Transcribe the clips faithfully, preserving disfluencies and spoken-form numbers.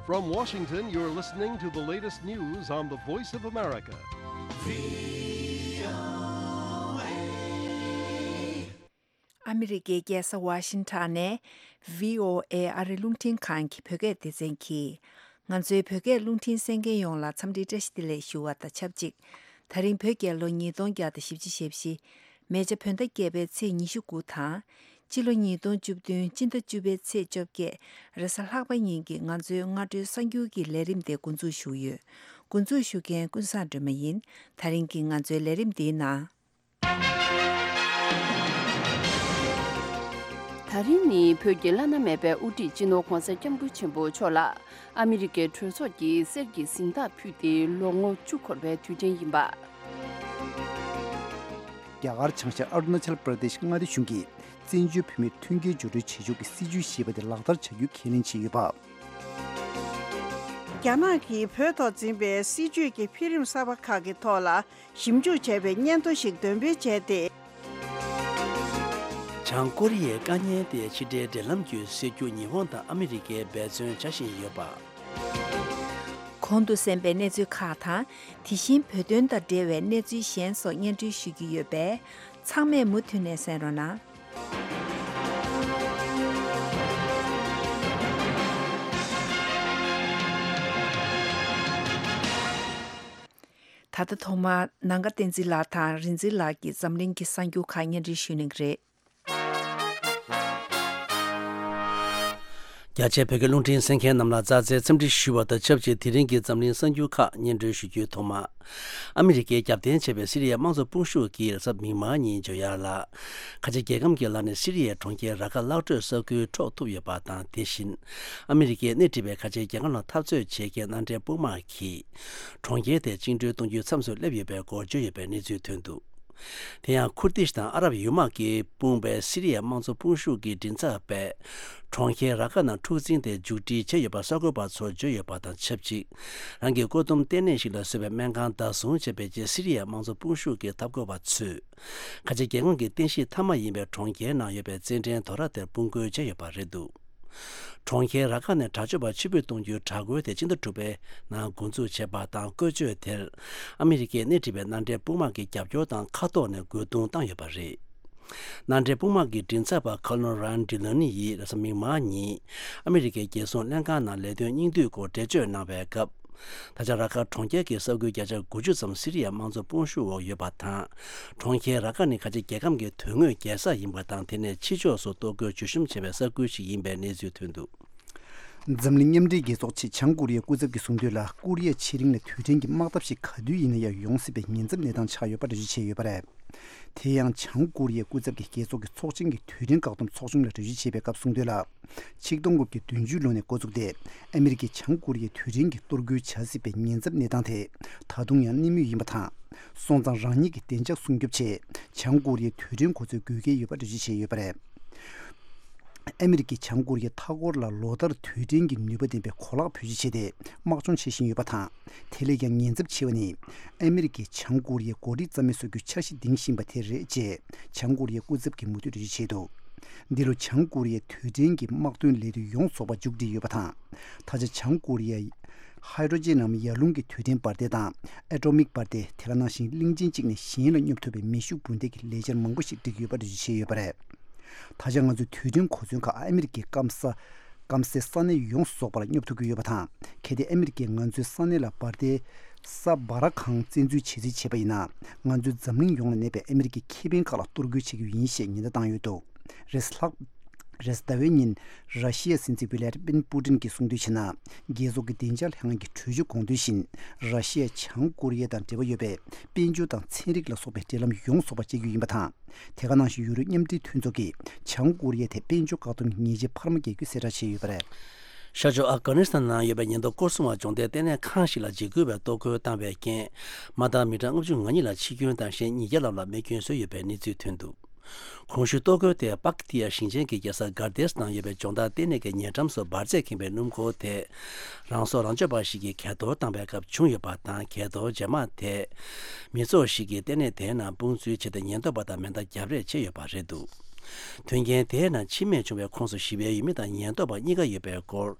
From Washington, you're listening to the latest news on the Voice of America. ཨ་མི་རི་ཀའི་རྒྱལ་ས་ཝ་ཤིང་ཊོན་ནས་བྷི་ཨོ་ཨེ་ཨ་རི་རླུང་འཕྲིན་ཁང་གི་བོད་སྐད་སྡེ་ཚན་གྱིས། ང་ཚོའི་བོད་སྐད་རླུང་འཕྲིན་གསན་མཁན་ཡོངས་ལ་འཚམས་འདྲིའི་བཀྲ་ཤིས་བདེ་ལེགས་ཞུ་བ་དང་ཆབས་ཅིག་ད་རིང་བོད་རྒྱལ་ལོ་ཉིས་སྟོང་བརྒྱ་དང་བཞི་བཅུ་ཞེ་བཞི། མེ་བྱ་བོད་ཟླ་བརྒྱད་པའི་ཚེས་ཉི་ཤུ་དགུ་དང་། སྤྱི་ལོ་ཉིས་སྟོང་བཅུ་བདུན་སྤྱི་ཟླ་བཅུ་པའི་ཚེས་བཅོ་བརྒྱད་རེས་གཟའ་ལྷག་པ་ཉིན་གྱི་ང་ཚོའི་སྔ་དྲོའི་གསར་འགྱུར་གྱི་ལས་རིམ་དེ་འགོ་འཛུགས་ཞུ་གི་ཡོད། འགོ་འཛུགས་ཞུ་མཁན་ཀུན་བཟང་སྒྲོལ་མ་ཡིན། ད་རིང་གི་ང་ཚོའི་ལས་རིམ་འདིའི་ནང་། ད་རིང་ནི་བོད་ཀྱི་བླ་ན་མེད་པའི་དབུ་ཁྲིད་སྤྱི་ནོར་༧གོང་ས་༧སྐྱབས་མགོན་ཆེན་པོ་མཆོག་ལ་ཨ་མི་རི་ཀའི་གྲོས་ཚོགས་ཀྱིས་གསེར་གྱི་གཟེངས་རྟགས་ཕུལ་ཏེ་ལོ་ངོ་བཅུ་འཁོར་བའི་དུས་དྲན་ཡིན་པ། རྒྱ་གར་བྱང་ཤར་ཨ་རུ་ན་ཅལ་པྲ་དེཤ་མངའ་སྡེ་གཞུང་གིས་བཙན་བྱོལ་བོད་མིར་མཐུན་རྐྱེན་སྦྱོར་སྤྲོད་བྱེད་ཕྱོགས་ཀྱི་སྲིད་ཇུས་ཞེས་པ་དེ་ལག་བསྟར་བྱ་རྒྱུ་ཁས་ལེན་བྱས་ཡོད་པ། རྒྱ་ནག་གིས་བོད་ཐོག་འཛིན་པའི་སྲིད་ཇུས་ཀྱི་འཕེལ་རིམ་གསར་པ་ཁག་གི་ཐོག་ལ་ཞིབ་འཇུག་བྱས་པའི་སྙན་ཐོ་ཞིག་འདོན་སྤེལ་བྱས་ཏེ། བྱང་ཀོ་རི་ཡའི་དཀའ་ངལ་དེ་ཕྱི་འབྲེལ་འབྲེལ་ལམ་བརྒྱུད་སེལ་རྒྱུ་ཉི་ཧོང་དང་ཨ་མི་རི་ཀས་འབད་བརྩོན་བྱ་བཞིན་ཡོད་པ། གོང་དུ་གསན་པའི་གནས་ཚུལ་ཁག་དང་། དེ་བཞིན་བོད་དོན་དང་འབྲེལ་བའི་གནས་ཚུལ་གཞན་སོགས་སྙན་སྒྲོན་ཞུ་རྒྱུ་ཡོད་པས། ཚང་མས་མུ་མཐུད་ནས་གསན་རོགས་གནང་། ད་ལྟ་ཐོག་མར་ནང་ཁ་བསྟན་འཛིན་ལགས་དང་རིག་འཛིན་ལགས་ཀྱིས་འཛམ་གླིང་གི་གསར་འགྱུར་ཁག་སྙན་སྒྲོན་ཞུ་གནང་གི་རེད། རྒྱ་ཆེའི་བོད་སྐད་རླུང་འཕྲིན་གསན་མཁན་རྣམས་ལ་ཙག་ཙིག་འཚམས་འདྲི་ཞུ་བ་དང་ཆབས་ཅིག་དེ་རིང་གི་འཛམ་གླིང་གསར་འགྱུར་ཁག་སྙན་སྒྲོན་ཞུ་རྒྱུའི་ཐོག་མ། ཨ་མི་རི་ཀས་རྒྱབ་རྟེན་བྱས་པའི་སི་རི་ཡའི་དམངས་གཙོ་དཔུང་ཤུགས་ཀྱིས་རེས་གཟའ་མིག་དམར་ཉིན་ཇོ་ཡར་ལ། ཁ་ཆེ་རྒྱལ་ཁམས་ཀྱི་ལམ་ནས་སི་རི་ཡའི་གྲོང་ཁྱེར་ར་ཀ་གླག་ཁྲོད་ས་ཁུལ་འཕྲོག་ཐུབ་ཡོད་པ་དང་། དེ་བཞིན་ཨ་མི་རི་ཀས་སྣེ་ཁྲིད་པའི་ཁ་ཆེ་རྒྱལ་ཁབ་ནང་འཐབ་རྩོད་བྱེད་མཁན་མནའ་འབྲེལ་དཔུང་དམག་གིས་གྲོང་ཁྱེར་དེ་བཅིངས་འགྲོལ་གཏོང་རྒྱུའི་མཚམས་སུ་སླེབས་ཡོད་པའི་སྐོར་བརྗོད་ཡོད་པའི་གནས་ཚུལ་ཐོན་འདུག་དེ་ཡང་ཁུར་དིཤ་དང་ཨ་རབ་ཡུལ་དམག་གིས་དཔུང་པའི་སི་རི་ཡའི་དམངས་གཙོ་དཔུང་ཤུགས་ཀྱི་མགྲིན་ཚབ་པས་གྲོང་ཁྱེར་ར་ཀ་ནང་འཁྲུག་འཛིང་དེ་མཇུག་སྒྲིལ་བྱས་ཡོད་པ་གསར་འགོད་པ་ཚོར་བརྗོད་ཡོད་པ་དང་ཆབས་ཅིག་རང་གི་བཀོད་འདོམས་ལྟེ་གནས་ཤིག་ལ་བཟོས་པའི་སྨན་ཁང་བདག་བཟུང་བྱས་པའི་རྗེས་སི་རི་ཡའི་དམངས་གཙོ་དཔུང་ཤུགས་ཀྱི་འཐབ་རྒོལ་བ་ཚོས་ཁ་ཆེ་རྒྱལ་ཁོངས་ཀྱི་རྟེན་གཞི་མཐའ་མ་ཡིན་པའི་གྲོང་ཁྱེར་ནང་ཡོད་པའི་རྩེད་འགྲན་དོ་ར་དེར་དཔུང་རྒོལ་བྱས་ཡོད་པ་རེད་འདུག་གྲོང་ཁྱེར་ར་ཀ་ནས་དྲག་སྤྱོད་པ་ཕྱིར་འབུད་གཏོང་རྒྱུའི་དྲག་རྒོལ་དེ་སྤྱི་ཟླ་དྲུག་པའི་ནང་འགོ་འཛུགས་བྱས་པ་དང་། བཀོལ་སྤྱོད་དེར་ཨ་མི་རི་ཀས་སྣེ་ཁྲིད་པའི་མནའ་འབྲེལ་དཔུང་དམག་གི་རྒྱབ་སྐྱོར་དང་མཁའ་ཐོག་ནས་རྒོལ་རྡུང་བཏང་ཡོད་པ་རེད། མནའ་འབྲེལ་དཔུང་དམག་གི་མགྲིན་ཚབ་པ་ཁོ་ལོན་རན་ཌི་ལོ་ནི་ཡིས་རེས་གཟའ་མིག་དམར་ཉིན་ཨ་མི་རི་ཀའི་རྒྱལ་སྲུང་ལྷན་ཁང་ནང་ལས་དོན་སྙིང་བསྡུས་སྐོར་འགྲེལ་བརྗོད་གནང་བའི་སྐབས། ད་ཆ་ར་ཀ་གྲོང་ཁྱེར་གྱི་ས་ཁུལ་བརྒྱ་ཆ་དགུ་བཅུ་ཙམ་སི་རི་ཡའི་དམངས་གཙོ་དཔུང་ཤུགས་འོག་ཡོད་པ་དང་། གྲོང་ཁྱེར་ར་ཀ་ནི་ཁ་ཆེ་རྒྱལ་ཁམས་ཀྱི་དོན་དངོས་རྒྱལ་ས་ཡིན་པ་དང་། དེ་ནས་ཕྱི་ཕྱོགས་སུ་གཏོར་རྒོལ་བརྗོད་གཤོམ་བྱེད་པའི་ས་ཁུལ་ཞིག་ཡིན་པའི་གནས་ཚུལ་ཐོན་འདུག་འཛམ་གླིང་མཉམ་འབྲེལ་རྒྱལ་ཚོགས་ཆེད་བྱང་ཀོ་རི་ཡའི་སྐུ་ཚབ་ཀྱིས་གསུངས་དོན་ལ། ཀོ་རི་ཡ་ཕྱེད་རིང་ལ་དུས་དྲན་གྱི་དམག་འཐབ་ཞིག་ག་དུས་ཡིན་ན་ཡང་ཡོང་སྲིད་པའི་ཉེན་ཚབས་གནས་སྟངས་ཆགས་ཡོད་པ་འགྲེལ་བརྗོད་བྱས་ཡོད་པ་རེད། དེ་ཡང་བྱང་ཀོ་རི་ཡའི་སྐུ་ཚབ་ཀྱིས་རྒྱལ་ཚོགས་ཀྱི་དུས་དྲན་བཀག་སྡོམ་ཚོགས་ཆུང་ལ་འགྲེལ་བརྗོད་བྱས་པའི་སྐབས་གསུངས་དོན་ལ། ཆིག་སྟོང་དགུ་བརྒྱ་བདུན་ཅུ་ལོ་ནས་འགོ་བཙུགས་ཏེ། ཨ་མི་རི་ཀས་བྱང་ཀོ་རི་ཡའི་དུས་དྲན་གྱི་གཏོར་རྒོལ་བྱ་སྲིད་པའི་ཉེན་ཚབས་གནས་སྟངས་དེ་ད་དུང་ཡང་གནས་མུས་ཡིན་པ་དང་། སོང་ཙང་རང་ཉིད་ཀྱི་བདེ་འཇགས་སྲུང་སྐྱོབ་ཆེད་བྱང་ཀོ་རི་ཡའི་དུས་དྲན་གོ་ཚོད་དགོས་གལ་ཡོད་པ་འགྲེལ་བརྗོད་བྱས་ཡོད་པ་རེད། ཨ་མི་རི་ཀས་བྱང་ཀོ་རི་ཡའི་མཐའ་འཁོར་ལ་ལོ་ལྟར་དུས་དྲན་གྱི་ནུས་པ་ལྡན་པའི་གོ་ལག་བེད་སྤྱོད་བྱས་ཏེ་དམག་སྦྱོང་བྱེད་བཞིན་ཡོད་པ་དང་། དེ་ལས་ཀྱང་ཉེན་ཚབས་ཆེ་བ་ནི། ཨ་མི་རི་ཀས་བྱང་ཀོ་རི་ཡའི་འགོ་ཁྲིད་རྩ་མེད་བཟོ་རྒྱུའི་འཆར་གཞི་འདིང་བཞིན་པ་དེ་རེད་ཅེས་བྱང་ཀོ་རི་ཡའི་སྐུ་ཚབ་ཀྱིས་མུ་མཐུད་འགྲེལ་བརྗོད་བྱས་འདུག་འདི་ལོ་བྱང་ཀོ་རི་ཡའི་དུས་དྲན་གྱི་དམག་དོན་ལས་དོན་ཡོངས་རྫོགས་པ་མཇུག་བསྒྲིལ་ཡོད་པ་དང་། ད་ཆ་བྱང་ཀོ་རི་ཡའི་ཧའི་ཌྲོ་ཇེན་ནམ་ཡར་ཀླུང་གི་དུས་དྲན་འབར་མདེལ་དང་ཨེ་ཊོ་མིག་འབར་མདེལ། དེ་ག་ནང་བཞིན་གླིང་ཆེན་གཅིག་ནས་གཞན་ལ་སྙོབ་ཐུབ་པའི་མེ་ཤུགས་འབུད་མདེལ་གྱི་ལས་འཆར་མང་པོ་ཞིག་བསྒྲིགས་ཡོད་པ་འགྲེལ་བརྗོད་བྱས་ཡོད་པ་རེད། ད་ཆ་ང་ཚོའི་དུས་དྲན་གོ་མཚོན་ཁག་ཨ་མི་རི་ཀའི་སྐམ་ས། སྐམ་སའི་ས་གནས་ཡོངས་རྫོགས་པར་སྙོབ་ཐུབ་ཀྱི་ཡོད་པ་དང་། གལ་ཏེ་ཨ་མི་རི་ཀས་ང་ཚོའི་ས་གནས་ལ་འབར་མདེལ་ས་འབར་གང་བཙན་འཛུལ་བྱེད་རྩིས་བྱས་པ་ཡིན་ན། ང་ཚོས་འཛམ་གླིང་ཡོངས་ལ་གནས་པའི་ཨ་མི་རི་ཀའི་ཁེ་ཕན་ཁག་ལ་གཏོར་རྒོལ་བྱེད་རྒྱུ་ཡིན་ཞེས་ཉེན་བརྡ་བཏང་ཡོད་འདུག་རེས་ལྷག་རེས་ཟླ་བའི་ཉིན། ར་ཤི་ཡའི་སྲིད་འཛིན་ཝི་ལེ་ཏི་མིན་པུ་ཏིན་གྱིས་གསུངས་དོན་བྱས་ན། རྒྱལ་ཚོགས་ཀྱི་བདེ་འཇགས་ལྷན་ཁང་གི་གྲོས་ཆོད་དགོངས་དོན་བཞིན། ར་ཤི་ཡ་བྱང་ཀོ་རི་ཡ་དང་འབྲེལ་བ་ཡོད་པའི་དཔལ་འབྱོར་དང་ཚན་རིག་ལ་སོགས་པའི་འབྲེལ་ལམ་ཡོངས་རྫོགས་པ་བཅད་རྒྱུ་ཡིན་པ་དང་། དེ་ག་ནང་བཞིན་ཡུ་རོབ་མཉམ་འབྲེལ་མཐུན་ཚོགས་ཀྱིས་བྱང་ཀོ་རི་ཡ་ཐད་དཔལ་འབྱོར་བཀག་སྡོམ་གྱི་ཉེས་ཆད་འཕར་མ་བརྒྱབ་རྒྱུ་གསལ་བསྒྲགས་བྱས་ཡོད་པ་རེད། ཤར་ཕྱོགས་ཨབ་གྷ་ནི་སི་ཐན་ནང་ཡོད་པའི་ཉེན་རྟོག་སྐོར་སྲུང་བ་སྦྱོང་བརྡར་ལྟེ་གནས་ཁང་ཞིག་ལ་འཇིགས་སྐུལ་བའི་གཏོར་རྒོལ་བཏང་བའི་རྐྱེན། མ་མཐའ་མི་གྲངས་ལྔ་བཅུ་ང་གཉིས་ལ་འཆི་སྐྱོན་དང་གཞན་ཉིས་བརྒྱ་ལྷག་ལ་རྨས་སྐྱོན་བཟོས་ཡོད་པའི་གནས་ཚུལ་ཐོན་འདུག་གོང་ཞུས་གཏོར་རྒོལ་དེ་པག་ཏི་ཡ་ཞིང་ཆེན་གྱི་རྒྱལ་ས་གར་ཏེས་ནང་ཡོད་པའི་སྦྱོང་བརྡར་ལྟེ་གནས་ཀྱི་ཉེ་འགྲམ་སུ་འབར་རྫས་ཁེངས་པའི་སྣུམ་འཁོར་དེ། རང་སྲོག་རང་གཅོད་པ་ཞིག་གིས་གས་གཏོར་བཏང་བའི་སྐབས་བྱུང་ཡོད་པ་དང་། གས་གཏོར་རྗེས་མ་དེ། མི་ཚོགས་ཤིག་གིས་ལྟེ་གནས་དེའི་ནང་དཔུང་འཛུལ་བྱས་ཏེ་ཉེན་རྟོག་པ་དང་མེ་མདའ་རྒྱབ་རེས་བྱས་ཡོད་པ་རེད་འདུག་དོན་རྐྱེན་དེའི་ནང་འཆི་རྨས་བྱུང་བའི་ཁོངས་སུ་ཞི་བའི་ཡུལ་མི་དང་ཉེན་རྟོག་པ་གཉིས་ཀ་ཡོད་པའི་སྐོར།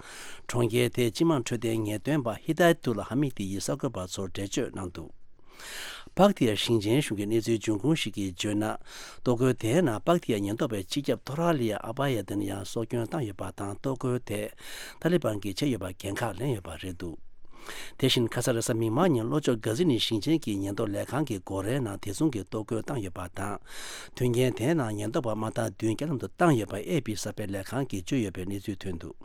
གྲོང་ཁྱེར་དེའི་སྤྱི་དམངས་འཕྲོད་བསྟེན་ངེས་སྟོན་པ་ཧི་དཱ་ཡ་ཏུ་ལ་ཧ་མི་དི་ཡིས་གསར་འགོད་པ་ཚོར་འགྲེལ་བརྗོད་གནང་འདུག་པག་ཏི་ཡ་ཞིང་ཆེན་གཞུང་གི་གནས་ཚུལ་འབྱུང་ཁུངས་ཤིག་གིས་བརྗོད་ན། གཏོར་རྒོལ་དེའི་ནང་པག་ཏི་ཡ་ཉེན་རྟོག་པའི་སྤྱི་ཁྱབ་ཐོ་ར་ལི་ཡ་ཨ་པ་ཡ་ཏན་ཡང་སྲོག་སྐྱོན་བཏང་ཡོད་པ་དང་། གཏོར་རྒོལ་དེ་ཏཱ་ལི་བན་གྱིས་བྱས་ཡོད་པར་འགན་ཁག་ལེན་ཡོད་པ་རེད་འདུག་དེ་བཞིན་ཁ་ས་རེས་གཟའ་མིག་དམར་ཉིན་ལྷོ་ཕྱོགས་གྷ་ཛི་ནི་ཞིང་ཆེན་གྱི་ཉེན་རྟོག་ལས་ཁང་གི་སྒོ་རའི་ནང་དེ་མཚུངས་ཀྱི་གཏོར་རྒོལ་བཏང་ཡོད་པ་དང་། དོན་རྐྱེན་དེའི་ནང་ཉེན་རྟོག་པ་དམག་སྟངས་བདུན་རྐྱེན་ལམ་དུ་བཏང་ཡོད་པ་ཨེ་པི་གསར་སྤེལ་ལས་ཁང་གིས་བརྗོད་ཡོད་པའི་གནས་ཚུལ་ཐོན་འདུག་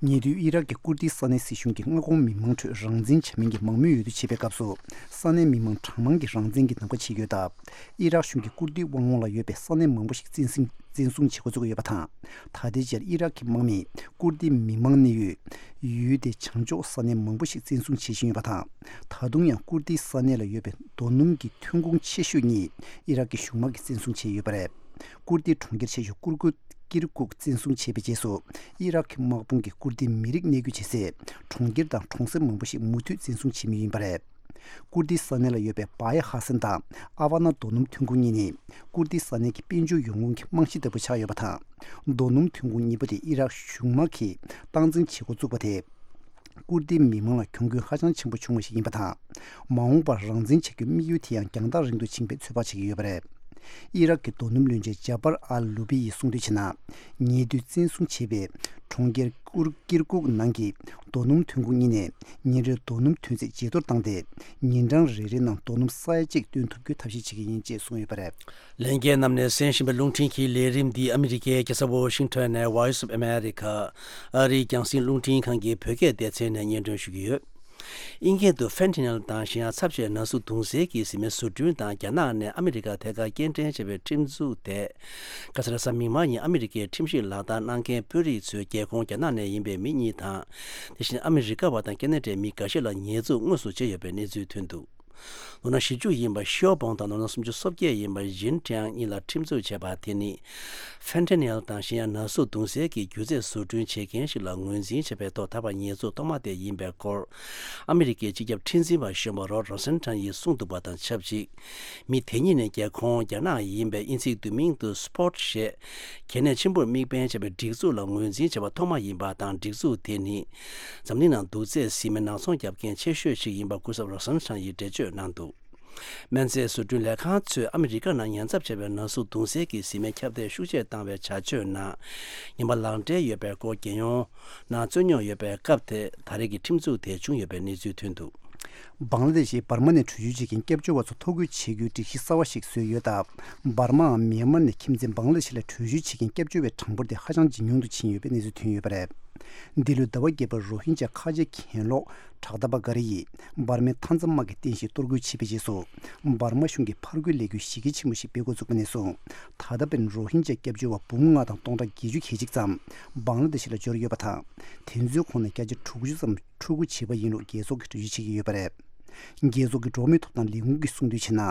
ཉེ་དུས་ཨི་རག་གི་ཀུར་ཏི་ས་གནས་སྲིད་གཞུང་གིས་མངའ་ཁོངས་མི་མང་ཁྲོད་རང་བཙན་བྱ་མིན་གྱི་མང་མོས་འོས་བསྡུ་བྱེད་པའི་སྐབས་སུ། ས་གནས་མི་མང་གྲངས་མང་གིས་རང་བཙན་གྱི་གདམ་ག་བྱེད་ཀྱི་ཡོད་སྟབས། ཨི་རག་གཞུང་གིས་ཀུར་ཏི་དབང་ལུང་ལ་ཡོད་པའི་ས་གནས་མང་པོ་ཞིག་བཙན་བཟུང་བཙན་བཟུང་བྱེད་འགོ་བཙུགས་ཡོད་པ་དང་། ད་ལྟའི་ཆར་ཨི་རག་གི་དམག་མིས་ཀུར་ཏི་མི་མང་གནས་ཡུལ་ཡུལ་དེའི་བྱང་ཕྱོགས་ས་གནས་མང་པོ་ཞིག་བཙན་བཟུང་བྱེད་བཞིན་ཡོད་པ་དང་། ད་དུང་ཡང་ཀུར་ཏི་ས་གནས་ལ་ཡོད་པའི་རྡོ་སྣུམ་གྱི་ཐོན་ཁུངས་ཆེ་ཤོས་གཉིས་ཨི་རག་གི་གཞུང་དམག་གིས་བཙན་བཟུང་བྱས་ཡོད་པ་རེད། ཀུར་ཏིའི་གྲོང་ཁྱེར་ཆེ་ཤོས་ཀུར་ཀུ་ཀིར་ཀུག་བཙན་བཟུང་བྱས་པའི་རྗེས་སུ། ཨི་རག་གི་དམག་དཔུང་གིས་ཀུར་ཏིའི་མི་རིགས་གནས་རྒྱུ་བྱེད་སའི་གྲོང་ཁྱེར་དང་གྲོང་གསེབ་མང་པོ་ཞིག་མུ་མཐུད་བཙན་བཟུང་བྱེད་མུས་ཡིན་པ་རེད། ཀུར་ཏི་ས་གནས་ལ་ཡོད་པའི་བ་ཡ་ཧ་སན་དང་ཨ་ཝ་ན་རྡོ་སྣུམ་ཐོན་ཁུངས་གཉིས་ནི། ཀུར་ཏི་ས་གནས་ཀྱི་དཔལ་འབྱོར་ཡོང་ཁུངས་ཀྱི་རྨང་གཞི་ལྟ་བུ་ཆགས་ཡོད་པ་དང་། རྡོ་སྣུམ་ཐོན་ཁུངས་གཉིས་པོ་དེ་ཨི་རག་གཞུང་དམག་གིས་སྟངས་འཛིན་བྱེད་འགོ་བཙུགས་པ་དེས། ཀུར་ཏིའི་མི་མང་ལ་གྱོང་གུན་ཧ་ཅང་ཆེན་པོ་བྱུང་བ་ཞིག་ཡིན་པ་དང་། མ་འོངས་པར་རང་བཙན་བྱ་རྒྱུའི་དམིགས་ཡུལ་དེ་ཡང་རྒྱང་ཐག་རིང་དུ་ཕྱིན་པའི་ཚོད་དཔག་བྱེད་ཀྱི་ཡོད་པ་རེད། ཨི་རག་གི་རྡོ་སྣུམ་བློན་ཆེན་ཇཱ་པར་ཨལ་ལུ་བི་ཡིས་གསུངས་དོན་བྱས་ན། ཉེ་དུས་བཙན་བཟུང་བྱས་པའི་གྲོང་ཁྱེར་ཀུར་ཀིར་ཀུག་ནང་གི་རྡོ་སྣུམ་ཐོན་ཁུངས་གཉིས་ནས་ཉིན་རེར་རྡོ་སྣུམ་ཐོན་ཚད་ཇེ་མཐོར་བཏང་སྟེ། ཉིན་གྲངས་རེ་རེའི་ནང་རྡོ་སྣུམ་ས་ཡ་གཅིག་བཏོན་ཐུབ་རྒྱུའི་ཐབས་ཤེས་བྱེད་ཀྱི་ཡིན་ཅེས་གསུངས་ཡོད་པ་རེད། ལྷན་རྒྱས་རྣམས་ནས་གསན་བཞིན་པའི་རླུང་འཕྲིན་གྱི་ལས་རིམ་འདི་ཨ་མི་རི་ཀའི་རྒྱལ་ས་ཝོ་ཤིང་ཊོན་ནས་Voice of America ཨ་རིའི་རྒྱང་སྲིང་རླུང་འཕྲིན་ཁང་གི་བོད་སྐད་སྡེ་ཚན་ནས་སྙན་སྒྲོན་ཞུ་གི་ཡོད། དབྱིན་སྐད་དུ་ཕེན་ཐི་ནིལ་དང་གཞན་ཡང་ཚབས་ཆེའི་ན་ཟུག་བརྡུང་སའི་གི་བཟི་སྨན་བཟོ་སྐྲུན་དང་རྒྱ་ནག་ནས་ཨ་མི་རི་ཀ་ཐད་ཀར་སྐྱེལ་འདྲེན་བྱས་པའི་ཁྲིམས་འཛུགས་དེ། ཁ་ས་རེས་གཟའ་མིག་དམར་ཉིན་ཨ་མི་རི་ཀའི་ཁྲིམས་ཞིབ་ལག་བསྟར་གནང་མཁན་དཔོན་རིགས་ཚོའི་རྒྱལ་ཁོངས་རྒྱ་ནག་ནས་ཡིན་པའི་མི་གཉིས་དང་། དེ་བཞིན་ཨ་མི་རི་ཀ་བ་དང་ཁེ་ན་ཌའི་མི་འགའ་ཤས་ལ་ཉེས་འཛུགས་དངོས་སུ་བྱས་ཡོད་པའི་གནས་ཚུལ་ཐོན་འདུག་ལོ་ན་བཞི་བཅུ་ཡིན་པ་ཤིའོ་པོང་དང་ལོ་ན་སུམ་ཅུ་སོ་བརྒྱད་ཡིན་པ་ཞིན་ཀྲང་གཉིས་ལ་ཁྲིམས་འཛུགས་བྱས་པ་དེ་ནི། ཕེན་ཐི་ནིལ་དང་གཞན་ཡང་ན་ཟུག་བརྡུང་སའི་གི་རྒྱུ་རྫས་བཟོ་སྐྲུན་བྱེད་མཁན་ཞིག་ལ་ངོས་འཛིན་བྱས་པའི་ཐོག་ད་བར་ཉེས་འཛུགས་ཐོག་མ་དེ་ཡིན་པའི་སྐོར། ཨ་མི་རི་ཀའི་སྤྱི་ཁྱབ་ཁྲིམས་འཛིན་པ་གཞོན་པ་རོ་རོ་སན་ཁྲང་ཡིས་གསུངས་འདུག་པ་དང་ཆབས་ཅིག་མི་དེ་གཉིས་ནི་རྒྱལ་ཁོངས་རྒྱ་ནག་ཡིན་པའི་དབྱིན་ཚིག་བསྡུས་མིང་དུ་སྤོར་ཞེས། གལ་གནད་ཆེན་པོར་དམིགས་འབེན་བྱས་པའི་སྒྲིག་འཛུགས་ལ་ངོས་འཛིན་བྱས་པ་ཐོག་མ་ཡིན་པ་དང་། སྒྲིག་འཛུགས་དེ་ནི། འཛམ་གླིང་ནང་དུག་རྫས་བཟི་སྨན་ནག་ཚོང་རྒྱག་མཁན་ཆེ་ཤོས་ཤིག་ཡིན་པ་སྐུ་ཚབ་རོ་སན་ཁྲང་ཡིས་འགྲེལ་བརྗོད་གནང་འདུག་སྨན་རྫས་བཟོ་སྐྲུན་ལས་ཁང་ཚོས་ཨ་མི་རི་ཀ་ནང་ཉེན་ཚབས་ཆེ་བའི་ན་ཟུག་བརྡུང་སའི་གི་བཟི་སྨན་ཁྱབ་གདལ་ཤུགས་ཆེ་བཏང་བའི་བྱ་སྤྱོད་ནང་ངན་པ་ལག་འབྲེལ་ཡོད་པའི་སྐོར་རྒྱལ་ཡོངས་ནང་རྩོད་རྙོག་ཡོད་པའི་སྐབས་དེ་ད་རེས་ཀྱི་ཁྲིམས་འཛུགས་དེ་བྱུང་ཡོད་པའི་གནས་ཚུལ་ཐོན་འདུག་བང་ལ་དེ་ཤི་འབར་མ་ནས་བྲོས་བྱོལ་བྱེད་མཁན་སྐྱབས་བཅོལ་བ་ཚོ་ཐོ་འགོད་བྱེད་རྒྱུའི་སྒྲིག་གཞི་གསར་བ་ཞིག་བཟོས་ཡོད་སྟབས། འབར་མའམ་མེན་མར་ནས་ཁྱིམ་མཚེས་བང་ལ་དེ་ཤི་ལ་བྲོས་བྱོལ་བྱེད་མཁན་སྐྱབས་བཅོལ་བའི་གྲངས་འབོར་དེ་ཧ་ཅང་ཇེ་ཉུང་དུ་ཕྱིན་ཡོད་པའི་གནས་ཚུལ་ཐོན་ཡོད་པ་རེད། འདི་ལོའི་ཟླ་བ་བརྒྱད་པར་རོ་ཧིན་ཇཱ་ཁ་ཆེ་གྱེན་ལོག་དྲག་མཐའ་པ་འགའ་རེ་ཡིས་འབར་མའི་མཐའ་མཚམས་དམག་གི་རྟེན་གཞིར་གཏོར་རྒོལ་བྱས་པའི་རྗེས་སུ། འབར་མ་གཞུང་གིས་ཕར་རྒོལ་ལས་འགུལ་གཞི་རྒྱ་ཆེན་པོ་ཞིག་སྤེལ་འགོ་བཙུགས་པ་ནས་བཟུང་། ད་ལྟ་བར་རོ་ཧིན་ཇཱ་སྐྱབས་བཅོལ་བ་འབུམ་ལྔ་དང་སྟོང་ཕྲག་བརྒྱད་ཅུ་གྱ་གཅིག་ཙམ་བང་ལ་དེ་ཤི་ལ་འབྱོར་ཡོད་པ་དང་། དེ་ཚོའི་ཁོངས་ནས་བརྒྱ་ཆ་དྲུག་ཅུ་ཙམ་འཕྲུལ་སྒུག་བྱས་པ་ཡིན་ལུགས་རྒྱལ་ཚོགས་ཀྱིས་འགྲེལ་བརྗོད་བྱེད་ཀྱི་ཡོད་པ་རེད། རྒྱལ་ཚོགས་ཀྱི་འགྲོ་བ་མིའི་ཐོབ་ཐང་ལས་ཁུངས་ཀྱིས་གསུངས་དོན་བྱས་ན།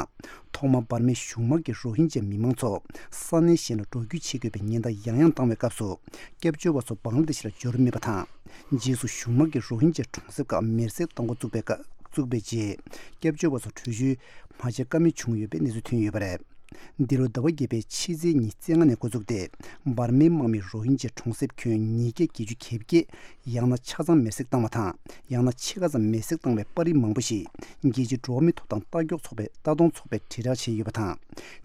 ཐོག་མར་འབར་མའི་གཞུང་དམག་གིས་རོ་ཧིན་ཇཱ་མི་མང་ཚོ་ས་གནས་གཞན་ལ་འགྲོ་སྐྱོད་བྱེད་དགོས་པའི་ཉེན་བརྡ་ཡང་ཡང་བཏང་བའི་སྐབས་སུ། སྐྱབས་བཅོལ་བ་ཚོ་བང་ལ་དེ་ཤི་ལ་འབྱོར་མེད་པ་དང་། རྗེས་སུ་གཞུང་དམག་གིས་རོ་ཧིན་ཇཱ་གྲོང་གསེབ་ཁག་མེར་སྲེག་གཏོང་འགོ་བཙུགས་པའི་སྐབས་བཙུགས་པའི་རྗེས། སྐྱབས་བཅོལ་བ་ཚོ་བྲོས་བྱོལ་མ་བྱེད་ཀ་མེད་བྱུང་ཡོད་པའི་གནས་ཚུལ་ཐོན་ཡོད་པ་རེད། འདི་ལོ་ཟླ་བ་བརྒྱད་པའི་ཕྱི་ཚེས་ཉི་ཤུ་རྩ་ལྔ་ནས་འགོ་བཙུགས་ཏེ། འབར་མའི་དམག་མིས་རོ་ཧིན་ཇཱ་གྲོང་གསེབ་ཁྱོན་ཉིས་བརྒྱ་བརྒྱད་ཅུ་གྱ་བརྒྱད། ཡང་ན་ཆ་ཚང་མེར་སྲེག་བཏང་བ་དང་། ཡང་ན་ཕྱེད་ཀ་ཙམ་མེར་སྲེག་བཏང་བའི་པར་རིས་མང་པོ་ཞིག་རྒྱལ་སྤྱིའི་འགྲོ་བ་མིའི་ཐོབ་ཐང་ལྟ་སྐྱོང་ཚོགས་པས་ལྟ་སྟངས་ཚོགས་པས་དྲིལ་བསྒྲགས་བྱས་ཡོད་པ་དང་།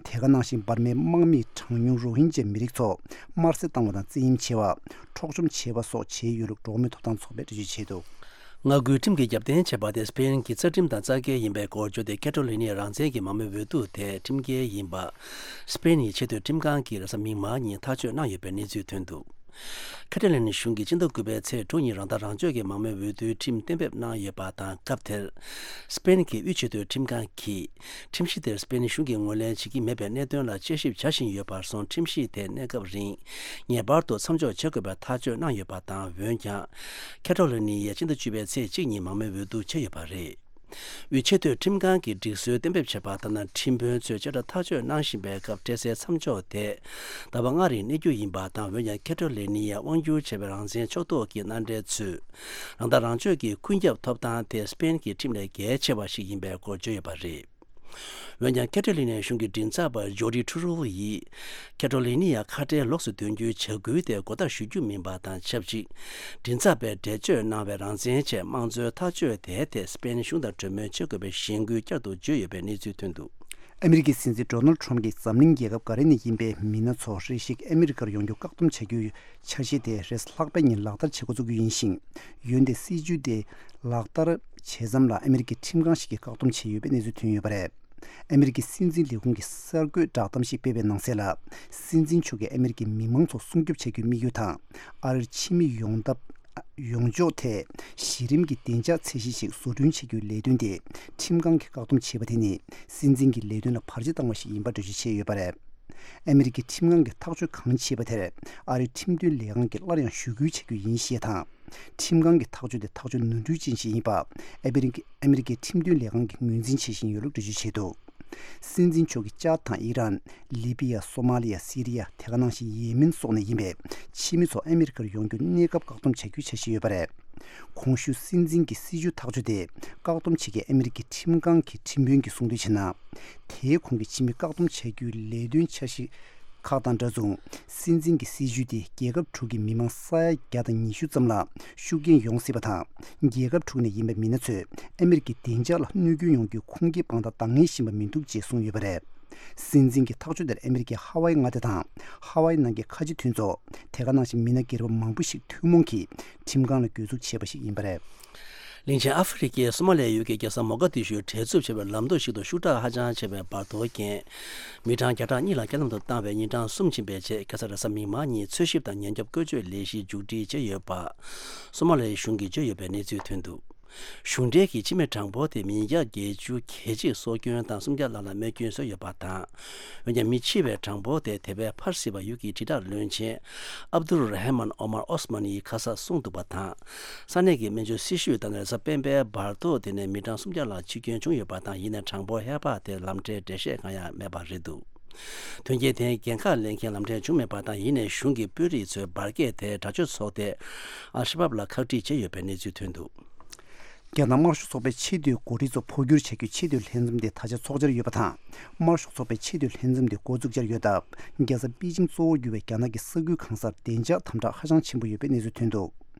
དེ་ག་ནང་བཞིན་འབར་མའི་དམག་མིས་གྲངས་ཉུང་རོ་ཧིན་ཇཱ་མི་རིགས་ཚོ་དམར་གསོད་བཏང་བ་དང་། བཙན་གཡེམ་བྱས་པ། འཕྲོག་བཅོམ་བྱས་པ་སོགས་བྱས་ཡོད་ལུགས་འགྲོ་བ་མིའི་ཐོབ་ཐང་ཚོགས་པས་འགྲེལ་བརྗོད་བྱས་འདུག་མངའ་ཁུལ་ཁྲིམས་ཀྱིས་རྒྱབ་རྟེན་བྱས་པ་དེ་སྤེན་གྱི་རྩ་ཁྲིམས་དང་རྩ་འགལ་ཡིན་པའི་སྐོར་བརྗོད་དེ་ཁེ་ཏྲོ་ལི་ནི་རང་བཙན་གྱི་མང་མོས་འོས་བསྡུ་དེ་ཁྲིམས་འགལ་ཡིན་པ། སྤེན་ཡི་ཆེས་མཐོའི་ཁྲིམས་ཁང་གིས་རེས་གཟའ་མིག་དམར་ཉིན་ཐག་གཅོད་གནང་ཡོད་པའི་གནས་ཚུལ་ཐོན་འདུག་ཁེ་ཏྲོ་ལི་ནི་གཞུང་གིས་སྤྱི་ཟླ་དགུ་པའི་ཚེས་དྲུག་ཉིན་རང་ཐག་རང་གཅོད་ཀྱི་མང་མོས་འོས་བསྡུའི་ཁྲིམས་གཏན་འབེབས་གནང་ཡོད་པ་དང་། སྐབས་དེར། སྤེན་གྱི་དབུས་ཆེས་མཐོའི་ཁྲིམས་ཁང་གིས། ཁྲིམས་གཞི་དེར་སྤེན་གཞུང་གིས་ངོས་ལེན་བྱེད་ཀྱི་མེད་པའི་གནད་དོན་ལ་དཔྱད་ཞིབ་བྱ་བཞིན་ཡོད་པར་སོང་། ཁྲིམས་གཞི་དེ་གནས་སྐབས་རིང་ངེས་པར་དུ་མཚམས་འཇོག་བྱེད་དགོས་པའི་ཐག་གཅོད་གནང་ཡོད་པ་དང་། འོན་ཀྱང་། ཁེ་ཏྲོ་ལི་ནི་ཡས་སྤྱི་ཟླ་བཅུ་པའི་ཚེས་གཅིག་ཉིན་མང་མོས་འོས་བསྡུ་བྱས་ཡོད་པ་རེད། དབུས་ཆེས་མཐོའི་ཁྲིམས་ཁང་གིས་སྒྲིག་སྲོལ་གཏན་འབེབས་བྱས་པ་ལྟར་ན། ཁྲིམས་དཔོན་ཚོས་བཅད་ཁྲ་ཐག་གཅོད་གནང་བཞིན་པའི་སྐབས། སྤྲད་སའི་མཚམས་འཇོག་དེ་ཟླ་བ་ལྔ་རིང་གནས་རྒྱུ་ཡིན་པ་དང་། འོན་ཀྱང་ཁེ་ཏྲོ་ལི་ནི་ཡས་དབང་སྒྱུར་བྱས་པའི་རང་བཙན་ཕྱོགས་གཏོགས་ཀྱི་མནའ་འབྲེལ་ཚོས། རང་ཐག་རང་གཅོད་ཀྱི་ཀུན་ཁྱབ་ཐོབ་ཐང་དེ་སྤེན་གྱི་ཁྲིམས་ལས་གལ་ཆེ་བ་ཞིག་ཡིན་པའི་སྐོར་བརྗོད་ཡོད་པ་རེད། འོན་ཀྱང་ཁེ་ཏྲོ་ལི་ནི་གཞུང་གི་མགྲིན་ཚབ་པ་ཇོ་ཌི་ཁྲུ་རོ་ཡིས་ཁེ་ཏྲོ་ལི་ནི་ཡ་ཁ་བྲལ་ལོགས་སུ་འདོན་རྒྱུའི་བྱ་འགུལ་དེ་མགོ་བཏགས་ཞུ་རྒྱུ་མིན་པ་དང་ཆབས་ཅིག་མགྲིན་ཚབ་པས་འགྲེལ་བརྗོད་གནང་བའི་རང་བཙན་ཆེད་དམངས་གཙོའི་ཐག་གཅོད་དེའི་ཐད་སི་པེན་གཞུང་དང་གྲོས་མོལ་བྱེད་དགོས་པའི་གཞེན་སྐུལ་བསྐྱར་དུ་བརྗོད་ཡོད་པའི་གནས་ཚུལ་ཐོན་འདུག་ཨ་མི་རི་ཀའི་སྲིད་འཛིན་ཌོ་ནལ་ཌི་ཊརམ་ཕི་གྱིས་འཛམ་གླིང་རྒྱལ་ཁབ་ག་རེ་ནས་ཡིན་པའི་མི་སྣ་ཚོ་རེ་ཞིག་ཨ་མི་རི་ཀར་ཡོང་རྒྱུ་བཀག་སྡོམ་བྱ་རྒྱུའི་འཆར་གཞི་དེ་རེས་ལྷག་པའི་ཉིན་ལག་བསྟར་བྱེད་འགོ་བཙུགས་རྒྱུ་ཡིན་ཞིང་། འོན་ཏེ་སྲིད་ཇུས་དེ་ལག་བསྟར་བྱེད་མཚམས་ལ་ཨ་མི་རི་ཀའི་ཁྲིམས་ཁང་ཞིག་གིས་བཀག་སྡོམ་བྱས་ཡོད་པའི་གནས་ཚུལ་ཐོན་ཡོད་པ་རེད། ཨ་མི་རི་ཀའི་སྲིད་འཛིན་ལས་ཁུངས་ཀྱི་གསར་འགོད་བསྒྲགས་གཏམ་ཞིག་སྤེལ་བའི་ནང་གསལ་ལ། སྲིད་འཛིན་མཆོག་གིས་ཨ་མི་རི་ཀའི་མི་མང་ཚོ་སྲུང་སྐྱོབ་བྱ་རྒྱུའི་དམིགས་ཡུལ་དང་། ཨ་རིར་ཕྱི་མི་ཡོང་ཐབས། ཡོང་ཕྱོགས་ཐད་གཞི་རིམ་གྱི་བདེ་འཇགས་ཚད་གཞི་ཞིག་བཟོ་སྐྲུན་བྱེད་རྒྱུའི་ལས་དོན་དེ་ཁྲིམས་ཁང་གིས་བཀག་སྡོམ་བྱས་པ་དེ་ནི་སྲིད་འཛིན་གྱི་ལས་དོན་ལ་བར་ཆད་བཏང་བ་ཞིག་ཡིན་པར་འགྲེལ་བརྗོད་བྱས་ཡོད་པ་རེད། ཨ་མི་རི་ཀའི་ཁྲིམས་ཁང་གིས་ཐག་གཅོད་གང་བྱས་པ་དེར་ཨ་རིའི་ཁྲིམས་དོན་ལས་ཁང་གིས་སླར་ཡང་ཞུ་སྐུལ་བྱ་རྒྱུ་ཡིན་ཞེས་དང་། ཁྲིམས་ཁང་གི་ཐག་གཅོད་དེ་ཐག་གཅོད་ནོར་འཁྲུལ་ཅན་ཞིག་ཡིན་པ་ཨ་མི་རི་ཀའི་ཁྲིམས་དོན་ལས་ཁང་གིས་ངོས་འཛིན་བྱེད་བཞིན་ཡོད་ལུགས་འགྲེལ་བརྗོད་བྱས་འདུག་སྲིད་འཛིན་མཆོག་གིས་ཅཱད་དང་ཨི་རན། ལི་པི་ཡ། སོ་མ་ལི་ཡ། སི་རི་ཡ། དེ་ག་ནང་བཞིན་ཡེ་མེན་སོགས་ནས་ཡིན་པའི་ཕྱི་མི་ཚོ་ཨ་མི་རི་ཀར་ཡོང་རྒྱུ་གནས་སྐབས་བཀག་སྡོམ་བྱ་རྒྱུའི་འཆར་གཞི་ཡོད་པ་རེད། གོང་ཞུས་སྲིད་འཛིན་གྱི་སྲིད་ཇུས་ཐག་གཅོད་དེ་བཀག་སྡོམ་བྱེད་མཁན་ཨ་མི་རི་ཀའི་ཁྲིམས་ཁང་གི་ཁྲིམས་དཔོན་གྱིས་གསུངས་དོན་བྱས་ན། དེའི་གོང་གི་ཕྱི་མི་བཀག་སྡོམ་བྱ་རྒྱུའི་ལས་དོན་འཆར་གཞི་ཁག་དང་འདྲ་མཚུངས། སྲིད་འཛིན་གྱི་སྲིད་ཇུས་དེ་རྒྱལ་ཁབ་དྲུག་གི་མི་མང་ས་ཡ་བརྒྱ་དང་ཉི་ཤུ་ཙམ་ལ་ཤུགས་རྐྱེན་ཡོང་སྲིད་པ་དང་། རྒྱལ་ཁབ་དྲུག་ནས་ཡིན་པའི་མི་སྣ་ཚོས་ཨ་མི་རི་ཀའི་བདེ་འཇགས་ལ་གནོད་སྐྱོན་ཡོང་རྒྱུའི་ཁུངས་སྐྱེལ་དཔང་རྟགས་འདང་ངེས་བཞིན་པ་མི་འདུག་ཅེས་གསུངས་ཡོད་པ་རེད། སྲིད་འཛིན་གྱི་ཐག་གཅོད་དེར་ཨ་མི་རི་ཀའི་ཧ་ཝའི་མངའ་སྡེ་དང་ཧ་ཝའི་ནང་གི་ཁ་ཆེ་མཐུན་ཚོགས། དེ་ག་ནང་བཞིན་མི་སྣ་སྒེར་པ་མང་པོ་ཞིག་ཐུན་མོང་གིས་ཁྲིམས་ཁང་ལ་གྱོད་འཛུགས་བྱས་པ་ཞིག་ཡིན་པ་རེད། གླིང་ཆེན་ཨ་ཧྥེ་རི་ཁའི་སོ་མ་ལི་ཡ་ཡུལ་གྱི་རྒྱལ་ས་མོ་ག་དི་ཤུར་བྲེལ་འཚུབ་ཆེ་བའི་ལམ་མདོ་ཞིག་ཏུ་ཤུགས་དྲག་ཧ་ཅང་ཆེ་བའི་བར་དོ་རྐྱེན། མི་གྲངས་བརྒྱ་ཕྲག་གཉིས་ལ་རྐྱེན་ལམ་དུ་བཏང་བས་ཉིན་གྲངས་གསུམ་ཕྱིན་པའི་རྗེས་ཁ་སང་རེས་གཟའ་མིག་དམར་ཉིན་འཚོལ་ཞིབ་དང་ཉེན་སྐྱོབ་བཀོལ་སྤྱོད་ལས་གཞི་མཇུག་སྒྲིལ་བྱས་ཡོད་པ། སོ་མ་ལི་ཡ་གཞུང་གིས་བརྗོད་ཡོད་པའི་གནས་ཚུལ་ཐོན་འདུག་གཞུང་འབྲེལ་གྱི་སྤྱི་མི་གྲངས་འབོར་དེ་མི་བརྒྱ་བརྒྱད་ཅུ་གྱ་གཅིག་སྲོག་སྐྱོན་དང་སུམ་བརྒྱ་ལྷག་ལ་རྨས་སྐྱོན་བཟོས་ཡོད་པ་དང་། འོན་ཀྱང་མི་འཆི་བའི་གྲངས་འབོར་དེ་དེ་བས་འཕར་སྲིད་པ་ཡུལ་གྱི་དྲིལ་བསྒྲགས་བློན་ཆེན་ཨབ་དུར་ར་ཧ་མན་ཨོ་མར་ཨོ་སི་མན་ཡིས་ཁ་ས་གསུངས་འདུག་པ་དང་། ས་གནས་ཀྱི་སྨན་བཅོས་སྲི་ཞུས་ལྟར་ན་རེས་གཟའ་སྤེན་པའི་བར་དོ་དེ་ནས་མི་གྲངས་སུམ་བརྒྱ་ལྷག་འཆི་སྐྱོན་བྱུང་ཡོད་པ་དང་། ཡིན་ནའི་གྲངས་འབོར་ཧེ་བག་དེར་ལམ་ཁྲལ་འགྲེལ་བཤད་གང་ཡང་མེད་པ་རེད་འདུག་དོན་རྐྱེན་དེའི་འགན་ཁག་ལེན་མཁན་ལམ་ཁྲལ་བྱུང་མེད་པ་དང་། ཡིན་ནའི་གཞུང་གི་དཔོན་རིགས་ཚོས་འབར་གས་དེ་དྲག་སྤྱོད་ཚོགས་སྡེ་ཨལ་ཤ་བབ་ལ་ཁག་དཀྲིས་བྱས་ཡོད་པའི་གནས་ཚུལ་ཐོན་འདུག་རྒྱ་ནག་དམར་ཤོག་ཚོགས་པའི་ཆེས་མཐོའི་འགོ་ཁྲིད་ཚོ་འཕོ་འགྱུར་བྱ་རྒྱུའི་ཆེས་མཐོའི་ལྷན་འཛོམས་དེ་ད་ཆ་འཚོགས་འཆར་ཡོད་པ་དང་། དམར་ཤོག་ཚོགས་པའི་ཆེས་མཐོའི་ལྷན་འཛོམས་དེ་འགོ་འཛུགས་འཆར་ཡོད་སྟབས། རྒྱལ་ས་པེ་ཅིང་གཙོ་བོར་གྱུར་བའི་རྒྱ་ནག་གི་ས་ཁུལ་གང་སར་བདེ་འཇགས་དམ་དྲག་ཧ་ཅང་ཆེན་པོ་ཡོད་པའི་གནས་ཚུལ་ཐོན་འདུག་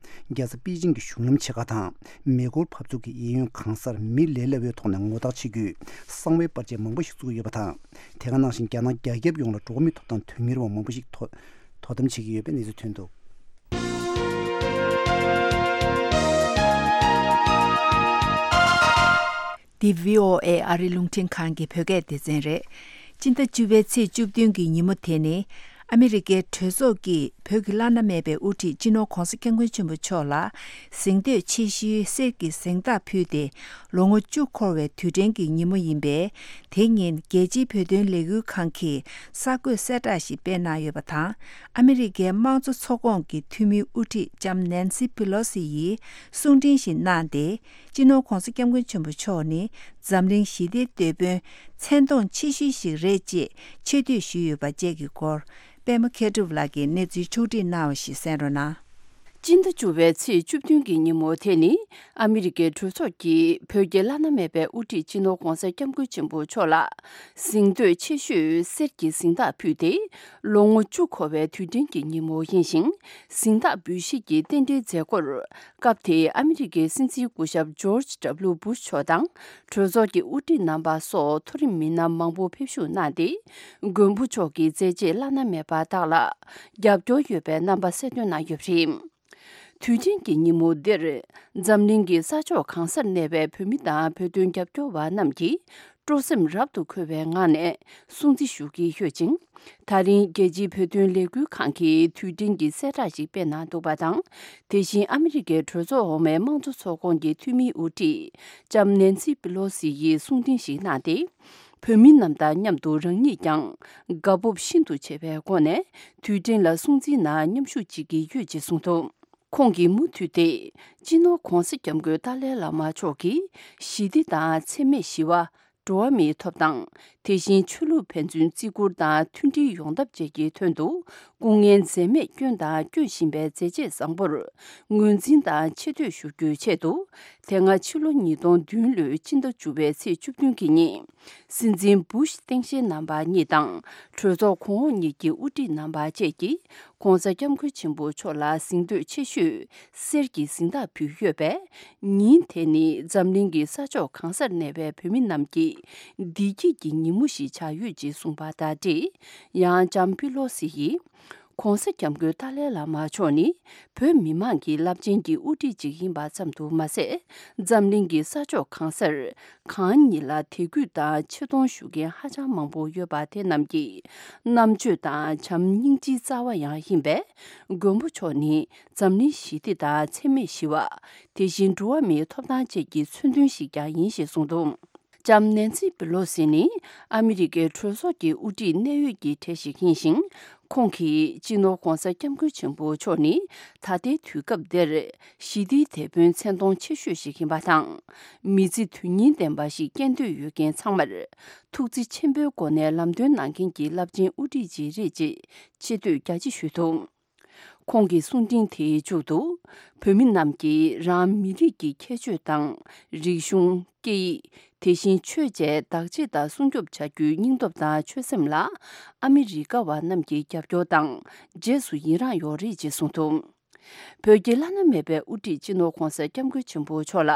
རྒྱལ་ས་པེ་ཅིང་གི་གཞུང་ལམ་ཆེ་ཁག་དང་། མེ་འཁོར་འབབ་ཚུགས་ཀྱི་གཡས་གཡོན་གང་སར་མི་ལས་སླ་བོའི་ཐོག་ནས་ངོ་རྟགས་ཆེ་རྒྱུའི་གསང་བའི་པར་ཆས་མང་པོ་ཞིག་བཙུགས་ཡོད་པ་དང་། དེ་ག་ནང་བཞིན་རྒྱ་ནག་རྒྱ་ཁྱབ་ཡོངས་ལ་འགྲོ་བ་མིའི་ཐོབ་ཐང་དོན་གཉེར་བ་མང་པོ་ཞིག་དོ་དོ་དམ་བྱེད་ཀྱི་ཡོད་པའི་གནས་ཚུལ་ཐོན་འདུག་འདི་བྷི་ཨོ་ཨེ་ཨ་རི་རླུང་འཕྲིན་ཁང་གི་བོད་སྐད་སྡེ་ཚན་རེད། སྤྱི་ཟླ་བཅུ་པའི་ཚེས་བཅུ་བདུན་གྱི་ཉིན་མོ་དེ་ནི། ཨ་མི་རི་ཀའི་གྲོས་ཚོགས་ཀྱིས་བོད་ཀྱི་བླ་ན་མེད་པའི་དབུ་ཁྲིད་སྤྱི་ནོར་༧གོང་ས་༧སྐྱབས་མགོན་ཆེན་པོ་མཆོག་ལ། གཟེངས་བསྟོད་ཆེ་ཤོས་གསེར་གྱི་གཟེངས་རྟགས་ཕུལ་ཏེ། ལོ་ངོ་བཅུ་འཁོར་བའི་དུས་དྲན་གྱི་ཉིན་མོ་ཡིན་པས། དེ་ཉིན་རྒྱལ་སྤྱིའི་བོད་དོན་ལས་འགུལ་ཁང་གིས་གསར་འགོད་གསལ་བསྒྲགས་ཤིག་སྤེལ་གནང་ཡོད་པ་དང་། ཨ་མི་རི་ཀའི་དམངས་གཙོ་ཚོགས་ཁོངས་ཀྱི་འཐུས་མིའི་དབུ་ཁྲིད་ལྕམ་ནན་སི་པི་ལོ་སི་ཡིས་གསུང་འཕྲིན་ཞིག་གནང་སྟེ། སྤྱི་ནོར་༧གོང་ས་༧སྐྱབས་མགོན་ཆེན་པོ་མཆོག་ནི་འཛམ་གླིང་ཞི་བདེའི་དེད་དཔོན་མཚན་མཐོང་ཆེ་ཤོས་ཤིག་རེད་ཅེས་ཆེ་བསྟོད་ཞུས་ཡོད་པ་བཅས་ཀྱི་སྐོར། པད་མ་མཁས་གྲུབ་ལགས་ཀྱིས་གནས་ཚུལ་ཕྱོགས་བསྒྲིགས་གནང་བ་ཞིག་གསན་རོགས་གནང་། སྤྱི་ཟླ་བཅུ་པའི་ཚེས་བཅུ་བདུན་གྱི་ཉིན་མོ་དེ་ནི། ཨ་མི་རི་ཀའི་གྲོས་ཚོགས་ཀྱིས་བོད་ཀྱི་བླ་ན་མེད་པའི་དབུ་ཁྲིད་སྤྱི་ནོར་༧གོང་ས་༧སྐྱབས་མགོན་ཆེན་པོ་མཆོག་ལ། གཟེངས་བསྟོད་ཆེ་ཤོས་གསེར་གྱི་གཟེངས་རྟགས་ཕུལ་ཏེ། ལོ་ངོ་བཅུ་འཁོར་བའི་དུས་དྲན་གྱི་ཉིན་མོ་ཡིན་ཞིང་། གཟེངས་རྟགས་འབུལ་བཞེས་ཀྱི་རྟེན་འབྲེལ་མཛད་སྒོར། སྐབས་དེའི་ཨ་མི་རི་ཀའི་སྲིད་འཛིན་སྐུ་ཞབས་ཇོརྗ་ཌབ་ལུ་སྦུ་ཤ་མཆོག་དང་། གྲོས་ཚོགས་ཀྱི་དབུ་ཁྲིད་རྣམ་པ་སོགས་མཐོ་རིམ་མི་སྣ་མང་པོ་ཕེབས་ཞུགས་གནང་སྟེ། མགོན་པོ་མཆོག་གི་མཛད་རྗེས་བླ་ན་མེད་པ་དག་ལ་རྒྱབ་སྐྱོར་ཡོད་པའི་རྣམ་པ་གསལ་སྟོན་གནང་ཡོད་པ་རེད། དུས་ཆེན་གྱི་ཉིན་མོ་འདིར། འཛམ་གླིང་གི་ས་ཕྱོགས་གང་སར་གནས་པའི་བོད་མི་དང་བོད་དོན་རྒྱབ་སྐྱོར་བ་རྣམས་ཀྱིས། སྤྲོ་སེམས་རབ་ཏུ་འཁོལ་བའི་ངང་ནས་སྲུང་བརྩི་ཞུ་གི་ཡོད་ཅིང་། ད་རིང་རྒྱལ་སྤྱིའི་བོད་དོན་ལས་འགུལ་ཁང་གིས་དུས་དྲན་གྱི་གསལ་བསྒྲགས་ཤིག་སྤེལ་གནང་འདུག་པ་དང་། དེ་བཞིན་ཨ་མི་རི་ཀའི་གྲོས་ཚོགས་འོག་མའི་དམངས་གཙོ་ཚོགས་ཁོངས་ཀྱི་འཐུས་མིའི་དབུ་ཁྲིད་ལྕམ་ནན་སི་པི་ལོ་སི་ཡིས་གསུང་འཕྲིན་ཞིག་གནང་སྟེ། བོད་མི་རྣམས་དང་མཉམ་དུ་རང་ཉིད་ཀྱང་དགའ་སྤོབས་ཤིན་ཏུ་ཆེ་བའི་སྒོ་ནས་དུས་དྲན་ལ་སྲུང་བརྩིའི་ནང་མཉམ་ཞུགས་བྱེད་ཀྱི་ཡོད་ཅེས་གསུངས་འདུག་ཁོང་གིས་མུ་མཐུད་དེ། སྤྱི་ནོར་༧གོང་ས་༧སྐྱབས་མགོན་ཏཱ་ལའི་བླ་མ་མཆོག་གིས་ཞི་བདེ་དང་འཚེ་མེད་ཞི་བ། འགྲོ་བ་མིའི་ཐོབ་ཐང་། དེ་བཞིན་ཆོས་ལུགས་ཕན་ཚུན་བརྩི་བཀུར་དང་མཐུན་སྒྲིལ་ཡོང་ཐབས་བཅས་ཀྱི་དོན་དུ། སྐུ་ངལ་འཛེམས་མེད་བསྐྱོན་དང་སྐྱོན་བཞིན་པའི་མཛད་རྗེས་བཟང་པོར། ངོས་འཛིན་དང་ཆེ་བསྟོད་ཞུ་རྒྱུའི་ཆེད་དུ། དེ་སྔ་ཕྱི་ལོ་ཉིས་སྟོང་བདུན་ལོའི་སྤྱི་ཟླ་བཅུ་པའི་ཚེས་བཅུ་བདུན་གྱི་ཉིན། སྲིད་འཛིན་བུ་ཤ་སྟངས་དཔྱལ་རྣམ་པ་གཉིས་དང་། གྲོས་ཚོགས་གོང་འོག་གཉིས་ཀྱི་དབུ་ཁྲིད་རྣམ་པ་བཅས་ཀྱིས་༸གོང་ས་༸སྐྱབས་མགོན་ཆེན་པོ་མཆོག་ལ་གཟེངས་བསྟོད་ཆེ་ཤོས་གསེར་གྱི་གཟེངས་རྟགས་ཕུལ་ཡོད་པས། ཉིན་དེ་ནི་འཛམ་གླིང་གི་ས་ཕྱོགས་གང་སར་གནས་པའི་བོད་མི་རྣམས་ཀྱི་བདེ་སྐྱིད་ཀྱི་ཉིན་མོ་ཞིག་ཆགས་ཡོད་ཅེས་གསུངས་པ་དང་འབྲེལ། ཡང་ལྕམ་པི་ལོ་སི་ཡིས། ༸གོང་ས་༸སྐྱབས་མགོན་ཏཱ་ལའི་བླ་མ་མཆོག་ནི་བོད་མི་མང་གི་རླབས་ཆེན་གྱི་དབུ་ཁྲིད་ཅིག་ཡིན་པ་ཙམ་དུ་མ་ཟད། འཛམ་གླིང་གི་ས་ཕྱོགས་གང་སར་གང་ཉིད་ལ་དད་གུས་དང་ཆེ་མཐོང་ཞུ་མཁན་ཧ་ཅང་མང་པོ་ཡོད་པ་དེ་རྣམས་ཀྱི་རྣམ་དཔྱོད་དང་བྱམས་སྙིང་རྗེའི་རྩ་བ་ཡང་ཡིན་པས། མགོན་པོ་མཆོག་ནི་འཛམ་གླིང་ཞི་བདེ་དང་འཚེ་མེད་ཞི་བ། དེ་བཞིན་འགྲོ་བ་མིའི་ཐོབ་ཐང་བཅས་ཀྱི་མཚོན་དོན་ཞིག་ཀྱང་ཡིན་ཞེས་གསུངས་འདུག་ལྕམ་ནན་སི་པི་ལོ་སི་ནི་ཨ་མི་རི་ཀའི་གྲོས་ཚོགས་ཀྱི་དབུ་ཁྲིད་གནད་ཡོད་ཀྱི་གྲས་ཤིག་ཡིན་ཞིང་། ཁོང་གིས་སྤྱི་ནོར་༸གོང་ས་༸སྐྱབས་མགོན་ཆེན་པོ་མཆོག་ནི་ད་ལྟའི་དུས་སྐབས་འདིར་ཞི་བདེའི་དེད་དཔོན་མཚན་མཐོང་ཆེ་ཤོས་ཤིག་ཡིན་པ་དང་། མི་ཚེ་དོན་སྙིང་ལྡན་པ་ཞིག་སྐྱེལ་འདོད་ཡོད་མཁན་ཚང་མར་ཐུགས་བརྩེ་ཆེན་པོའི་སྒོ་ནས་ལམ་སྟོན་གནང་མཁན་གྱི་རླབས་ཆེན་དབུ་ཁྲིད་ཅིག་རེད་ཅེས་ཆེ་བསྟོད་རྒྱ་ཆེ་ཞུས་འདུག་ཁོང་གི་གསུང་འཕྲིན་དེའི་མཇུག་ཏུ། བོད་མི་རྣམས་ཀྱིས་རང་མི་རིགས་ཀྱི་ཁྱད་ཆོས་དང་། རིག་གཞུང་། སྐད་ཡིག་དེ་བཞིན་ཆོས་བཅས་བདག་གཅེས་དང་སྲུང་སྐྱོབ་བྱ་རྒྱུའི་སྙིང་སྟོབས་དང་ཆོད་སེམས་ལ། ཨ་མི་རི་ཀ་བ་རྣམས་ཀྱི་རྒྱབ་སྐྱོར་དང་རྗེས་སུ་ཡི་རངས་ཡོད་རེད་ཅེས་གསུངས་འདུག་བོད་ཀྱི་བླ་ན་མེད་པའི་དབུ་ཁྲིད་སྤྱི་ནོར་༸གོང་ས་༸སྐྱབས་མགོན་ཆེན་པོ་མཆོག་ལ།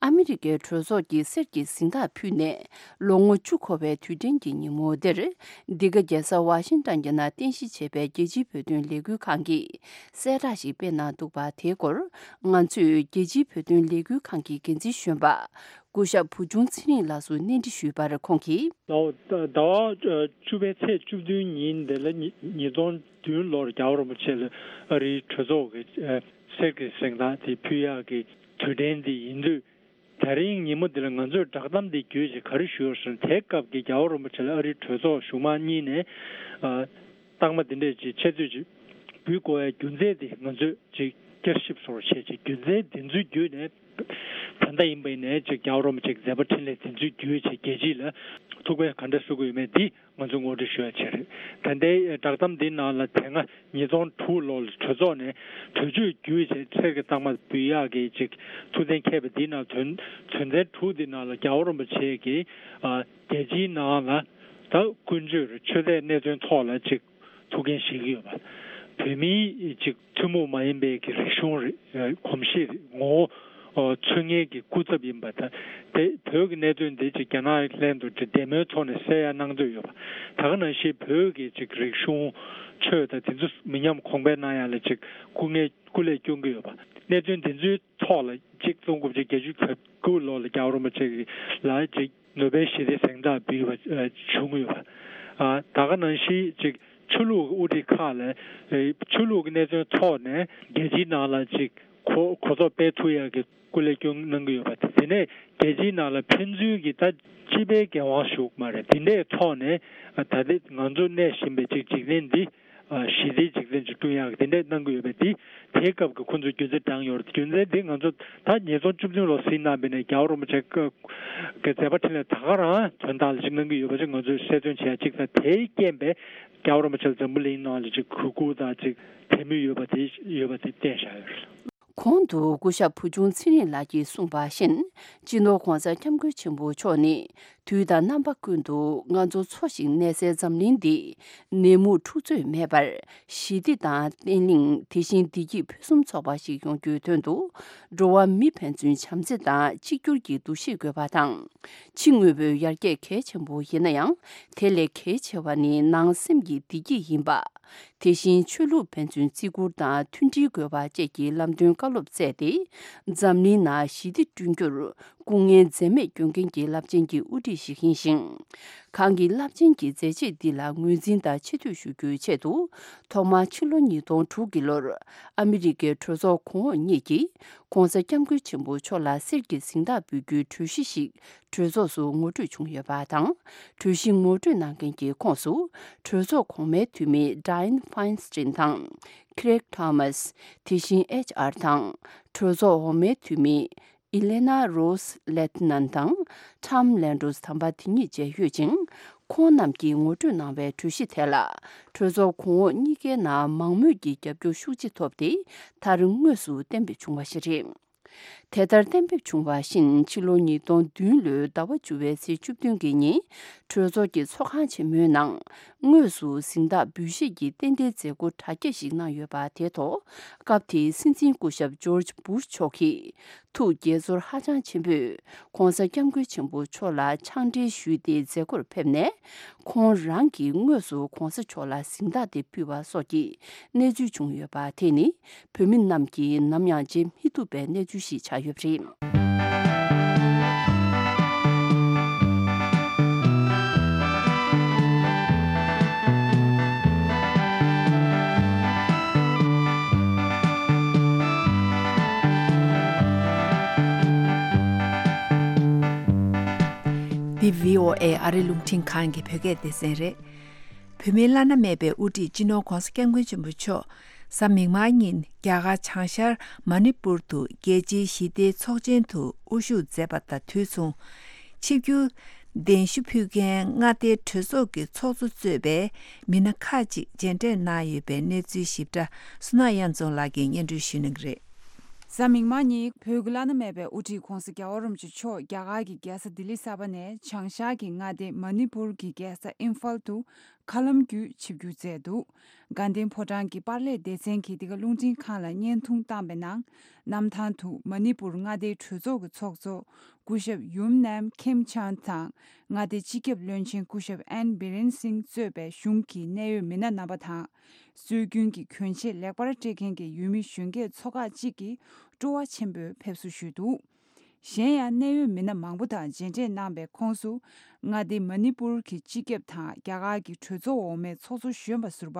ཨ་མི་རི་ཀའི་གྲོས་ཚོགས་ཀྱིས་གསེར་གྱི་གཟེངས་རྟགས་ཕུལ་ནས། ལོ་ངོ་བཅུ་འཁོར་བའི་དུས་དྲན་གྱི་ཉིན་མོ་འདིར། འདི་ག་རྒྱལ་ས་ཝ་ཤིང་ཊོན་གྱི་ནང་རྟེན་གཞི་བྱས་པའི་རྒྱལ་སྤྱིའི་བོད་དོན་ལས་འགུལ་ཁང་གིས་གསལ་བསྒྲགས་ཤིག་སྤེལ་གནང་འདུག་པ། དེའི་སྐོར་ང་ཚོས་རྒྱལ་སྤྱིའི་བོད་དོན་ལས་འགུལ་ཁང་གི་འགན་འཛིན་གཞོན་པ་སྐུ་ཞབས་བུ་ཆུང་ཚེ་རིང་ལགས་སུ་གནས་འདྲི་ཞུས་པར། ཁོང་གིས། ཟླ་བ་ཟླ་བ་བཅུ་པའི་ཚེས་བཅུ་བདུན་ཉིན་དེ་ལ་ཉིས་ཉིས་སྟོང་བདུན་ལོར་རྒྱལ་བ་རིན་པོ་ཆེ་ལ་ཨ་རིའི་གྲོས་ཚོགས་ཀྱི་གསེར་གྱི་གཟེངས་རྟགས་དེ་ཕུལ་ཡག་གི་དུས་དྲན་དེ་ཡིན་དུས། ད་རིང་ཉིན་མོ་འདི་ལ་ང་ཚོས་བསྒྲགས་གཏམ་འདི་བརྒྱུད་ཅིག་ག་རེ་ཞུ་ཡོད་ཟེར་ན། དེའི་སྐབས་ཀྱི་རྒྱལ་བ་རིན་པོ་ཆེ་ལ་ཨ་རིའི་གྲོས་ཚོགས་གཞུང་མང་གཉིས་ནས་ཨ་རྟགས་མ་འདི་འདྲས་ཅིག་ཆེ་བསྟོད་ཅིག་འབུལ་དགོས་པའི་རྒྱུ་མཚན་འདི་ང་ཚོས་ཅིག་བསྐྱར་ཞིབ་སོགས་བྱས་ཅིག་རྒྱུ་མཚན་འདི་ཚོའི་བརྒྱུད་ནས། ད་ལྟ་ཡིན་པ་ཡིན་ནའི་ཅིག་རྒྱལ་བ་རིན་པོ་ཆེ་གི་མཛད་པ་འཕྲིན་ལས་འདི་ཚོའི་བརྒྱུད་ཅིག་རྒྱལ་སྤྱི་ལ་ཐུགས་ཕན་ག་འདྲ་གསོས་ཀྱི་ཡོད་མེད་འདི། ང་ཚོས་ངོ་སྤྲོད་ཞུ་ཡ་བྱས་རེད། ད་ལྟའི་བསྒྲགས་གཏམ་འདིའི་ནང་ལ་དེ་སྔ་ཉིས་སྟོང་དྲུག་ལོར་གྲོས་ཚོགས་ནས་གྲོས་ཆོད་བརྒྱུད་བྱས་གསེར་གྱི་རྟགས་མ་འབུལ་ཡག་གི་ཅིག་ཐུགས་གཏན་འཁེལ་བ་འདིའི་ནང་དོན་དོན་ཚན་དྲུག་འདིའི་ནང་ལ་རྒྱལ་བ་རིན་པོ་ཆེ་གིས་ཨ་རྒྱལ་སྤྱིའི་ནང་ལ་ད་ཀུན་སྤྱོད་རེད། ཆོས་དད་གནད་དོན་ཐོག་ལ་ཅིག་ཐུགས་འགན་བཞེས་ཀྱི་ཡོད་པ། བོད་མིའི་ཅིག་ཐུན་མོང་མ་ཡིན་པའི་གི་རིག་གཞུང་རེད། གོམས་གཤིས་རེད། ངོ་བོ། ཚུལ་ངན་གྱི་སྐུ་ཚབ་ཡིན་པ་དང་། དེ་བོད་ཀྱི་གནད་དོན་འདི་ཅིག་རྒྱ་ནག་ལྷན་དུ་ཅིག་བདེ་མོའི་ཐོག་ནས་སེལ་ཡ་གནང་འདོད་ཡོད་པ། ད་ག་ནང་བཞིན་བོད་ཀྱི་ཅིག་རིག་གཞུང་། ཆོས་དང་དེ་ཚོ་མི་ཉམས་གོང་འཕེལ་གནང་ཡ་ལ་ཅིག་སྐུ་ངལ་སྐུ་ལས་སྐྱོན་གྱི་ཡོད་པ། གནད་དོན་དེ་ཚོའི་ཐོག་ལ་ཅིག་སྟོང་དགུ་བརྒྱ་བརྒྱད་ཅུ་གྱ་དགུ་ལོ་ལ་རྒྱལ་བ་རིན་པོ་ཆེ་གི་ལ་ཅིག་ནོ་བེལ་ཞི་བདེའི་གཟེངས་རྟགས་འབུལ་བ་བྱུང་ཡོད་པ། ད་ག་ནང་བཞིན་ཅིག་ཆོས་ལུགས་ཀྱི་དབུ་ཁྲིད་ཁག་ལ་ཆོས་ལུགས་ཀྱི་གནད་དོན་ཐོག་ནས་རྒྱལ་སྤྱིའི་ནང་ལ་ཅིག་གོ་གོ་རྟོགས་སྤེལ་ཐུབ་ཡག་གི་སྐུ་ལས་སྐྱོན་གནང་གི་ཡོད་པ། དེ་ནས་རྒྱལ་སྤྱིའི་ནང་ལ་ཕན་ཚུན་གྱི་ད་སྤྱི་པའི་འགན་དབང་ཞུགས་མ་རེད། དེ་འདྲའི་ཐོག་ནས་ད་ལྟ་ང་ཚོ་གནས་བཞིན་པའི་ཅིག་འཇིག་རྟེན་འདི་ཞི་བདེའི་འཇིག་རྟེན་ཅིག་བསྐྲུན་ཡག་གི་དེ་འདྲའི་གནང་གི་ཡོད་པས། དེ་དེའི་སྐབས་ཀྱི་ཁོང་ཚོས་རྒྱུ་མཚན་བགྲངས་ཡོད་རེད། རྒྱུ་མཚན་དེ་ང་ཚོ་ད་ཉིས་སྟོང་བཅུ་བདུན་ལོ་ཟིན་གནང་བའི་ནས་རྒྱལ་བ་རིན་པོ་ཆེ་གི་མཛད་པ་འཕྲིན་ལས་ད་ག་རང་དོན་དག་ལ་ཅིག་གནང་གི་ཡོད་པ་ཅིག་ང་ཚོས་གསལ་སྟོན་བྱས་ཅིག་དང་། དེའི་རྐྱེན་པས་རྒྱལ་བ་རིན་པོ་ཆེ་ལ་འཛམ་བུ་གླིང་ནང་ལ་ཅིག་གུས་བཀུར་དང་ཅིག་དད་མོས་ཡོད་པ་དེ་ཡོད་པ་དེ་བསྟན་བཞག་ཡོད་རེད། གོང་དུ་སྐུ་ཞབས་བུ་ཆུང་ཚེ་རིང་ལགས་ཀྱིས་གསུངས་པ་བཞིན། སྤྱི་ནོར་༸གོང་ས་༸སྐྱབས་མགོན་ཆེན་པོ་མཆོག་ནི། དུས་དང་རྣམ་པ་ཀུན་ཏུ་ང་ཚོ་འཚོ་ཞིང་གནས་སའི་འཛམ་གླིང་འདི་ནད་མུག་འཁྲུག་རྩོད་མེད་པར་ཞི་བདེ་དང་བརྟན་ལྷིང་། དེ་བཞིན་བདེ་སྐྱིད་ཕུན་སུམ་ཚོགས་པ་ཞིག་ཡོང་རྒྱུའི་དོན་དུ། འགྲོ་བ་མི་ཕན་ཚུན་བྱམས་བརྩེ་དང་གཅིག་གྱུར་གྱི་འདུ་ཤེས་དགོས་པ་དང་། ཕྱི་དངོས་པོའི་ཡར་རྒྱས་གལ་ཆེན་པོ་ཡིན་ན་ཡང་། དེ་ལས་གལ་ཆེ་བ་ནི་ནང་སེམས་ཀྱི་བདེ་སྐྱིད་ཡིན་པ། དེ་བཞིན་ཆོས་ལུགས་ཕན་ཚུན་བརྩི་བཀུར་དང་མཐུན་སྒྲིལ་དགོས་པ་བཅས་ཀྱི་ལམ་སྟོན་བཀའ་སློབ་སྩལ་ཏེ། འཛམ་གླིང་ནང་ཞི་བདེ་བསྐྲུན་རྒྱུར་སྐུ་ངལ་འཛེམས་མེད་སྐྱོན་མཁན་གྱི་རླབས་ཆེན་གྱི་དབུ་ཁྲིད་ཞིག་ཡིན་ཞིང་། ཁོང་གི་རླབས་ཆེན་གྱི་མཛད་རྗེས་འདི་ལ་ངོས་འཛིན་དང་ཆེ་བསྟོད་ཞུ་རྒྱུའི་ཆེད་དུ། ཐོག་མར་ཕྱི་ལོ་ཉིས་སྟོང་དྲུག་གི་ལོར་ཨ་མི་རི་ཀའི་གྲོས་ཚོགས་གོང་འོག་གཉིས་ཀྱིས་༸གོང་ས་༸སྐྱབས་མགོན་ཆེན་པོ་མཆོག་ལ་གསེར་གྱི་གཟེངས་རྟགས་འབུལ་རྒྱུའི་གྲོས་གཞི་ཞིག་གྲོས་ཚོགས་སུ་ངོ་སྤྲོད་བྱུང་ཡོད་པ་དང་། གྲོས་གཞི་ངོ་སྤྲོད་གནང་མཁན་གྱི་ཁོངས་སུ། གྲོས་ཚོགས་གོང་མའི་འཐུས་མི་Dianne Feinstein་དང་། Craig Thomas། དེ་བཞིན་ཨེཆ་ཨར་དང་། གྲོས་ཚོགས་འོག་མའི་འཐུས་མི་Elena Rose Lehtinen་དང་། Tom Landgraf་དམ་པ་དེ་ཉིད་བཅས་ཡོད་ཅིང་། ཁོང་རྣམས་ཀྱིས་ངོ་སྤྲོད་གནང་བའི་གྲོས་གཞི་དེ་ལ། གྲོས་ཚོགས་གོང་འོག་གཉིས་ཀའི་ནང་མང་མོས་ཀྱི་རྒྱབ་སྐྱོར་ཤུགས་ཆེ་ཐོབ་སྟེ། མཐར་དངོས་སུ་གཏན་འབེབས་བྱུང་བ་ཞིག་རེད། དེ་ལྟར་གཏན་འབེབས་བྱུང་བ་བཞིན། ཕྱི་ལོ་ཉིས་སྟོང་བདུན་ལོའི་ཟླ་བ་བཅུ་པའི་ཚེས་བཅུ་བདུན་གྱི་ཉིན། གྲོས་ཚོགས་ཀྱི་ཚོགས་ཁང་ཆེན་མོའི་ནང་། དངོས་སུ་གཟེངས་རྟགས་འབུལ་བཞེས་ཀྱི་རྟེན་འབྲེལ་མཛད་སྒོ་དྲ་རྒྱ་ཞིག་གནང་ཡོད་པ་དེའི་ཐོག་སྐབས་དེའི་སྲིད་འཛིན་སྐུ་ཞབས་ཇོརྗ་བུ་ཤ་མཆོག་གིས། ཐུགས་དགྱེས་ཚོར་ཧ་ཅང་ཆེན་པོས། ྋགོང་ས་ྋསྐྱབས་མགོན་ཆེན་པོ་མཆོག་ལ་ཕྱག་འབྲེལ་ཞུས་ཏེ་མཛད་སྒོར་ཕེབས་ནས། ཁོང་རང་གིས་དངོས་སུ་ྋགོང་ས་མཆོག་ལ་གཟེངས་རྟགས་དེ་ཕུལ་བ་སོགས་ཀྱི་གནས་ཚུལ་བྱུང་ཡོད་པ་དེ་ནི། བོད་མི་རྣམས་ཀྱིས་ནམ་ཡང་བརྗེད་མི་ཐུབ་པའི་གནས་ཚུལ་ཞིག་ཆགས་ཡོད་པ་རེད། འདི་བྷི་ཨོ་ཨེ་ཨ་རི་རླུང་འཕྲིན་ཁང་གི་བོད་སྐད་སྡེ་ཚན་རེད། བོད་མིའི་བླ་ན་མེད་པའི་དབུ་ཁྲིད་སྤྱི་ནོར་༧གོང་ས་༧སྐྱབས་མགོན་ཆེན་པོ་མཆོག་གཟའ་མིག་དམར་ཉིན་རྒྱ་གར་བྱང་ཤར་མ་ཎི་པུར་དུ་རྒྱལ་སྤྱིའི་ཞི་བདེའི་ཚོགས་ཆེན་དུ་དབུ་བཞུགས་མཛད་པ་དང་དུས་མཚུངས། ཆིབས་བསྒྱུར་གདན་ཞུ་ཕུལ་མཁན་མངའ་སྡེའི་གྲོས་ཚོགས་ཀྱི་ཚོགས་གཙོ་གཙོས་པའི་མི་སྣ་ཁག་ཅིག་མཇལ་འཕྲད་གནང་ཡོད་པའི་གནས་ཚུལ་ཞིབ་ཕྲ་བསོད་ནམས་དབྱངས་འཛོམས་ལགས་ཀྱིས་སྙན་སྒྲོན་ཞུ་གནང་གི་རེད། གཟའ་མིག་དམར་ཉིན་བོད་ཀྱི་བླ་ན་མེད་པའི་དབུ་ཁྲིད་༧གོང་ས་༧རྒྱལ་བ་རིན་པོ་ཆེ་མཆོག་རྒྱ་གར་གྱི་རྒྱལ་ས་ལྡི་ལི་གསར་པ་ནས་བྱང་ཤར་གྱི་མངའ་སྡེ་མ་ཎི་པུར་གྱི་རྒྱལ་ས་ཨིམ་ཕཱལ་དུ་མཁའ་ལམ་བརྒྱུད་ཆིབས་བསྒྱུར་མཛད་འདུག་དགའ་ལྡན་ཕོ་བྲང་གི་པར་ལས་སྡེ་ཚན་གྱིས་འདི་ག་རླུང་འཕྲིན་ཁང་ལ་བརྙན་ཐུང་བཏང་པའི་ནང་། གནམ་ཐང་དུ་མ་ཎི་པུར་མངའ་སྡེའི་གྲོས་ཚོགས་ཀྱི་ཚོགས་གཙོ་སྐུ་ཞབས་ཡུམ་ནེམ་ཁེམ་ཆཱན་དང་མངའ་སྡེའི་སྤྱི་ཁྱབ་བློན་ཆེན་སྐུ་ཞབས་ཨེན་བི་རེན་སིང་གཙོས་པའི་གཞུང་གི་གནད་ཡོད་མི་སྣ་རྣམ་པ་དང་། སྲོལ་རྒྱུན་གྱི་གྱོན་ཆས་ལེགས་པར་སྤྲས་མཁན་གྱི་ཡུལ་མི་གཞོན་སྐྱེས་ཚོ་ཁག་ཅིག་གིས་སྤྲོ་བ་ཆེན་པོས་ཕེབས་བསུ་ཞུས་འདུག་གཞན་ཡང་གནད་ཡོད་མི་སྣ་མང་པོ་དང་མཇལ་འཕྲད་གནང་པའི་ཁོངས་སུ། མངའ་སྡེ་མ་ཎི་པུར་གྱི་སྤྱི་ཁྱབ་དང་རྒྱ་གར་གྱི་གྲོས་ཚོགས་འོག་མའི་ཚོགས་གཙོ་གཞོན་པ་ཟུར་པ་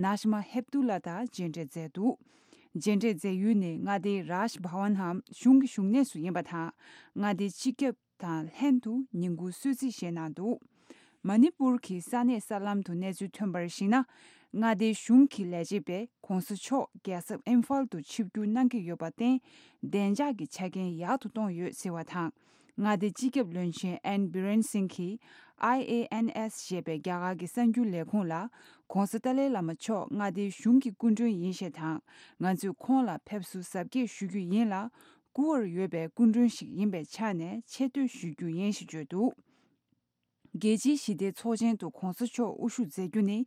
ནཱ་ཤི་མ་ཧེབ་ཏུ་ལ་དང་མཇལ་འཕྲད་མཛད་འདུག་མཇལ་འཕྲད་མཛད་ཡུལ་ནི་མངའ་སྡེའི་རཱཇ་བྷ་ཝན་འམ་གཞུང་གི་བཞུགས་གནས་སུ་ཡིན་པ་དང་། མངའ་སྡེའི་སྤྱི་ཁྱབ་དང་ལྷན་དུ་ཉིན་གུང་གསོལ་ཚིགས་བཞེས་གནང་འདུག་མ་ཎི་པུར་གྱི་ས་གནས་གསར་ལམ་དུ་གནས་ཚུལ་ཐོན་པར་གཞིགས་ན། མངའ་སྡེའི་གཞུང་གི་ལས་བྱེད་པས་ྋགོང་ས་མཆོག་རྒྱལ་ས་ཨིམ་ཕཱལ་དུ་ཆིབས་བསྒྱུར་གནང་གི་ཡོད་པར་བརྟེན། བདེ་འཇགས་ཀྱི་ཆ་རྐྱེན་ཡག་ཏུ་གཏོང་ཡོད་ཟེར་བ་དང་། མངའ་སྡེའི་སྤྱི་ཁྱབ་བློན་ཆེན་ཨེན་བི་རེན་སིང་གིས་ཨའི་ཨེ་ཨེན་ཨེས་ཞེས་པའི་རྒྱ་གར་གྱི་གསར་འགྱུར་ལས་ཁུངས་ལ། ྋགོང་ས་ཏཱ་ལའི་བླ་མ་མཆོག་མངའ་སྡེའི་གཞུང་གི་སྐུ་མགྲོན་ཡིན་ཞེས་དང་། ང་ཚོས་ཁོང་ལ་ཕེབས་བསུ་གཟབ་རྒྱས་ཞུ་རྒྱུ་ཡིན་ལ། བཀུར་བར་འོས་པའི་སྐུ་མགྲོན་ཞིག་ཡིན་པའི་ཆ་ནས་ཆེ་བསྟོད་ཞུ་རྒྱུ་ཡིན་ཞེས་བརྗོད་འདུག་རྒྱལ་སྤྱིའི་ཞི་བདེའི་ཚོགས་ཆེན་དུ་ྋགོང་ས་མཆོག་དབུ་བཞུགས་མཛད་རྒྱུ་ནི།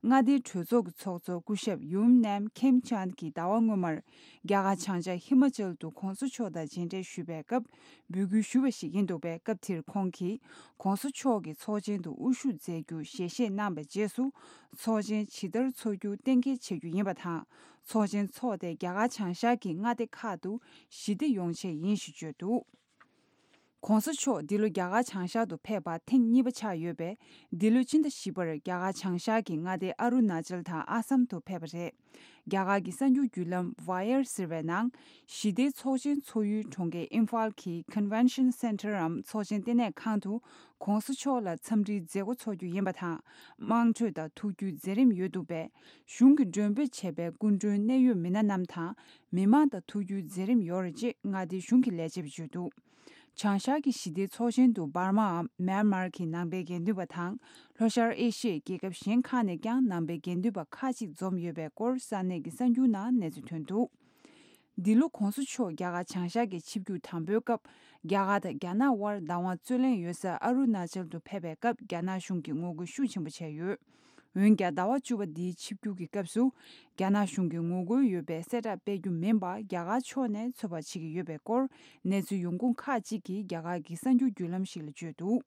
མངའ་སྡེའི་གྲོས་ཚོགས་ཀྱི་ཚོགས་གཙོ་སྐུ་ཞབས་ཡུམ་ནེམ་ཁེམ་ཆཱན་གྱིས་ཟླ་བ་སྔོན་མར། རྒྱ་གར་བྱང་ཤར་ཧི་མ་ཅལ་དུ་ྋགོང་ས་མཆོག་དང་མཇལ་འཕྲད་ཞུས་པའི་སྐབས། འབོད་སྐུལ་ཞུ་བ་ཞིག་ཡིན་འདུག་པས། སྐབས་དེར་ཁོང་གིས་ྋགོང་ས་མཆོག་གི་ཚོགས་ཆེན་དུ་དབུ་བཞུགས་མཛད་རྒྱུ་ཞལ་བཞེས་གནང་བའི་རྗེས་སུ། ཚོགས་ཆེན་ཇི་ལྟར་འཚོགས་རྒྱུ་གཏན་འཁེལ་བྱེད་རྒྱུ་ཡིན་པ་དང་། ཚོགས་ཆེན་འཚོགས་ཏེ་རྒྱ་གར་བྱང་ཤར་གྱི་མངའ་སྡེ་ཁག་ཏུ་ཞི་བདེ་ཡོང་ཆེད་ཡིན་ཞེས་བརྗོད་འདུག ྋགོང་ས་མཆོག་འདི་ལོ་རྒྱ་གར་བྱང་ཤར་དུ་ཕེབས་པ་ཐེངས་གཉིས་པ་ཆགས་ཡོད་པས། འདི་ལོའི་ཕྱི་ཟླ་བཞི་པར་རྒྱ་གར་བྱང་ཤར་གྱི་མངའ་སྡེ་ཨ་རུ་ན་ཅལ་དང་ཨ་སམ་དུ་ཕེབས་པ་རེད། རྒྱ་གར་གྱི་གསར་འགྱུར་བརྒྱུད་ལམ་ཝ་ཡར་ཟེར་བའི་ནང་། ཞི་བདེའི་ཚོགས་ཆེན་ཚོགས་ཡུལ་གྲོང་ཁྱེར་ཨིམ་ཕཱལ་གྱི་Convention Center འམ་ཚོགས་ཆེན་ལྟེ་གནས་ཁང་དུ་ྋགོང་ས་མཆོག་ལ་འཚམས་འདྲིའི་མཛད་སྒོ་འཚོགས་རྒྱུ་ཡིན་པ་དང་། དམངས་ཁྲོད་དང་ཐུགས་རྒྱུས་མཛད་རིམ་ཡོད་འདུག་པས། གཞུང་གི་མགྲོན་འབོད་བྱས་པའི་སྐུ་མགྲོན་གནད་ཡོད་མི་སྣ་རྣམས་དང་། མི་མང་དང་ཐུགས་རྒྱུས་མཛད་རིམ་ཡོད་རེད་ཅེས་མངའ་སྡེའི་གཞུང་གི་ལས་བྱེད་པས་བརྗོད་འདུག་བྱང་ཤར་གྱི་ཞི་བདེའི་ཚོགས་ཆེན་དུ་འབར་མའམ་མེན་མར་གྱི་ནང་པའི་དགེ་འདུན་པ་དང་། ལྷོ་ཤར་ཨེ་ཤི་ཡའི་རྒྱལ་ཁབ་གཞན་ཁག་ནས་ཀྱང་ནང་པའི་དགེ་འདུན་པ་ཁག་ཅིག་འཛོམས་ཡོད་པའི་སྐོར་ས་གནས་ཀྱི་གསར་འགྱུར་ནང་གནས་ཚུལ་ཐོན་འདུག་འདི་ལོ་ྋགོང་ས་མཆོག་རྒྱ་གར་བྱང་ཤར་གྱི་ཆིབས་བསྒྱུར་དང་པོའི་སྐབས། རྒྱ་གར་དང་རྒྱ་ནག་དབར་བདག་དབང་རྩོད་ལེན་ཡོད་ས་ཨ་རུ་ན་ཅལ་དུ་ཕེབས་པའི་སྐབས། རྒྱ་ནག་གཞུང་གིས་ངོ་རྒོལ་ཤུགས་ཆེན་པོ་བྱས་ཡོད། འོན་ཀྱང་། ཟླ་བ་བཅུ་པ་འདིའི་ཆིབས་བསྒྱུར་གྱི་སྐབས་སུ། རྒྱ་ནག་གཞུང་གིས་ངོ་རྒོལ་ཡོད་པའི་གསལ་བསྒྲགས་སྤེལ་རྒྱུ་མིན་པར། རྒྱ་གར་ཕྱོགས་ནས་ཚོད་དཔག་བྱེད་ཀྱི་ཡོད་པའི་སྐོར། གནས་ཚུལ་ཡོང་ཁུངས་ཁག་ཅིག་གིས་རྒྱ་གར་གྱི་གསར་འགྱུར་བརྒྱུད་ལམ་ཞིག་ལ་བརྗོད་འདུག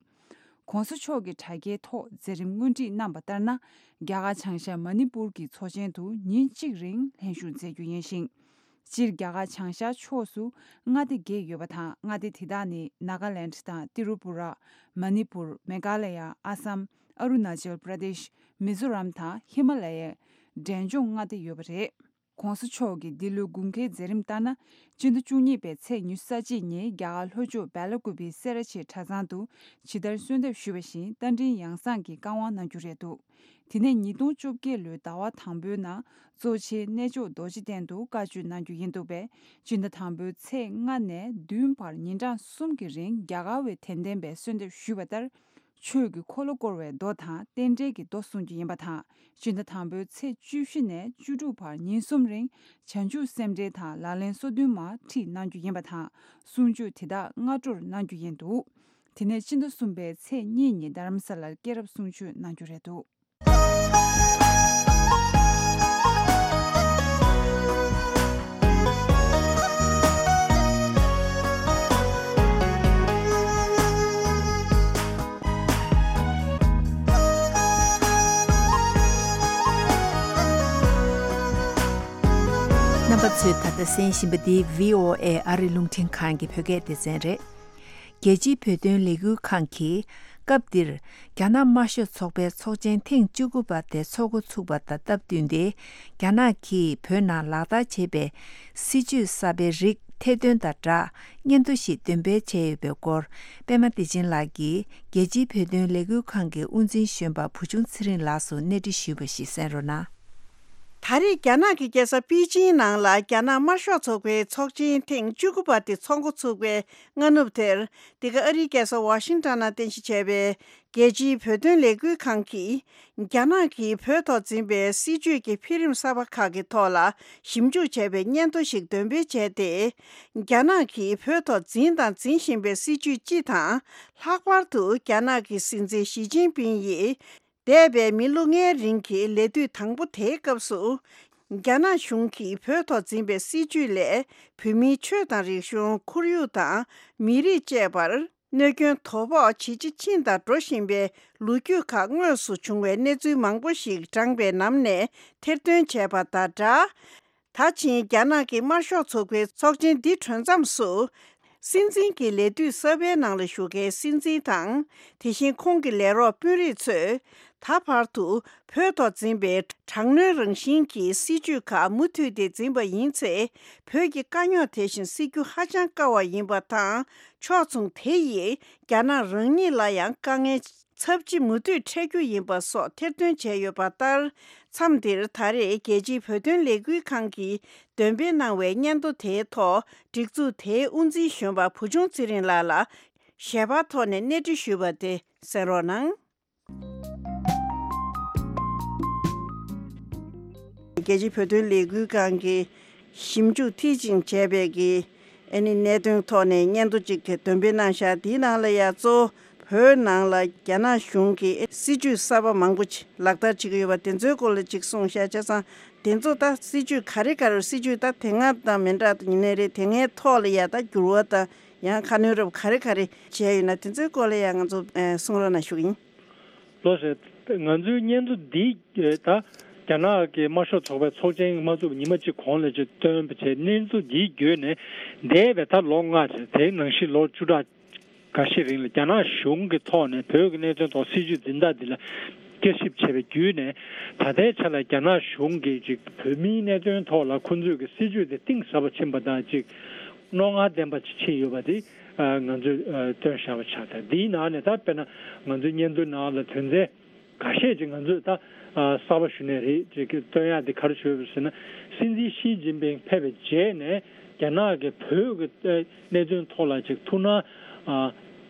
ྋགོང་ས་མཆོག་གིས་དྲ་རྒྱའི་ཐོག་མཛད་རིམ་སྔོན་ཁྲིད་གནང་པ་ལྟར་ན། རྒྱ་གར་བྱང་ཤར་མ་ཎི་པུར་གྱི་ཚོགས་ཆེན་དུ་ཉིན་གཅིག་རིང་ལྷན་ཞུགས་མཛད་རྒྱུ་ཡིན་ཞིང་། སྤྱིར་རྒྱ་གར་བྱང་ཤར་ཕྱོགས་སུ་མངའ་སྡེ་བརྒྱད་ཡོད་པ་དང་། མངའ་སྡེ་དེ་དག་ནི་ནཱ་ག་ལེནྜ་དང་ཏི་རུ་པུ་ར། མ་ཎི་པུར། མེ་གྷ་ལ་ཡ། ཨ་སམ། ཨ་རུ་ན་ཅལ་པྲ་དེཤ། མི་ཛོ་རམ་དང་ཧི་མ་ལ་ཡའི་འབྲས་ལྗོངས་མངའ་སྡེ་ཡོད་པ་རེད། ྋགོང་ས་མཆོག་གི་འདི་ལོའི་དགུན་ཁའི་མཛད་རིམ་ལྟར་ན། སྤྱི་ཟླ་བཅུ་གཉིས་པའི་ཚེས་ཉི་ཤུ་རྩ་གཅིག་ཉིན་རྒྱ་གར་ལྷོ་ཕྱོགས་སྦེ་ལ་ཀུ་པེའི་སེ་ར་བྱེས་གྲྭ་ཚང་དུ་ཇི་ལྟར་གསོལ་འདེབས་ཞུས་པ་བཞིན་རྟ་མགྲིན་ཡང་གསང་གི་བཀའ་དབང་གནང་རྒྱུ་རེད་འདུག་དེ་ནས་ཉིས་སྟོང་བཅོ་བརྒྱད་ལོའི་ཟླ་བ་དང་པོའི་ནང་གཙོ་ཆེའི་གནས་མཆོག་རྡོ་རྗེ་གདན་དུ་བཀའ་ཆོས་གནང་རྒྱུ་ཡིན་འདུག་པས། སྤྱི་ཟླ་དང་པོའི་ཚེས་ལྔ་ནས་བདུན་བར་ཉིན་གྲངས་གསུམ་གྱི་རིང་རྒྱ་གར་བའི་དད་ལྡན་པས་གསོལ་འདེབས་ཞུས་པ་ལྟར། ཆོས་ཀྱི་འཁོར་ལོ་བསྐོར་བའི་མདོ་དང་རྟེན་འབྲེལ་གྱི་མདོ་གསུང་རྒྱུ་ཡིན་པ་དང་། སྤྱི་ཟླ་དང་པོའི་ཚེས་བཅུ་བཞི་ནས་བཅུ་དྲུག་བར་ཉིན་གསུམ་རིང་བྱང་ཆུབ་སེམས་འགྲེལ་དང་ལག་ལེན་སོ་བདུན་མ་ཁྲིད་གནང་རྒྱུ་ཡིན་པ་དང་། གསུང་ཆོས་དེ་དག་སྔ་དྲོར་གནང་རྒྱུ་ཡིན་འདུག་དེ་ནས་སྤྱི་ཟླ་གསུམ་པའི་ཚེས་གཉིས་ཉིན་རྡ་རམ་ས་ལར་སྐྱེས་རབས་གསུང་ཆོས་གནང་རྒྱུ་རེད་འདུག་རྣམ་པ་ཚོས་ད་ལྟ་གསན་བཞིན་པ་འདི་བྷི་ཨོ་ཨེ་ཨ་རི་རླུང་འཕྲིན་ཁང་གི་བོད་སྐད་སྡེ་ཚན་རེད། རྒྱལ་སྤྱིའི་བོད་དོན་ལས་འགུལ་ཁང་གིས་སྐབས་འདིར་རྒྱ་ནག་དམར་ཤོག་ཚོགས་པའི་ཚོགས་ཆེན་ཐེངས་བཅུ་དགུ་པ་དེ་འཚོགས་འགོ་ཚུགས་པ་དང་སྟབས་བསྟུན་ཏེ། རྒྱ་ནག་གིས་བོད་ནང་ལག་བསྟར་བྱེད་པའི་སྲིད་བྱུས་གསར་པའི་རིགས་ཐེར་འདོན་དང་སྦྲགས་སྙན་ཐོ་ཞིག་འདོན་སྤེལ་བྱས་ཡོད་པའི་སྐོར། པད་མ་བདེ་ཆེན་ལགས་ཀྱིས་རྒྱལ་སྤྱིའི་བོད་དོན་ལས་འགུལ་ཁང་གི་དབུ་འཛིན་གཞོན་པ་བུ་ཆུང་ཚེ་རིང་ལགས་སུ་གནས་འདྲི་ཞུས་པ་ཞིག་གསན་རོགས་གནང་། ད་རེས་རྒྱ་ནག་གི་རྒྱལ་ས་པེ་ཅིང་ནང་ལ་རྒྱ་ནག་དམར་ཤོག་ཚོགས་པའི་ཚོགས་ཆེན་ཐེངས་བཅུ་དགུ་པ་དེ་འཚོགས་འགོ་ཚུགས་པའི་སྔ་ནུབ་དེར། འདི་ག་ཨ་རིའི་རྒྱལ་ས་ཝ་ཤིང་ཊོན་ནང་རྟེན་གཞི་བྱས་པའི་རྒྱལ་སྤྱིའི་བོད་དོན་ལས་འགུལ་ཁང་གིས། རྒྱ་ནག་གིས་བོད་ཐོག་འཛིན་པའི་སྲིད་བྱུས་ཀྱི་འཕེལ་རིམ་གསར་པ་ཁག་གི་ཐོག་ལ་ཞིབ་འཇུག་བྱས་པའི་སྙན་ཐོ་ཞིག་འདོན་སྤེལ་བྱས་ཏེ། རྒྱ་ནག་གིས་བོད་ཐོག་འཛིན་དང་འཛིན་བཞིན་པའི་སྲིད་བྱུས་སྤྱི་དང་། ལྷག་པར་དུ་རྒྱ་ནག་གི་སྲིད་འཛིན་ཞི་ཅིན་ཕིང་ཡིས། འདས་པའི་མི་ལོ་ལྔའི་རིང་གི་ལས་དུས་དང་པོ་དེའི་སྐབས་སུ། རྒྱ་ནག་གཞུང་གིས་བོད་ཐོག་འཛིན་པའི་སྲིད་བྱུས་ལས། བོད་མིའི་ཆོས་དང་རིག་གཞུང་། ཁོར་ཡུག་དང་། མི་རིགས་བཅས་པར། གནོད་སྐྱོན་དོ་ཕོག་ཇེ་ཆེ་ཕྱིན་དང་འགྲོ་བཞིན་པའི་ལོ་རྒྱུས་ཁག་དངོས་སུ་བྱུང་བའི་གནས་ཚུལ་མང་པོ་ཞིག་བགྲངས་པའི་ནང་ནས་ཐེར་འདོན་བྱས་པ་དང་སྦྲགས། ད་ཕྱིན་རྒྱ་ནག་གི་དམར་ཤོག་ཚོགས་པའི་ཚོགས་ཆེན་འདི་གྲོལ་མཚམས་སུ། སྲིད་འཛིན་གྱི་ལས་དུས་གསར་པའི་ནང་ལ་བཞུགས་མཁན་སྲིད་འཛིན་དང་། དེ་བཞིན་ཁོང་གི་ལས་རོགས་དཔོན་རིགས་ཚོས། ད་བར་དུ་བོད་ཐོག་འཛིན་པའི་དྲག་གནོན་རང་བཞིན་གྱི་སྲིད་བྱུས་ཁག་མུ་མཐུད་དེ་འཛིན་པ་ཡིན་ཚེ། བོད་ཀྱི་དཀའ་རྙོག་དེ་བཞིན་སེལ་རྒྱུ་ཧ་ཅང་དཀའ་བ་ཡིན་པ་དང་། ཕྱོགས་མཚུངས་དེ་ཡིས་རྒྱ་ནག་རང་ཉིད་ལ་ཡང་དཀའ་ངལ། ཚབས་ཆེ་མུ་མཐུད་འཕྲད་རྒྱུ་ཡིན་པ་སོགས་ཐེར་འདོན་བྱས་ཡོད་པ་ལྟར། མཚམས་འདིར་ད་རེས་རྒྱལ་སྤྱིའི་བོད་དོན་ལས་འགུལ་ཁང་གིས་འདོན་སྤེལ་གནང་བའི་སྙན་ཐོ་དེའི་ཐོག་སྒྲིག་འཛུགས་དེའི་དབུ་འཛིན་གཞོན་པ་བུ་ཆུང་ཚེ་རིང་ལགས་ལ་ཞལ་པར་ཐོག་ནས་གནས་འདྲི་ཞུས་པ་དེ་གསན་རོགས་གནང་། རྒྱལ་སྤྱིའི་བོད་དོན་ལས་འགུལ་ཁང་གིས་ཞིབ་འཇུག་མཐིལ་ཕྱིན་བྱས་པའི་གི་ཨ་ནི་གནད་དོན་ཐོག་ནས་སྙན་ཐོ་གཅིག་འདོན་སྤེལ་གནང་བཞག་དེའི་ནང་ལ་ཡང་གཙོ་བོ་བོད་ནང་ལ་རྒྱ་ནག་གཞུང་གིས་སྲིད་བྱུས་གསར་པ་མང་པོ་ཅིག་ལག་བསྟར་བྱེད་ཀྱི་ཡོད་པ་དེ་ཚོའི་སྐོར་ལ་ཅིག་གསུངས་བཞག་བྱས་ཙང་དེ་ཚོ་ད་སྲིད་བྱུས་ག་རེ་ག་རེ་སྲིད་བྱུས་ད་དེ་སྔ་དང་མི་འདྲ་ཡིན་ནའི་རེད། དེ་སྔའི་ཐོག་ལ་ཡང་ད་འགྱུར་བ་དང་ཡང་ཁ་སྣོན་རབ་ག་རེ་ག་རེ་བྱས་ཡོད་ན་དེ་ཚོའི་སྐོར་ལ་ཡང་ང་ཚོ་གསུང་རོགས་གནང་ཞུ་གི་ཡིན། ལགས་སོ། ང་ཚོའི་སྙན་ཐོ་འདི་ད་རྒྱ་ནག་གི་དམར་ཤོག་ཚོགས་པའི་ཚོགས་ཆེན་མ་ཚུགས་པའི་ཉི་མ་གཅིག་གོང་ལ་ཅིག་བཏོན་པ་བྱས། སྙན་ཐོ་འདིའི་བརྒྱུད་ནས་འདས་པའི་ད་ལོ་ལྔ་རེད། དེའི་ནང་བཞིན་ལོ་བཅུ་ཕྲག་འགའ་ཤས་རིང་ལ་རྒྱ་ནག་གཞུང་གི་ཐོག་ནས་བོད་ཀྱི་གནད་དོན་ཐོག་སྲིད་བྱུས་འཛིན་སྟངས་འདི་ལ་བསྐྱར་ཞིབ་བྱས་པའི་བརྒྱུད་ནས། ད་ལྟའི་ཆ་ལ་རྒྱ་ནག་གཞུང་གིས་ཅིག་བོད་མིའི་གནད་དོན་ཐོག་ལ་ཁོང་ཚོས་ཀྱི་སྲིད་བྱུས་དེ་གཏིང་ཟབ་པ་ཕྱིན་པ་དང་ཅིག་རྣོ་ངར་ལྡན་པ་ཅིག་ཕྱིན་ཡོད་པ་དེ་ང་ཚོས་བཏོན་བཞག་པ་ཆགས། ད་འདིའི་ནང་ནས་ད་དཔེར་ན་ང་ཚོའི་སྙན་ཐོའི་ནང་ལ་དོན་ཚན་འགའ་ཤས་ཅིག་ང་ཚོས་ད་གསར་པ་ཞུ་ནས་རེད་ཅིག་བཏོན་ཡག་དེ་ག་རེ་ཞུ་ཡོད་པ་ཟེར་ན། སྲིད་འཛིན་ཞི་ཅིན་ཕིང་ཕེབས་པའི་རྗེས་ནས་རྒྱ་ནག་གི་བོད་ཀྱི་གནད་དོན་ཐོག་ལ་ཅིག་ཐུགས་སྣང་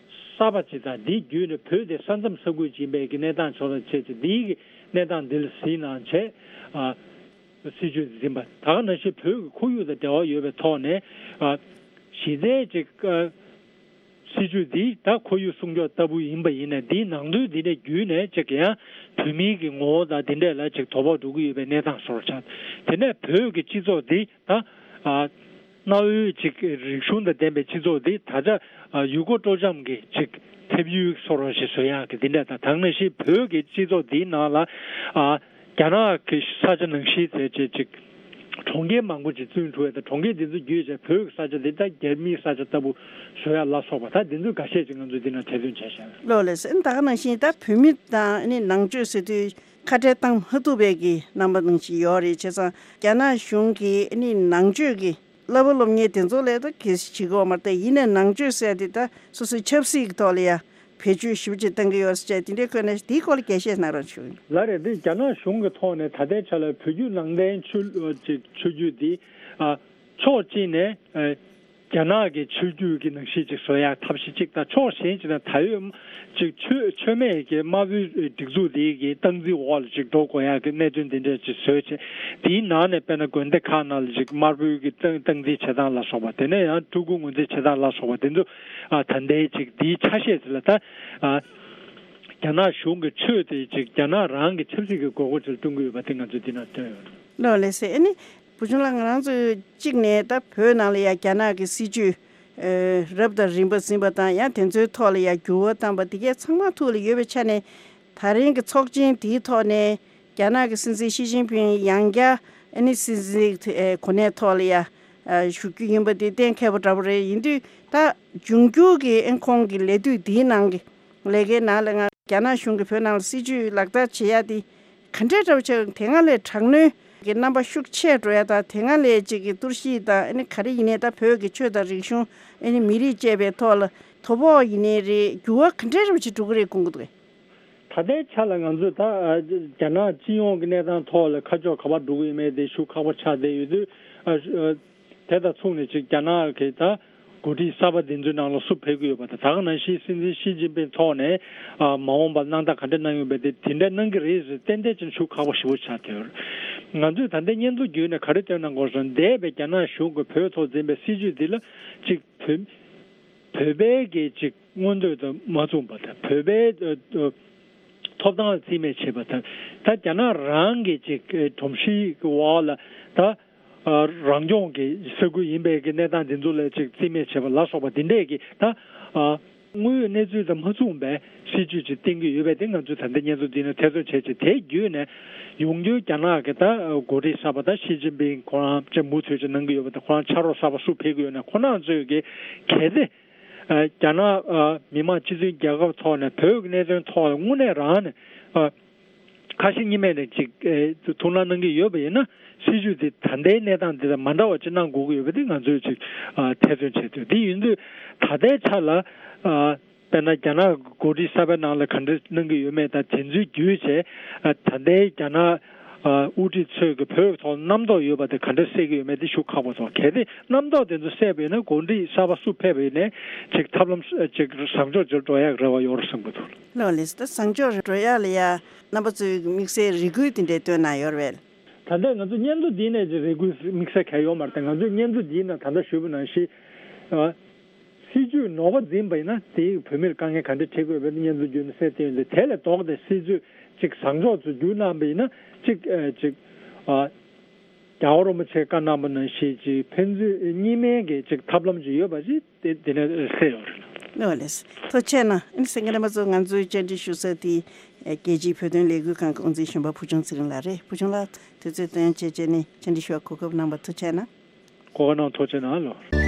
གསར་པ་ཅིག་དང་། འདིའི་བརྒྱུད་ནས་བོད་དེ་ས་མཚམས་ས་ཁུལ་ཅིག་ཡིན་པའི་གི་གནས་སྟངས་ཕྱོགས་ལ་བྱས་ཅིག་འདིའི་གི་གནས་སྟངས་འདི་ལ་གཟིགས་གནང་བྱས། སྲིད་བྱུས་འཛིན་པ་ད་ག་ནང་བཞིན་བོད་ཀྱི་ཁོར་ཡུག་དང་འབྲེལ་བ་ཡོད་པའི་ཐོག་ནས། གཞི་རྩའི་ཅིག་སྲིད་བྱུས་འདི་ད་ཁོར་ཡུག་སྲུང་སྐྱོབ་ལྟ་བུ་ཡིན་པ་ཡིན་ནའི་འདིའི་ནང་དོན་འདི་ནས་བརྒྱུད་ནས་ཅིག་ཡང་བོད་མིའི་གི་ངོ་བོ་དང་འདི་འདྲས་ལ་ཅིག་དོ་ཕོག་འགྲོ་གི་ཡོད་པའི་གནས་སྟངས་བཟོ་འདྲ་ཆགས། དེ་ནས་བོད་ཀྱི་སྤྱི་ཚོགས་འདི་ད་གནའ་བོའི་ཅིག་རིག་གཞུང་དང་ལྡན་པའི་སྤྱི་ཚོགས་འདི་ད་ཆ་ཡུལ་སྐོར་སྤྲོ་འཆམ་གྱི་ཅིག་ཕེབས་ཡུལ་བཟོ་འདྲ་ཞིག་བཟོ་ཡག་གི་འདི་འདྲས་དང་། ད་ག་ནང་བཞིན་བོད་ཀྱི་སྤྱི་ཚོགས་འདིའི་ནང་ལ་རྒྱ་ནག་གི་ས་ཆ་ནང་བཞིན་བྱས་བྱས་ཅིག་གྲོང་ཁྱེར་མང་པོ་ཅིག་བཙུགས་འགྲོ་བས། ད་གྲོང་ཁྱེར་འདི་ཚོ་བརྒྱུད་བྱས་བོད་ཀྱི་ས་ཆ་འདི་ད་རྒྱ་མིའི་ས་ཆ་ལྟ་བུ་བཟོ་ཡ་ལ་སོགས་པ་ད་འདི་ཚོ་འགའ་ཤས་ཅིག་ང་ཚོས་འདི་ན་གྲོས་བསྟུན་བྱས་བཞག་ལགས་ལགས་སེ། ད་ག་ནང་བཞིན་ད་བོད་མི་དང་ནི་ནང་ཆོས་ཟེར་དུས་ཁ་བྲལ་བཏང་མ་ཐུབ་པའི་གི་རྣམ་པ་ནང་བཞིན་ཡོད་རེད། བྱས་ཙང་རྒྱ་ནག་གཞུང་གིས་ནི་ནང་ཆོས་ཀྱི་བསླབ་པ་སློབ་གཉེར་དེ་ཚོ་ལས་ད་གལ་སྲིད་བྱེད་དགོས་མ་རེད། ད་ཡིན་ནའི་ནང་ཆོས་ཟེར་དེ་ད་སོ་སོའི་ཆབ་སྲིད་ཀྱི་ཐོག་ལ་ཡ་བེད་སྤྱོད་ཞིབ་ཅིག་གཏང་གི་ཡོད་ཟེར་བྱས། དེ་འདྲའི་ཁོ་ནས་དེའི་སྐོར་ལ་རྒྱས་བཤད་གནང་རོགས་ཞུ། ལགས་རེད། འདི་རྒྱ་ནག་གཞུང་གི་ཐོག་ནས་ད་ལྟའི་ཆ་ལ་བོད་བརྒྱུད་ནང་བསྟན་ཆོས་ལུགས་ཅིག་ཆོས་བརྒྱུད་འདི་ཕྱོགས་གཅིག་ནས་ རྒྱ་ནག་གི་ཆོས་བརྒྱུད་ཀྱི་ནང་བཞིན་ཅིག་བཟོ་ཡག་ཐབས་ཤེས་ཅིག་དང་། ཕྱོགས་གཞན་ཅིག་ནས་ད་ཡོད་ཅིག་ཆོས་ཆོས་མེད་ཀྱི་དམར་པོའི་སྒྲིག་འཛུགས་དེ་གི་སྟངས་འཛིན་འོག་ལ་ཅིག་འགྲོ་དགོས་ཡག་གི་གནད་དོན་དེ་འདྲ་ཅིག་བཟོས་བྱས། དེའི་ནང་ནས་དཔེར་ན་དགོན་སྡེ་ཁག་ནང་ལ་ཅིག་དམར་པོའི་གི་སྟངས་སྟངས་འཛིན་བྱེད་སྟངས་ལ་སོགས་པ། དེ་ནས་ཡང་སྤྲུལ་སྐུ་ངོས་འཛིན་བྱེད་སྟངས་ལ་སོགས་པ་དེ་ཚོ། ཨ། ད་ལྟའི་ཅིག་དེའི་ཆ་ཤས་དེ་ལ་ད། ཨ། རྒྱ་ནག་གཞུང་གི་ཆོས་དེ་ཅིག་རྒྱ་ནག་རང་གི་ཆབ་སྲིད་ཀྱི་དགོས་མཁོ་ཅིག་ལ་བསྟུན་གྱི་ཡོད་པ་དེ་ང་ཚོས་འདི་ན་སྟོན་ཡོད། ལགས་ལགས་སེ། ཨ་ནི་བུ་ཆུང་ལགས། ང་རང་ཚོས་གཅིག་ནས་ད་བོད་ནང་ལ་ཡ་རྒྱ་ནག་གི་སྲིད་བྱུས་ཨེ་རབ་དང་རིམ་པ་ཟིན་པ་དང་། ཡང་དེ་ཚོའི་ཐོག་ལ་ཡ་འགྱུར་བ་བཏང་པ་དེ་གས་ཚང་མ་ཐུགས་ལ་ཡོད་པའི་ཆ་ནས། ད་རིང་གི་ཚོགས་ཆེན་དེའི་ཐོག་ནས་རྒྱ་ནག་གི་སྲིད་འཛིན་ཞི་ཅིན་ཕིང་ཡང་བསྐྱར་ཨ་ནི་སྲིད་འཛིན་དེ་ཨེ་གོ་གནས་ཐོག་ལ་ཡ་ཨ་བཞུགས་རྒྱུ་ཡིན་པ་དེ་གཏན་འཁེལ་བ་འདྲ་པོ་རེད། ཡིན་དུས་ད་འབྱུང་འགྱུར་གྱི་ཨེ་ཁོང་གི་ལས་དུས་འདིའི་ནང་གི་ལས་ཀའི་ནང་ལ་ང་རྒྱ་ནག་གཞུང་གིས་བོད་ནང་ལ་སྲིད་བྱུས་ལག་བསྟར་བྱེད་ཡ་དེ་ག་འདྲས་འདྲ་པོ་བྱས། དེ་སྔ་ལས་དྲག་གནོན་གྱི་རྣམ་པ་ཤུགས་ཆེ་འགྲོ་ཡ་དང་། དེ་སྔ་ལས་ཅིག་གི་གཏོར་བཤིག་དང་། ཨ་ནི་ག་རེ་ཡིན་ནའི་ད་བོད་ཀྱི་ཆོས་དང་རིག་གཞུང་། ཨ་ནི་མི་རིགས་བཅས་པའི་ཐོག་ལ་དོ་ཕོག་ཡིན་ནའི་རེད། འགྱུར་བ་ག་འདྲས་འདྲ་པོ་ཅིག་འགྲོ་གི་རེད་དགོངས་ཀྱི་འདུག་གས། ད་ལྟའི་ཆ་ལ་ང་ཚོས་ད་རྒྱ་ནག་སྤྱི་ཡོངས་ཀྱི་གནས་སྟངས་ཐོག་ལ་ཁ་ཕྱོགས་ག་པར་འགྲོ་གི་ཡོད་མེད་དེ་ཤུགས་ཁག་པོ་ཆགས་བསྡད་ཡོད་དུས། ཨ། ཨ། དེ་དང་མཚུངས་ནས་ཅིག་རྒྱ་ནག་གི་ད་འགོ་ཁྲིད་གསར་པ་འདི་ཚོའི་ནང་ལ་སུ་ཕེབས་ཀྱི་ཡོད་པ་དང་། ད་ག་ནང་བཞིན་སྲིད་འཛིན་ཞི་ཅིན་ཕིང་ཐོག་ནས། ཨ། མ་འོངས་པར་གནང་སྟངས་ག་འདྲ་གནང་ཡོང་བས་དེ་དེ་འདྲ་གནང་གི་རེད་ཟེར་ཏན་ཏན་ཅིག་ཤུགས་ཁག་པོ་ཞེ་པོ་ཆགས་བསྡད་ཡོད་རེད། ང་ཚོས་ད་ལྟའི་སྙན་ཐོ་བརྒྱུད་ནས་ག་རེ་སྟོན་གནང་དགོས་ཟེར་ན། འདས་པའི་རྒྱ་ནག་གཞུང་གིས་བོད་ཐོག་འཛིན་པའི་སྲིད་བྱུས་འདི་ལ་ཅིག་བོད་བོད་པའི་གི་ཅིག་མངོན་འདོད་དང་མ་མཚུངས་པ་དང་། བོད་པའི་ཨ་ཨ་ཐོབ་ཐང་ལ་བརྩི་མེད་བྱེད་པ་དང་། ད་རྒྱ་ནག་རང་གི་ཅིག་ཨ་སྒྲོམ་གཞིའི་འོག་ལ་ད་ཨ་རང་སྐྱོང་གི་ས་ཁུལ་ཡིན་པའི་གི་གནས་སྟངས་འདི་ཚོ་ལ་ཅིག་བརྩི་མེད་བྱེད་པ་ལ་སོགས་པ་འདི་འདྲས་ཀྱི་ད་ཨ་དངོས་ཡོད་གནས་ཚུལ་དང་མ་མཚུངས་པའི་སྲིད་བྱུས་ཅིག་བསྟན་གྱི་ཡོད་པས་དེ་ང་ཚོས་ད་ལྟ་སྙན་ཐོ་འདི་ནས་ཐེ་ཚོམ་བྱས་བྱས། དེ་བརྒྱུད་ནས་ཡོང་རྒྱུའི་རྒྱ་ནག་གི་ད་འགོ་ཁྲིད་གསར་པ་ད་ཞི་ཅིན་ཕིང་ཁོ་རང་ཅིག་མུ་མཐུད་ཅིག་གནང་གི་ཡོད་པ་དང་། ཁོ་རང་ཕྱག་རོགས་གསར་པ་སུ་ཕེབས་ཀྱི་ཡོད་ན། ཁོ་རང་ཚོས་ཀྱི་གལ་ཏེ་ཨ་རྒྱ་ནག་ཨ་མི་དམངས་སྤྱི་མཐུན་རྒྱལ་ཁབ་ཐོག་ནས་བོད་ཀྱི་གནད་དོན་ཐོག་ལ་དངོས་གནས་རང་ནས་ཨ་ཁ་ཞེ་གཉིས་མེད་ནས་ཅིག་ཨེ་ཐུགས་སྣང་གནང་གི་ཡོད་པ་ཡིན་ན། སྲིད་བྱུས་དེ་ད་ལྟའི་གནས་སྟངས་འདི་དང་མ་འདྲ་བ་ཅིག་གནང་དགོས་ཀྱི་ཡོད་པ་དེ་ང་ཚོས་ཅིག་ཨ་ཐེ་ཚོམ་བྱས་ཏེ། དེ་ཡིན་དུས་ད་ལྟའི་ཆ་ལ་ཨ་དཔེར་ན་རྒྱ་ནག་འགོ་ཁྲིད་གསར་པའི་ནང་ལ་ག་འདྲ་གནང་གི་ཡོད་མེད་དང་། དེ་ཚོའི་བརྒྱུད་བྱས་ཨ་ད་ལྟའི་རྒྱ་ནག་ཨ་དབུ་ཁྲིད་ཚོས་ཀྱི་བོད་ཐོག་རྣམ་རྟོག་ཡོད་པ་དེ་ག་འདྲ་སེལ་གྱི་ཡོད་མེད་དེ་ཤུགས་ཁག་པོ་ཐོག་གལ་ཏེ་རྣམ་རྟོག་དེ་ཚོ་སེལ་བ་ཡིན་ན། འགོ་ཁྲིད་གསར་པ་སུ་ཕེབས་པ་ཡིན་ནའི་ཅིག་ཐབས་ལམ་ཅིག་བཟང་ཕྱོགས་ཅིག་འགྲོ་ཡག་རེ་བ་ཡོད་རེད་བསམ་གྱི་འདུག། ལགས་ལགས་སེ། ད་བཟང་ཕྱོགས་རེ་འགྲོ་ཡག་ལ་ཡ་རྣམ་པ་ཚོས་དམིགས་བསལ་རེ་སྐུལ་དེ་འདྲ་བཏོན་གནང་ཡོད་རེད་པས། ད་ལྟ་ང་ཚོ་སྙན་ཐོ་འདི་ནས་ཅིག་རེ་སྐུལ་དམིགས་བསལ་གང་ཡང་ཡོད་མ་རེད་དེ། ང་ཚོས་སྙན་ཐོ་འདི་ནས་ད་ལྟ་ཞུས་པ་ནང་བཞིན། ཨ། སྲིད་བྱུས་ནོར་བ་འཛིན་པ་ཡིན་ན་དེས་བོད་མིར་དཀའ་ངལ་ག་འདྲ་འཕྲད་ཀྱི་ཡོད་པའི་སྙན་ཐོ་བརྒྱུད་ནས་གསལ་བསྟན་ཡོད་འདུག། དེ་ལས་ལྡོག་སྟེ་སྲིད་བྱུས་ཅིག་བཟང་ཕྱོགས་ཚོ་བསྒྱུར་གནང་པ་ཡིན་ན་ཅིག་ཨ་ཅིག་ཨ་རྒྱལ་བ་རིན་པོ་ཆེས་བཀའ་གནང་པ་ནང་བཞིན་ཅིག་ཕན་ཚུན་གཉིས་སྨན་གྱི་ཅིག་ཐབས་ལམ་ཅིག་ཡོད་པ་ཅིག་དེ་དེ་ནས་གསལ་ཡོད་རེད། ལགས་ལགས། ཐུགས་རྗེ་ཆེ་གནང་། ཨ་ནི་གསན་མཁན་རྣམ་པ་ཚོ། ང་ཚོའི་བཅར་འདྲི་ཞུ་ས་དེ་རྒྱལ་སྤྱིའི་བོད་དོན་ལས་འགུལ་ཁང་གི་དབུ་འཛིན་གཞོན་པ་བུ་ཆུང་ཚེ་རིང་ལགས་རེད། བུ་ཆུང་ལགས་དུས་ཚོད་བཏོན་བྱས་བྱས་ནས་བཅར་འདྲི་ཞུ་བར་གོ་སྐབས་གནང་བར་ཐུགས་རྗེ་ཆེ་གནང་། གོ་སྐབས་གནང་བར་ཐུགས་རྗེ་གནང་ལགས།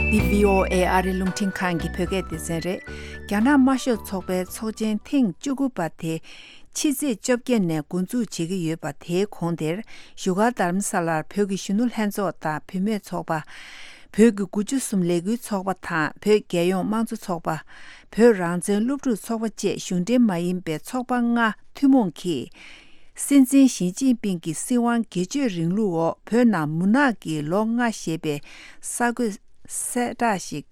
འདི་བྷི་ཨོ་ཨེ་ཨ་རིའི་རླུང་འཕྲིན་ཁང་གི་བོད་སྐད་སྡེ་ཚན་རེད། རྒྱ་ནག་དམར་ཤོག་ཚོགས་པའི་ཚོགས་ཆེན་ཐེངས་བཅུ་དགུ་པ་དེ་ཕྱི་ཚེས་བཅོ་བརྒྱད་ནས་འགོ་འཛུགས་བྱེད་ཀྱི་ཡོད་པ། དེའི་གོང་དེར་བཞུགས་སྒར་རྡ་རམ་ས་ལར་བོད་ཀྱི་གཞོན་ནུ་ལྷན་ཚོགས་དང་བུད་མེད་ཚོགས་པ། བོད་ཀྱི་དགུ་བཅུ་གསུམ་ལས་འགུལ་ཚོགས་པ་དང་། བོད་རྒྱལ་ཡོངས་དམངས་གཙོ་ཚོགས་པ། བོད་རང་བཙན་སློབ་ཕྲུག་ཚོགས་པ་བཅས་གཞུང་འབྲེལ་མ་ཡིན་པའི་ཚོགས་པ་ལྔ་ཐུན་མོང་གིས། སྲིད་འཛིན་ཞི་ཅིན་ཕིང་གི་སྲིད་དབང་སྒེར་གཅོད་རིང་ལུགས་འོག་བོད་ནང་མུན་ནག་གི་ལོ་ལྔ་ཞེས་པའི་གསར་འགོད་གསལ་བསྒྲགས་ཤིག་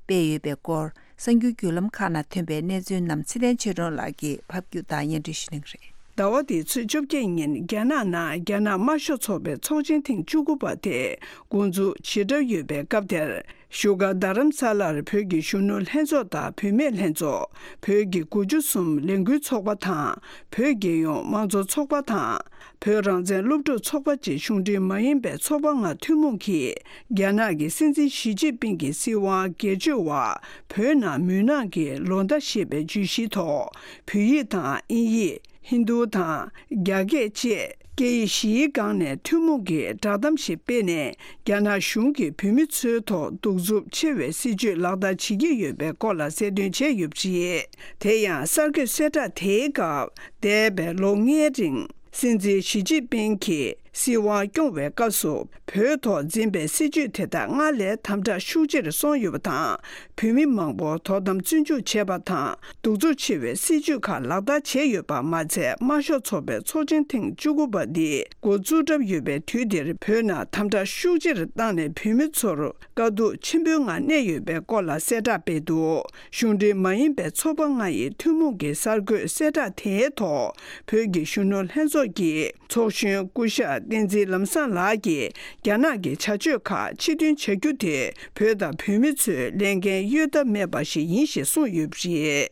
སྤེལ་ཡོད་པའི་སྐོར། གསར་འགྱུར་བརྒྱུད་ལམ་ཁག་ནང་ཐོན་པའི་གནས་ཚུལ་རྣམས་ཚེ་བརྟན་ཆོས་སྒྲོན་ལགས་ཀྱིས་ཕབ་སྒྱུར་དང་སྙན་སྒྲོན་ཞུ་གནང་གི་རེད། ཟླ་བ་འདིའི་ཚེས་བཅོ་བརྒྱད་ཉིན་རྒྱ་ནག་ནང་རྒྱ་ནག་དམར་ཤོག་ཚོགས་པའི་ཚོགས་ཆེན་ཐེངས་བཅུ་དགུ་པ་དེ་འགོ་འཛུགས་བྱེད་གྲབས་ཡོད་པའི་སྐབས་དེར། བཞུགས་སྒར་རྡ་རམ་ས་ལར་བོད་ཀྱི་གཞོན་ནུ་ལྷན་ཚོགས་དང་བུད་མེད་ལྷན་ཚོགས། བོད་ཀྱི་དགུ་བཅུ་གསུམ་ལས་འགུལ་ཚོགས་པ་དང་། བོད་རྒྱལ་ཡོངས་དམངས་གཙོ་ཚོགས་པ་དང་། བོད་རང་བཙན་སློབ་ཕྲུག་ཚོགས་པ་བཅས་གཞུང་འབྲེལ་མ་ཡིན་པའི་ཚོགས་པ་ལྔ་ཐུན་མོང་གིས། རྒྱ་ནག་གི་སྲིད་འཛིན་ཞི་ཅིན་ཕིང་གི་སྲིད་དབང་སྒེར་གཅོད་འོག་བོད་ནང་མུན་ནག་གི་ལོ་ཟླ་ཞེས་པའི་བརྗོད་གཞིའི་ཐོག་བོད་ཡིག་དང་དབྱིན་ཡིག་ཧིན་རྡུ་དང་རྒྱ་སྐད་བཅས་སྐད་ཡིག་བཞིའི་སྒང་ནས་ཐུན་མོང་གི་བསྒྲགས་གཏམ་ཞིག་སྤེལ་ནས། རྒྱ་ནག་གཞུང་གིས་བོད་མི་ཚོའི་ཐོག་གདུག་རྩུབ་ཆེ་བའི་སྲིད་བྱུས་ལག་བསྟར་བྱེད་ཀྱི་ཡོད་པའི་སྐོར་ལ་གསལ་སྟོན་བྱས་ཡོད་པ་རེད། དེ་ཡང་གསར་འགོད་གསལ་བསྒྲགས་དེའི་སྐབས། འདས་པའི་ལོ་ལྔའི་རིང་སྲིད་འཛིན་ཞི་ཅིན་ཕིང་གིས་ སྲིད་དབང་སྐྱོང་བའི་སྐབས་སུ་བོད་ཐོག་འཛིན་པའི་སྲིད་བྱུས་དེ་དག་སྔར་ལས་དམ་དྲག་ཤུགས་ཆེར་སོང་ཡོད་པ་དང་། བོད་མི་མང་པོ་དོ་དམ་བཙོན་འཇུག་བྱས་པ་དང་། གདུག་རྩུབ་ཆེ་བའི་སྲིད་བྱུས་ཁག་ལག་བསྟར་བྱས་ཡོད་པ་མ་ཚད། དམར་ཤོག་ཚོགས་པའི་ཚོགས་ཆེན་ཐེངས་བཅུ་དགུ་པ་འདི་འགོ་བཙུགས་གྲབས་ཡོད་པའི་དུས་འདིར། བོད་ནང་དམ་དྲག་ཤུགས་ཆེར་བཏང་ནས་བོད་མི་ཚོར་དཀའ་སྡུག་ཆེན་པོའི་ངང་གནས་ཡོད་པའི་སྐོར་ལ་གསལ་བསྒྲགས་སྤེལ་འདུག་གཞུང་འབྲེལ་མ་ཡིན་པའི་ཚོགས་པ་ལྔ་ཡི་ཐུན་མོང་གི་གསར་འགོད་གསལ་བསྒྲགས་དེའི་ཐོག་བོད་ཀྱི་གཞོན་ནུ་ལྷན་ཚོགས་ཀྱི་ཚོགས་གཞོན་སྐུ་ཞབས་བསྟན་འཛིན་ལམ་བཟང་ལགས་ཀྱིས། རྒྱ་ནག་གི་བྱ་སྤྱོད་ཁག་ཕྱིར་འདོན་བྱ་རྒྱུ་དེ་བོད་དང་བོད་མི་ཚོའི་ལས་འགན་གཡོལ་ཐབས་མེད་པ་ཞིག་ཡིན་ཞེས་གསུངས་ཡོད་པ་རེད།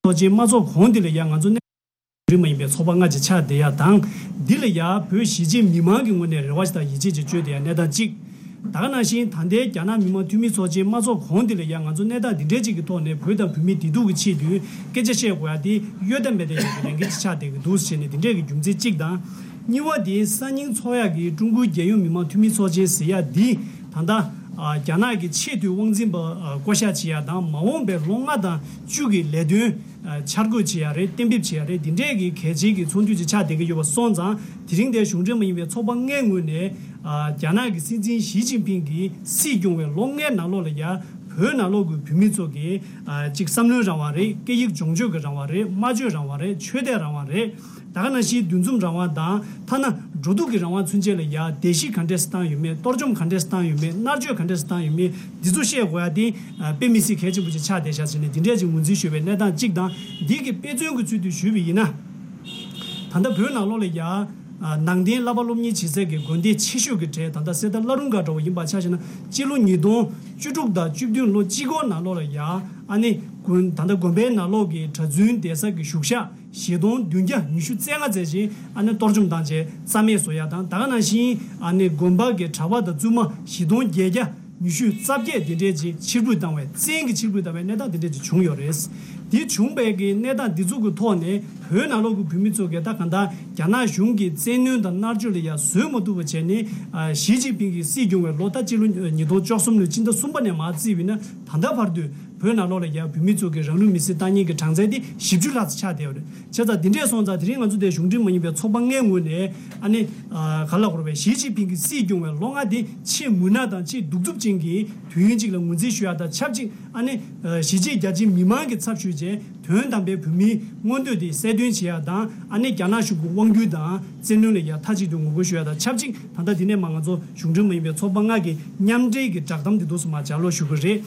ཚོགས་ཆེན་མ་ཚོགས་གོང་འདི་ལ་ཡང་ང་ཚོ་གནས་རིགས་མ་ཡིན་པའི་ཚོགས་པ་ལྔ་ཅིག་ཆགས་བསྡད་ཡ་དང་། འདི་ལ་ཡང་བོད་གཞིས་བྱེས་མི་མང་གི་ངོས་ནས་རེ་བ་ཞིག་དང་ཡིད་ཆེས་ཅིག་བཅོལ་བསྡད་ཡ་གནས་སྟངས་གཅིག་ད་ག་ནང་བཞིན་ད་ལྟའི་རྒྱ་ནག་མི་དམངས་འཐུས་མི་ཚོགས་ཆེན་མ་ཚོགས་གོང་འདི་ལ་ཡང་ང་ཚོ་གནས་སྟངས་འདི་འདྲའི་ཅིག་གི་ཐོག་ནས་བོད་དང་བོད་མིའི་བདེ་སྡུག་གི་ཆེད་དུ་སྐད་ཆ་བཤད་དགོས་ཡ་དེ་གཡོལ་ཐབས་མེད་པའི་ལས་འགན་ཅིག་ཆགས་བསྡད་ཀྱི་འདུག་ཟེར་ནས་འདི་འདྲའི་གི་རྒྱུ་མཚན་གཅིག་དང་། གཉིས་པ་དེ་སང་ཉིན་ཚོགས་ཡག་གི་ཀྲུང་གོའི་རྒྱལ་ཡོངས་མི་དམངས་འཐུས་མི་ཚོགས་ཆེན་ཟེར་ཡག་འདི་ད་ལྟ་ཨ་རྒྱ་ནག་གི་ཆེས་མཐོའི་དབང་འཛིན་པ་ཨ་བསྐོ་བཞག་བྱེད་ཡག་དང་། མ་འོངས་པའི་ལོ་ལྔ་དང་བཅུ་གི་ལས་དོན་ཨ་འཆར་འགོད་བྱེད་ཡག་རེད། གཏན་འབེབས་བྱེད་ཡག་རེད། འདི་འདྲས་ཀྱི་གལ་ཆེའི་གི་ཚོགས་འདུ་ཅིག་ཆགས་བསྡད་ཀྱི་ཡོད་པ་སོང་ཙང་། དེ་རིང་འདིར་གཞུང་འབྲེལ་མ་ཡིན་པའི་ཚོགས་པ་ལྔའི་ངོས་ནས་ཨ་རྒྱ་ནག་གི་སྲིད་འཛིན་ཞི་ཅིན་ཕིང་གིས་སྲིད་སྐྱོང་བའི་ལོ་ལྔའི་ནང་ལོགས་ལ་ཡ་བོད་ནང་ལོགས་ཀྱི་བོད་མི་ཚོ་གི་ཨ་གཅིག་བསམ་བློའི་རང་དབང་རེད། སྐད་ཡིག་སྦྱོང་སྤྱོད་ཀྱི་རང་དབང་རེད། སྨྲ་བརྗོད་རང་དབང་རེད། ཆོས་དད་རང་དབང་རེད། ད་ག་ནང་བཞིན་འདུ་འཛོམས་རང་དབང་དང་། ཐ་ན་འགྲོ་འདུག་གི་རང་དབང་ཚུན་ཆད་ལ་ཡ་བརྡལ་བཤིག་ག་འདྲས་སེ་བཏང་ཡོད་མེད། གཏོར་བཅོམ་ག་འདྲས་སེ་བཏང་ཡོད་མེད། མནར་གཅོད་ག་འདྲས་སེ་བཏང་ཡོད་མེད། འདི་ཚོ་བཤད་དགོས་ཡ་དེ་ཨ་དཔེ་མི་སྲིད་གལ་ཆེན་པོ་ཅིག་ཆགས་བསྡད་ཤག་ཟེར་ནས་འདི་འདྲས་ཅིག་ངོས་འཛིན་ཞུས་པའི་གནས་སྟངས་གཅིག་དང་། འདི་གི་དཔེ་མཚོན་གྱི་ཚུལ་དུ་ཞུས་པ་ཡིན་ན། ད་ལྟ་བོད་ནང་ལོགས་ལ་ཡ་ཨ་ནང་བསྟན་བསླབ་པ་སློབ་གཉེར་བྱེད་སའི་གི་དགོན་སྡེ་ཆེ་ཤོས་ཀྱི་གྲས་ད་ལྟ་གསེར་རྟ་བླ་རུང་སྒར་འདྲ་བོ་ཡིན་པ་ཆ་བཞག་ན། སྤྱི་ལོ་ཉིས་སྟོང་བཅུ་དྲུག་དང་བཅུ་བདུན་ལོ་གཅིག་འཁོར་ནང་ལོགས་ལ་ཡ་ཨ་ནི་དགོན་ད་ལྟ་དགོན་པའི་ནང་ལོགས་ཀྱི་གྲྭ་བཙུན་བསྡད་ས་གི་བཞུགས་ཤག་བཞི་སྟོང་བདུན་བརྒྱ་ཉི་ཤུ་རྩ་ལྔ་ཙམ་ཞིག་ཨ་ནི་གཏོར་བཅོམ་བཏང་བྱས་རྩ་མེད་བཟོ་ཡ་དང་། ད་ག་ནང་བཞིན་ཨ་ནི་དགོན་པ་གི་གྲྭ་པ་དང་བཙུན་མ་བཞི་སྟོང་བརྒྱད་བརྒྱ་ཉི་ཤུ་རྩ་བརྒྱད་དེ་འདྲས་ཅིག་ཕྱིར་འབུད་བཏང་བའི། བཙན་གྱིས་ཕྱིར་འབུད་བཏང་བའི་གནས་སྟངས་དེ་འདྲས་ཅིག་བྱུང་ཡོད་རེད། དེ་བྱུང་བའི་གི་གནས་སྟངས་འདི་ཚོ་གི་ཐོག་ནས་བོད་ནང་ལོགས་ཀྱི་བོད་མི་ཚོ་གིས་ད་གང་ལྟར་རྒྱ་ནག་གཞུང་གི་བཙན་གནོན་དང་མནར་གཅོད་ལ་ཡ་བཟོད་མ་ཐུབ་པ་བྱས་ནས། ཨ་ཞི་ཅིན་ཕིང་གིས་སྲིད་སྐྱོང་བའི་ལོ་ད་སྤྱི་ལོ་ཉིས་སྟོང་བཅུ་གསུམ་ལོའི་ཕྱི་ཟླ་གསུམ་པ་ནས་མར་བརྩིས་པ་ཡིན་ན། ད་ལྟ་བར་དུ་བོད་ནང་ལོགས་ལ་ཡ་བོད་མི་ཚོ་གིས་རང་ལུས་མེར་སྲེག་བཏང་མཁན་གྱི་གྲངས་ཚད་དེ་བཞི་བཅུ་ལྷག་ཙམ་ཆགས་བསྡད་ཡོད་རེད། བྱས་ཙང་འདི་འདྲས་སོང་ཙང་དེ་རིང་ང་ཚོ་དེ་གཞུང་འབྲེལ་མ་ཡིན་པའི་ཚོགས་པ་ལྔའི་ངོས་ནས་ཨ་ནི་ཨ་ག་ལ་གོ་རེད་པས། ཞི་ཅིན་ཕིང་གིས་སྲིད་སྐྱོང་བའི་ལོ་ལྔ་དེ་ཆེས་མུན་ནག་དང་ཆེས་གདུག་རྩུབ་ཅན་གྱི་དུས་ཡུན་ཅིག་ལ་ངོས་འཛིན་ཞུ་ཡ་དང་ཆབས་ཅིག་ཨ་ནི་ཨ་གཞིས་བྱེས་རྒྱ་ཆེའི་མི་མང་གི་ཚབ་ཞུས་བྱས། དོན་དམ་པའི་བོད་མིའི་མངོན་འདོད་དེ་གསལ་སྟོན་བྱེད་ཡ་དང་། ཨ་ནི་རྒྱ་ནག་གཞུང་གི་དབང་སྒྱུར་དང་བཙན་གནོན་ལ་ཡ་མཐའ་གཅིག་ཏུ་ངོ་རྒོལ་ཞུ་ཡ་དང་ཆབས་ཅིག་ད་ལྟ་འདི་ནས་མར་ང་ཚོ་གཞུང་འབྲེལ་མ་ཡིན་པའི་ཚོགས་པ་ལྔ་གི་མཉམ་འབྲེལ་གྱི་བསྒྲགས་གཏམ་འདི་འདུག་སེ་མར་ལྗགས་ཀློག་ཞུ་གི་རེད།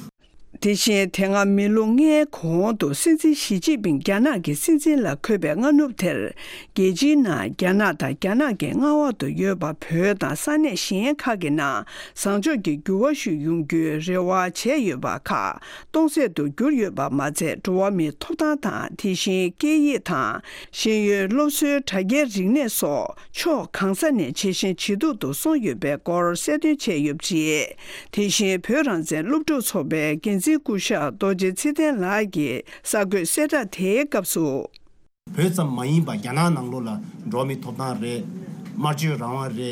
དེ་བཞིན་དེ་སྔ་མི་ལོ་ལྔའི་གོང་དུ་སྲིད་འཛིན་ཞི་ཅིན་ཕིང་རྒྱ་ནག་གི་སྲིད་འཛིན་ལ་འཁོད་པའི་སྔ་ནུབ་དེར། རྒྱལ་སྤྱིའི་ནང་རྒྱ་ནག་དང་རྒྱ་ནག་གི་མངའ་འོག་ཏུ་ཡོད་པ་བོད་དང་ས་གནས་གཞན་ཁག་གི་ནང་བཟང་ཕྱོགས་ཀྱི་འགྱུར་བ་ཞིག་ཡོང་རྒྱུའི་རེ་བ་བྱས་ཡོད་པ་ཁག་སྟོང་ཟད་དུ་གྱུར་ཡོད་པ་མ་ཚད། འགྲོ་བ་མིའི་ཐོབ་ཐང་དང་། དེ་བཞིན་སྐད་ཡིག་དང་། ཤེས་ཡོན། སློབ་གསོའི་དྲ་རྒྱའི་རིག་གནས་སོགས་ཕྱོགས་གང་ས་ནས་ཇེ་ཞན་ཇེ་སྡུག་ཏུ་སོང་ཡོད་པའི་སྐོར་གསལ་སྟོན་བྱས་ཡོད་པ་རེད། དེ་བཞིན་བོད་རང་བཙན་སློབ་ཕྲུག་ཚོགས་པའི་འགན་འཛིན་སྐུ་ཞབས་རྡོ་རྗེ་ཚེ་བརྟན་ལགས་ཀྱིས་གསར་འགོད་གསལ་བསྒྲགས་དེའི་སྐབས་སུ། བོད་ཙམ་མ་ཡིན་པར་རྒྱ་ནག་ནང་ལོགས་ལ་འགྲོ་བ་མིའི་ཐོབ་ཐང་རེད། སྨྲ་བརྗོད་རང་དབང་རེད། དེ་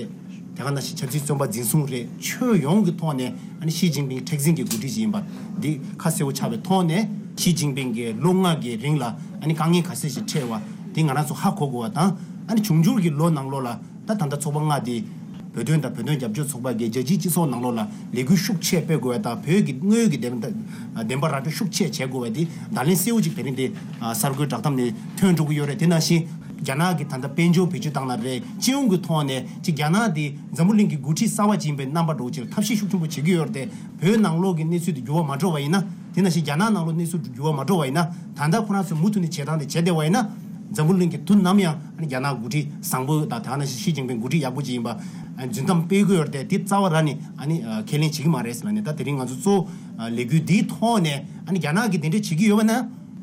ག་ནང་བཞིན་ཆབ་སྲིད་བཙོན་པ་འཛིན་བཟུང་རེད། ཁྱོན་ཡོངས་ཀྱི་ཐོག་ནས་ཨ་ནི་ཞི་ཅིན་ཕིང་མཁྲེགས་འཛིན་གྱི་འགོ་ཁྲིད་ཅིག་ཡིན་པ་འདི་ཁ་གསལ་པོ་ཆགས་པའི་ཐོག་ནས། ཞི་ཅིན་ཕིང་གིས་ལོ་ལྔ་གི་རིང་ལ་ཨ་ནི་དཀའ་ངལ་ག་ཚད་ཞིག་འཕྲད་པ་འདི་ང་རང་ཚོ་ཧ་གོ་དགོས་པ་དང་། ཨ་ནི་འབྱུང་འགྱུར་གྱི་ལོ་ནང་ལོགས་ལ་ད་ད་ལྟ་ཚོགས་པ་ལྔ་འདི་བོད་དོན་དང་བོད་དོན་རྒྱབ་སྐྱོར་ཚོགས་པ་གིས་རྒྱལ་སྤྱིའི་སྤྱི་ཚོགས་ནང་ལོགས་ལ་ལས་འགུལ་ཤུགས་ཆེ་སྤེལ་དགོས་པ་དང་། བོད་ཀྱི་དངོས་ཡོད་ཀྱི་བདེན་བདེན་པ་ར་སྤྲོད་ཤུགས་ཆེ་བྱེད་དགོས་པ་འདི་བརྡ་ལན་གསལ་པོ་ཅིག་དེ་རིང་འདི་གསར་འགོད་བསྒྲགས་གཏམ་ནས་ཐོན་འགྲོ་གི་ཡོད་རེད། དེ་ནང་བཞིན་རྒྱ་ནག་གི་ད་ལྟ་དཔལ་འབྱོར་བེད་སྤྱོད་བཏང་ན་རེད། སྤྱི་ཡོངས་ཀྱི་ཐོག་ནས་ཅིག་རྒྱ་ནག་འདི་འཛམ་བུ་གླིང་གི་འགོ་ཁྲིད་གསར་པ་ཅིག་ཡིན་པའི་རྣམ་པ་འདྲ་བོ་ཅིག་ལ་ཐབས་ཤེས་ཤུགས་ཆེན་པོ་བྱེད་ཀྱི་ཡོད་རེད་དེ། བོད་ནང་ལོགས་ཀྱི་གནས་ཚུལ་དེ་འགྱུར་བ་མ་འགྲོ་བ་ཡིན་ན། དེ་ནང་བཞིན་རྒྱ་ནག་ནང་ལོགས་གནས་ཚུལ་དེ་འགྱུར་བ་མ་འགྲོ་བ་ཡིན་ན། ད་ལྟ་ཁོ་རང་ཚོས་མུ་མཐུད་ནས་བྱེད་སྟངས་དེ་བྱས་བསྡད་པ་ཡིན་ན། འཛམ་བུ་གླིང་གི་དུས་ནམ་ཡང་ཨ་ནི་རྒྱ་ནག་འགོ་ཁྲིད་བཟང་པོ་དང་། དེ་ནང་བཞིན་ཞི་ཅིན་ཕིང་འགོ་ཁྲིད་ཡག་པོ་ཅིག་ཡིན་པ་རྫུན་གཏམ་སྤེལ་གྱི་ཡོད་རེད་དེ། དེ་རྩ་བ་རང་ནས་ཨ་ནི་ཁས་ལེན་བྱེད་ཀྱི་མ་རེད་ཟེར་ལབ་ནས། ད་དེ་རིང་ང་ཚོ་གཙོ་བོ་ལས་འགུལ་འདིའི་ཐོག་ནས་ཨ་ནི་རྒྱ་ནག་གིས་དེ་འདྲ་བྱེད་ཀྱི་ཡོད་པ་ན།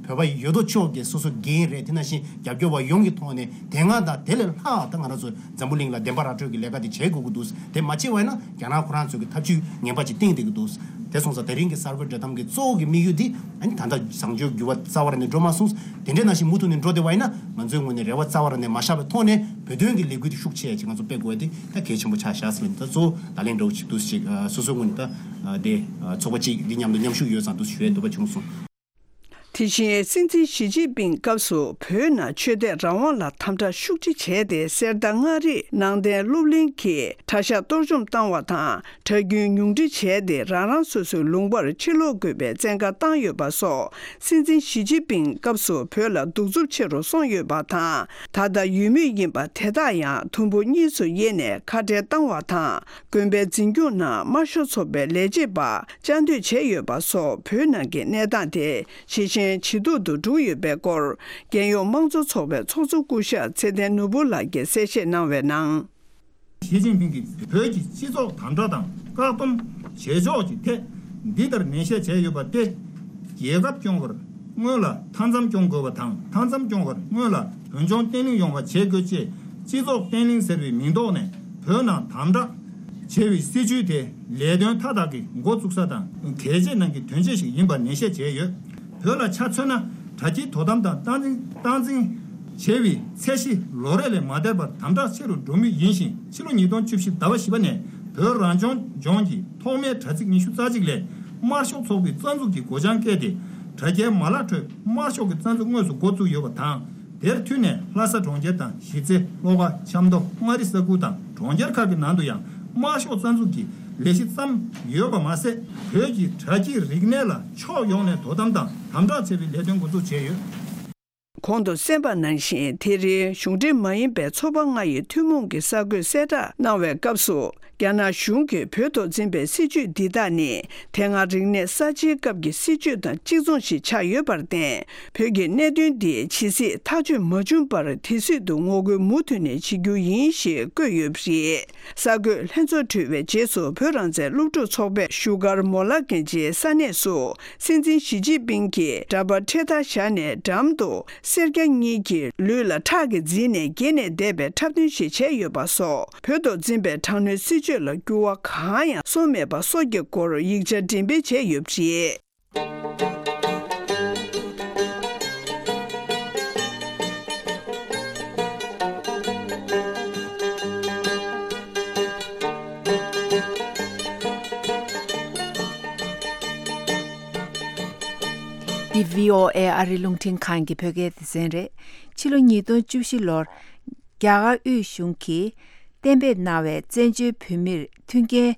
བོད་པ་ཡོད་དོ་ཅོག་གིས་སོ་སོ་འགན་རེད། དེ་ནང་བཞིན་རྒྱབ་སྐྱོར་བ་ཡོངས་ཀྱི་ཐོག་ནས་དེ་སྔ་དང་དེ་ལས་ལྷག་ད་ང་རང་ཚོ་འཛམ་བུ་གླིང་ལ་བདེན་པ་ར་སྤྲོད་ཀྱི་ལས་ཀ་དེ་བྱེད་དགོས་ཀྱི་འདུག་དེ་མ་བྱས་པ་ཡིན་ན་རྒྱ་ནག་ཁོ་རང་ཚོས་ཀྱི་ཐབས་ཇུས་ངན་པ་ཅིག་བཏིང་བསྡད་ཀྱི་འདུག་དེ་སོང་ཙང་དེ་རིང་གི་གསར་འགོད་བསྒྲགས་གཏམ་གྱི་གཙོ་བོ་གི་དམིགས་ཡུལ་འདི་ཨ་ནི་ད་ལྟ་བཟང་སྤྱོད་འགྱུར་བ་རྩ་བ་རང་ནས་འགྲོ་མ་སོང་། དེ་འདྲའི་ནང་བཞིན་མུ་མཐུད་ནས་འགྲོ་བསྡད་པ་ཡིན་ན། ང་ཚོའི་ངོས་ནས་རེ་བ་རྩ་བ་རང་ནས་མ་བཞག་པའི་ཐོག་ནས་བོད་དོན་གྱི་ལས་འགུལ་དེ་ཤུགས་ཆེ་ཅིག་ང་ཚོ་སྤེལ་དགོས་པ་དེ་ད་གལ་ཆེན་པོ་ཆགས་བཞག་ཟེར་ལབ་ནས། ད་གཙོ་བོ་བརྡ་ལན་འདྲ་བོ་ཅིག་འདུག་ཅིག་སོ་སོའི་ངོས་ནས་ད་དེ་ཚོགས་པ་གཅིག་འདི་མཉམ་དུ་མཉམ་ཞུགས་ཡོད་ཙང་འདུག་ཞུ་ཡས་འདོད་པ་བྱུང་སོང་། དེ་བཞིན་སྲིད་འཛིན་ཞི་ཅིན་ཕིང་སྐབས་སུ་བོད་ནང་ཆོས་དད་རང་དབང་ལ་དམ་དྲག་ཤུགས་ཆེ་བྱས་ཏེ། གསེར་རྟ་མངའ་རིས་ནང་བསྟན་སློབ་གླིང་གི་གྲྭ་ཤག་གཏོར་བཅོམ་བཏང་བ་དང་། གྲྭ་རྒྱུན་ཉུང་འཕྲི་བྱས་ཏེ། རང་རང་སོ་སོའི་ལུང་པར་ཕྱིར་ལོག་དགོས་པའི་བཙན་བཀའ་བཏང་ཡོད་པ་སོགས། སྲིད་འཛིན་ཞི་ཅིན་ཕིང་སྐབས་སུ་བོད་ལ་གདུག་རྩུབ་ཆེ་རུ་སོང་ཡོད་པ་དང་། ད་ལྟ་ཡོད་མུས་ཡིན་པ་དེ་དག་ཡང་དུམ་བུ་གཉིས་སུ་དབྱེ་ནས་ཁ་བྲལ་བཏང་བ་དང་། དགོན་པའི་འཛིན་སྐྱོང་ནང་དམར་ཤོག་ཚོགས་པའི་ལས་བྱེད་པ་བཅའ་སྡོད་བྱས་ཡོད་པ་སོགས། བོད་ནང་གི་གནས་སྟངས་དེ་ཇེ་ཞན་ཇེ་སྡུག་ཏུ་འགྲོ་ཡོད་པའི་སྐོར། རྒྱལ་ཡོངས་དམངས་གཙོ་ཚོགས་པའི་ཚོགས་གཙོ་སྐུ་ཞབས་ཚེ་བརྟན་ནོར་བུ་ལགས་ཀྱིས་གསལ་བཤད་གནང་བའི་ནང་། ཞི་ཅིན་ཕིང་གིས་བོད་ཀྱི་སྤྱི་ཚོགས་དམ་དྲག་དང་བཀག་སྡོམ་བྱེད་ཕྱོགས་ཀྱི་ཐད་འདི་ལྟར་ནན་བཤད་བྱས་ཡོད་པ་སྟེ། རྒྱལ་ཁབ་སྐྱོང་བར་སྔོན་ལ་མཐའ་མཚམས་སྐྱོང་དགོས་པ་དང་། མཐའ་མཚམས་སྐྱོང་བར་སྔོན་ལ་བོད་ལྗོངས་བརྟན་ལྷིང་ཡོང་བ་བྱེད་དགོས་ཅེས། སྤྱི་ཚོགས་བརྟན་ལྷིང་ཟེར་བའི་མིང་ཐོག་ནས་བོད་ནང་དམ་དྲག་བྱེད་པའི་སྲིད་བྱུས་དེ་ལས་དོན་མཐའ་དག་གི་འགོ་བཙུགས་ས་དང་གལ་ཆེ་ནང་གི་དོན་ཆེན་ཞིག་ཡིན་པ་ནན་བཤད་བྱས་ཡོད། བོད་ལ་ཆ་མཚོན་ན། དྲ་རྒྱའི་དོ་དམ་དང་སྟངས་འཛིན་སྟངས་འཛིན་བྱེད་པའི་ཚད་གཞི་ལོ་རེ་ལས་མ་བརྟན་པར་དམ་དྲག་ཆེ་རུ་འགྲོ་མུས་ཡིན་ཞིང་། ཕྱི་ལོ་ཉིས་སྟོང་བཅུ་བཞི་ཟླ་བ་བཞི་པ་ནས་བོད་རང་སྐྱོང་ལྗོངས་ཀྱི་ཐོག་མའི་དྲ་ཚིགས་ཉི་ཤུ་རྩ་གཅིག་ལས་དམར་ཤོག་ཚོགས་པའི་རྩ་འཛུགས་ཀྱི་སྒོ་བྱང་བཀལ་ཏེ། དྲ་རྒྱའི་མ་ལག་ཁྲོད་དམར་ཤོག་གི་རྩ་འཛུགས་དངོས་སུ་འགོ་བཙུགས་ཡོད་པ་དང་། དེར་མཐུད་ནས་ལྷ་ས་གྲོང་ཁྱེར་དང་། གཞིས་རྩེ། བློ་དགའ། ཆབ་མདོ། མངའ་རིས་ས་ཁུལ་དང་གྲོང་ཁྱེར་ཁག་གི་ནང་དུ་ཡང་དམར་ཤོག་རྩ་འཛུགས་ཀྱི་ལས་གཞི་བརྩམས་ཡོད་པ་མ་ཟད། བོད་ཀྱི་དྲ་རྒྱའི་རིག་གནས་ལ་ཕྱོགས་ཡོངས་ནས་དོ་དམ་དང་དམ་དྲག་བྱེད་པའི་ལས་དོན་འགོ་འཛུགས་བྱས་ཡོད། གོང་དུ་གསན་པ་ནང་བཞིན། དེ་རིང་གཞུང་འབྲེལ་མ་ཡིན་པའི་ཚོགས་པ་ལྔ་ཡི་ཐུན་མོང་གི་གསར་འགོད་གསལ་བསྒྲགས་གནང་བའི་སྐབས་སུ། རྒྱ་ནག་གཞུང་གིས་བོད་ཐོག་འཛིན་པའི་སྲིད་བྱུས་འདི་དག་ནི། དེ་སྔ་རིག་གནས་གསར་བརྗེའི་སྐབས་ཀྱི་སྲིད་བྱུས་དང་གཅིག་མཚུངས་ཤིག་ཆགས་ཡོད་པར་བརྟེན། བོད་ཀྱི་གནད་དོན་འདི་ཇི་སྲིད་ཐག་གཅོད་མ་བྱུང་བར། དེ་སྲིད་དུ་ངོ་རྒོལ་མུ་མཐུད་ནས་བྱེད་རྒྱུ་ཡིན་ཞེས་བཀོད་ཡོད་པ་རེད། གསར་འགོད་ལྷན་ཚོགས་གྲོལ་བའི་རྗེས་སུ། བོད་རང་བཙན་སློབ་ཕྲུག་ཚོགས་པས་བཞུགས་སྒར་མོ་ལ་གན་ཇིའི་ས་གནས་སུ། སྲིད་འཛིན་ཞི་ཅིན་ཕིང་གིས་འདྲ་པར་འཕྲེད་དར་བཞག་ནས། འགྲམ་དུ་སེར་སྐྱ་གཉིས་ཀྱིས་ལུས་ལ་ཁྲག་གིས་བརྫིས་ནས་འགྱེལ་ནས་བསྡད་པའི་འཁྲབ་སྟོན་ཞིག་བྱས་ཡོད་པ་སོགས། བོད་ཐོག་འཛིན་པའི་དྲག་གནོན་སྲིད་བྱུས་ལ་འགྱུར་བ་གང་ཡང་སོང་མེད་པ་སོགས་ཀྱི་སྐོར་ཡིག་ཆ་འགྲེམས་སྤེལ་བྱས་ཡོད་པ་རེད། འདི་བྷི་ཨོ་ཨེ་ཨ་རིའི་རླུང་འཕྲིན་ཁང་གི་བོད་སྐད་སྡེ་ཚན་རེད། ཕྱི་ལོ་ཉིས་སྟོང་བཅུ་བཞི་ལོར་རྒྱ་གར་དབུས་གཞུང་གིས་གཏན་འབེབས་གནང་བའི་བཙན་བྱོལ་བོད་མིར་མཐུན་རྐྱེན་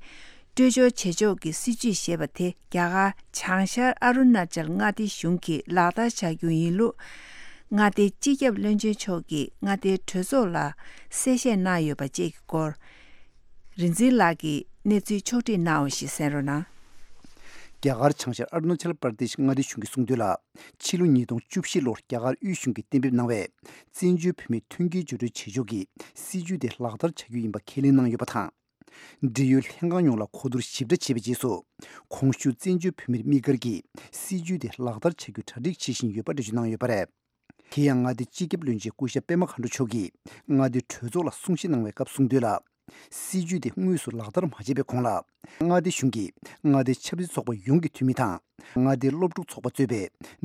སྤྲོད་སྦྱོར་བྱེད་ཕྱོགས་ཀྱི་སྲིད་བྱུས་ཞེས་པ་དེ་རྒྱ་གར་བྱང་ཤར་ཨ་རུ་ན་ཅལ་མངའ་སྡེའི་གཞུང་གིས་ལག་བསྟར་བྱ་རྒྱུ་ཡིན་ལུགས། མངའ་སྡེའི་སྤྱི་ཁྱབ་བློན་ཆེན་མཆོག་གིས་མངའ་སྡེའི་གྲོས་ཚོགས་ལ་གསལ་བཤད་གནང་ཡོད་པ་བཅས་ཀྱི་སྐོར། རིག་འཛིན་ལགས་ཀྱིས་གནས་ཚུལ་ཕྱོགས་སྒྲིག་གནང་བ་ཞིག་གསན་རོགས་གནང་། རྒྱ་གར་བྱང་ཤར་ཨ་རུ་ན་ཅལ་པར་དེཤ་མངའ་སྡེའི་གཞུང་གིས་གསུངས་དོན་ལ། ཕྱི་ལོ་ཉིས་སྟོང་བཅུ་བཞི་ལོར་རྒྱ་གར་དབུས་གཞུང་གིས་གཏན་འབེབས་གནང་བའི་བཙན་བྱོལ་བོད་མིའི་མཐུན་རྐྱེན་སྦྱོར་སྤྲོད་བྱེད་ཕྱོགས་ཀྱི་སྲིད་བྱུས་དེ་ལག་བསྟར་བྱ་རྒྱུ་ཡིན་པ་ཁས་ལེན་གནང་ཡོད་པ་དང་། འབྲེལ་ཡོད་ལྷན་ཁང་ཡོངས་ལ་གོ་བསྡུར་ཞིབ་ཕྲ་བྱས་པའི་རྗེས་སུ། གོང་ཞུས་བཙན་བྱོལ་བོད་མིར་དམིགས་བཀར་གྱིས་སྲིད་བྱུས་དེ་ལག་བསྟར་བྱ་རྒྱུ་གྲ་སྒྲིག་བྱེད་བཞིན་ཡོད་པ་འགྲེལ་བརྗོད་གནང་ཡོད་པ་རེད། དེ་ཡང་མངའ་སྡེའི་སྤྱི་ཁྱབ་བློན་ཆེན་སྐུ་ཞབས་པད་མ་མཁའ་འགྲོ་མཆོག་གིས་མངའ་སྡེའི་གྲོས་ཚོགས་ལ་གསུང་བཤད་གནང་བའི་སྐབས་གསུངས་དོན་ལ། སྲིད་བྱུས་དེ་དངོས་སུ་ལག་བསྟར་མ་བྱས་པའི་གོང་ལ། མངའ་སྡེ་གཞུང་གིས་མངའ་སྡེའི་ཆབ་སྲིད་ཚོགས་པ་ཡོངས་ཀྱི་འཐུས་མི་དང་། མངའ་སྡེའི་སློབ་ཕྲུག་ཚོགས་པ་གཙོས་པའི་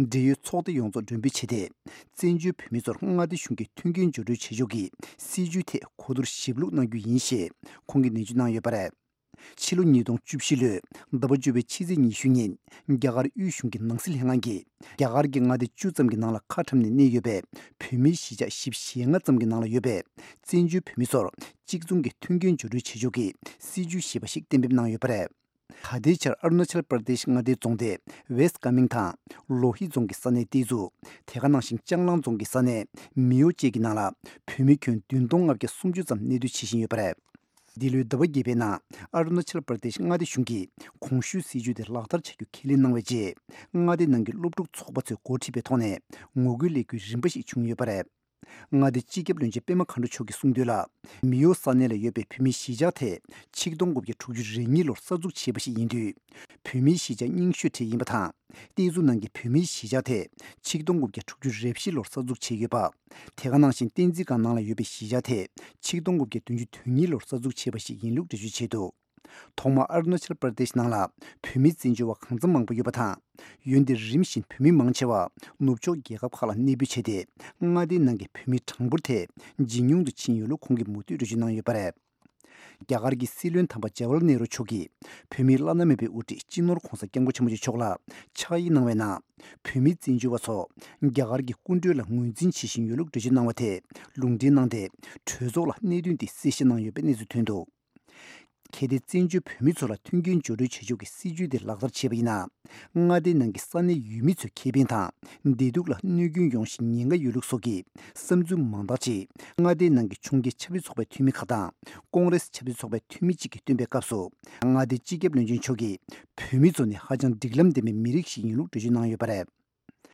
འབྲེལ་ཡོད་ཚོགས་སྡེ་ཡོངས་རྫོགས་མགྲོན་འབོད་བྱས་ཏེ། བཙན་བྱོལ་བོད་མི་ཚོར་མངའ་སྡེ་གཞུང་གིས་མཐུན་རྐྱེན་སྦྱོར་སྤྲོད་བྱེད་ཕྱོགས་ཀྱི་སྲིད་བྱུས་ཐད་གོ་བསྡུར་ཞིབ་ལྷུག་གནང་རྒྱུ་ཡིན་ཞེས་ཁོང་གིས་ནན་བརྗོད་གནང་ཡོད་པ་རེད། ཕྱི་ལོ་ཉིས་སྟོང་བཅུ་བཞི་ལོའི་ཟླ་བ་བཅུ་པའི་ཕྱི་ཚེས་ཉི་ཤུ་ཉིན། རྒྱ་གར་དབུས་གཞུང་གི་ནང་སྲིད་ལྷན་ཁང་གིས། རྒྱ་གར་གྱི་མངའ་སྡེ་བཅུ་ཙམ་གྱི་ནང་ལ་ཁ་འཁྲམ་ནས་གནས་ཡོད་པའི་བོད་མིའི་གཞིས་ཆགས་བཞི་བཅུ་ཞེ་ལྔ་ཙམ་གྱི་ནང་ལ་ཡོད་པའི་བཙན་བྱོལ་བོད་མི་ཚོར་གཅིག་མཚུངས་ཀྱི་མཐུན་རྐྱེན་སྦྱོར་སྤྲོད་བྱེད་ཕྱོགས་ཀྱི་སྲིད་བྱུས་ཞེས་པ་ཞིག་གཏན་འབེབས་གནང་ཡོད་པ་རེད། ད་ལྟའི་ཆར་ཨ་རུ་ན་ཅལ་པར་དེཤ་མངའ་སྡེའི་རྫོང་སྡེ་ཝེ་སི་ཀ་མིང་དང་ལོ་ཧི་རྫོང་གི་ས་གནས་ཏེ་ཛུ། དེ་ག་ནང་བཞིན་ལྕང་གླང་རྫོང་གི་ས་གནས་མིའོ་བཅས་ཀྱི་ནང་ལ་བོད་མི་ཁྱོན་བདུན་སྟོང་ལྔ་བརྒྱ་སུམ་ཅུ་ཙམ་གནས་སྡོད་བྱེད་བཞིན་ཡོད་པ་རེད། འདི་ལོའི་ཟླ་བ་བརྒྱད་པའི་ནང་ཨ་རུ་ན་ཅལ་པར་དེཤ་མངའ་སྡེ་གཞུང་གིས་གོང་ཞུས་སྲིད་བྱུས་དེ་ལག་བསྟར་བྱ་རྒྱུ་ཁས་ལེན་གནང་བའི་རྗེས། མངའ་སྡེ་ནང་གི་སློབ་ཕྲུག་ཚོགས་པ་ཚོས་འགོ་ཁྲིད་པའི་ཐོག་ནས་ངོ་རྒོལ་ལས་འགུལ་རིམ་པ་ཞིག་བྱུང་ཡོད་པ་རེད། མངའ་སྡེའི་སྤྱི་ཁྱབ་བློན་ཆེན་པད་མ་མཁའ་འགྲོ་མཆོག་གིས་གསུངས་དོན་ལ། མིའོ་ས་གནས་ལ་ཡོད་པའི་བོད་མིའི་གཞིས་ཆགས་དེ་ཆིག་སྟོང་དགུ་བརྒྱ་དྲུག་ཅུ་རེ་གཉིས་ལོར་གསར་འཛུགས་བྱས་པ་ཞིག་ཡིན་དུས། བོད་མིའི་གཞིས་ཆགས་རྙིང་ཤོས་གྲས་ཡིན་པ་དང་། ཏེ་ཛུ་ནང་གི་བོད་མིའི་གཞིས་ཆགས་དེ་ཆིག་སྟོང་དགུ་བརྒྱ་དྲུག་ཅུ་རེ་བཞི་ལོར་གསར་འཛུགས་བྱས་ཡོད་པ། དེ་ག་ནང་བཞིན་བསྟན་འཛིན་སྒང་ནང་ལ་ཡོད་པའི་གཞིས་ཆགས་དེ་ཆིག་སྟོང་དགུ་བརྒྱ་བདུན་ཅུ་དོན་གཉིས་ལོར་གསར་འཛུགས་བྱས་པ་ཞིག་ཡིན་ལུགས་འགྲེལ་བརྗོད་བྱས་འདུག་ཐོག་མར་ཨ་རུ་ན་ཅལ་པར་དེཤ་ནང་ལ་བོད་མི་བཙན་བྱོལ་བ་གང་འཚམ་མང་པོ་ཡོད་པ་དང་། འོན་ཏེ་རིམ་བཞིན་བོད་མི་མང་ཆེ་བ་ནུབ་ཕྱོགས་རྒྱལ་ཁབ་ཁག་ལ་གནས་སྤོས་བྱས་ཏེ། མངའ་སྡེའི་ནང་གི་བོད་མིའི་གྲངས་འབོར་དེ་ཇེ་ཉུང་དུ་ཕྱིན་ཡོད་ལུགས་ཁོང་གིས་མུ་མཐུད་འགྲེལ་བརྗོད་གནང་ཡོད་པ་རེད། རྒྱ་གར་གྱི་སྲིད་བློན་དམ་པ་ཇ་ཝར་ལལ་ནེ་རུ་མཆོག་གིས་བོད་མིའི་བླ་ན་མེད་པའི་དབུ་ཁྲིད་སྤྱི་ནོར་༧གོང་ས་༧སྐྱབས་མགོན་ཆེན་པོ་མཆོག་ལ་ཕྱག་ཡིག་གནང་བའི་ནང་། བོད་མིའི་བཙན་བྱོལ་བ་ཚོ་རྒྱ་གར་གྱི་སྐུ་མགྲོན་ལ་ངོས་འཛིན་བྱེད་བཞིན་ཡོད་ལུགས་འགྲེལ་བརྗོད་གནང་བ་དེ་ལུང་འདྲེན་གནང་སྟེ། གྲོས་ཚོགས་ལ་གནད་དོན་དེ་གསལ་བཤད་གནང་ཡོད་པའི་གནས་ཚུལ་ཐོན་འདུག་གལ་ཏེ་བཙན་བྱོལ་བོད་མི་ཚོ་ལ་མཐུན་རྐྱེན་སྦྱོར་སྤྲོད་བྱེད་ཕྱོགས་ཀྱི་སྲིད་ཇུས་དེ་ལག་བསྟར་བྱས་པ་ཡིན་ན། མངའ་སྡེའི་ནང་གི་ས་གནས་ཡུལ་མི་ཚོའི་ཁེ་ཕན་དང་བདེ་སྡུག་ལ་གནོད་སྐྱོན་ཡོང་ཞིང་ཉེན་ཁ་ཡོད་ལུགས་སོགས་ཀྱི་བསམ་ཚུལ་མང་དག་ཅིག་མངའ་སྡེའི་ནང་གི་ཕྱོགས་འགལ་ཆབ་སྲིད་ཚོགས་པའི་འཐུས་མི་ཁག་དང་ཀོང་རེས་ཆབ་སྲིད་ཚོགས་པའི་འཐུས་མི་གཅིག་གིས་བཏོན་པའི་སྐབས་སུ། མངའ་སྡེའི་སྤྱི་ཁྱབ་བློན་ཆེན་མཆོག་གིས་བོད་མི་ཚོ་ནི་ཧ་ཅང་སྒྲིག་ལམ་ལྡན་པའི་མི་རིགས་ཤིག་ཡིན་ལུགས་འགྲེལ་བརྗོད་གནང་ཡོད་པ་རེད།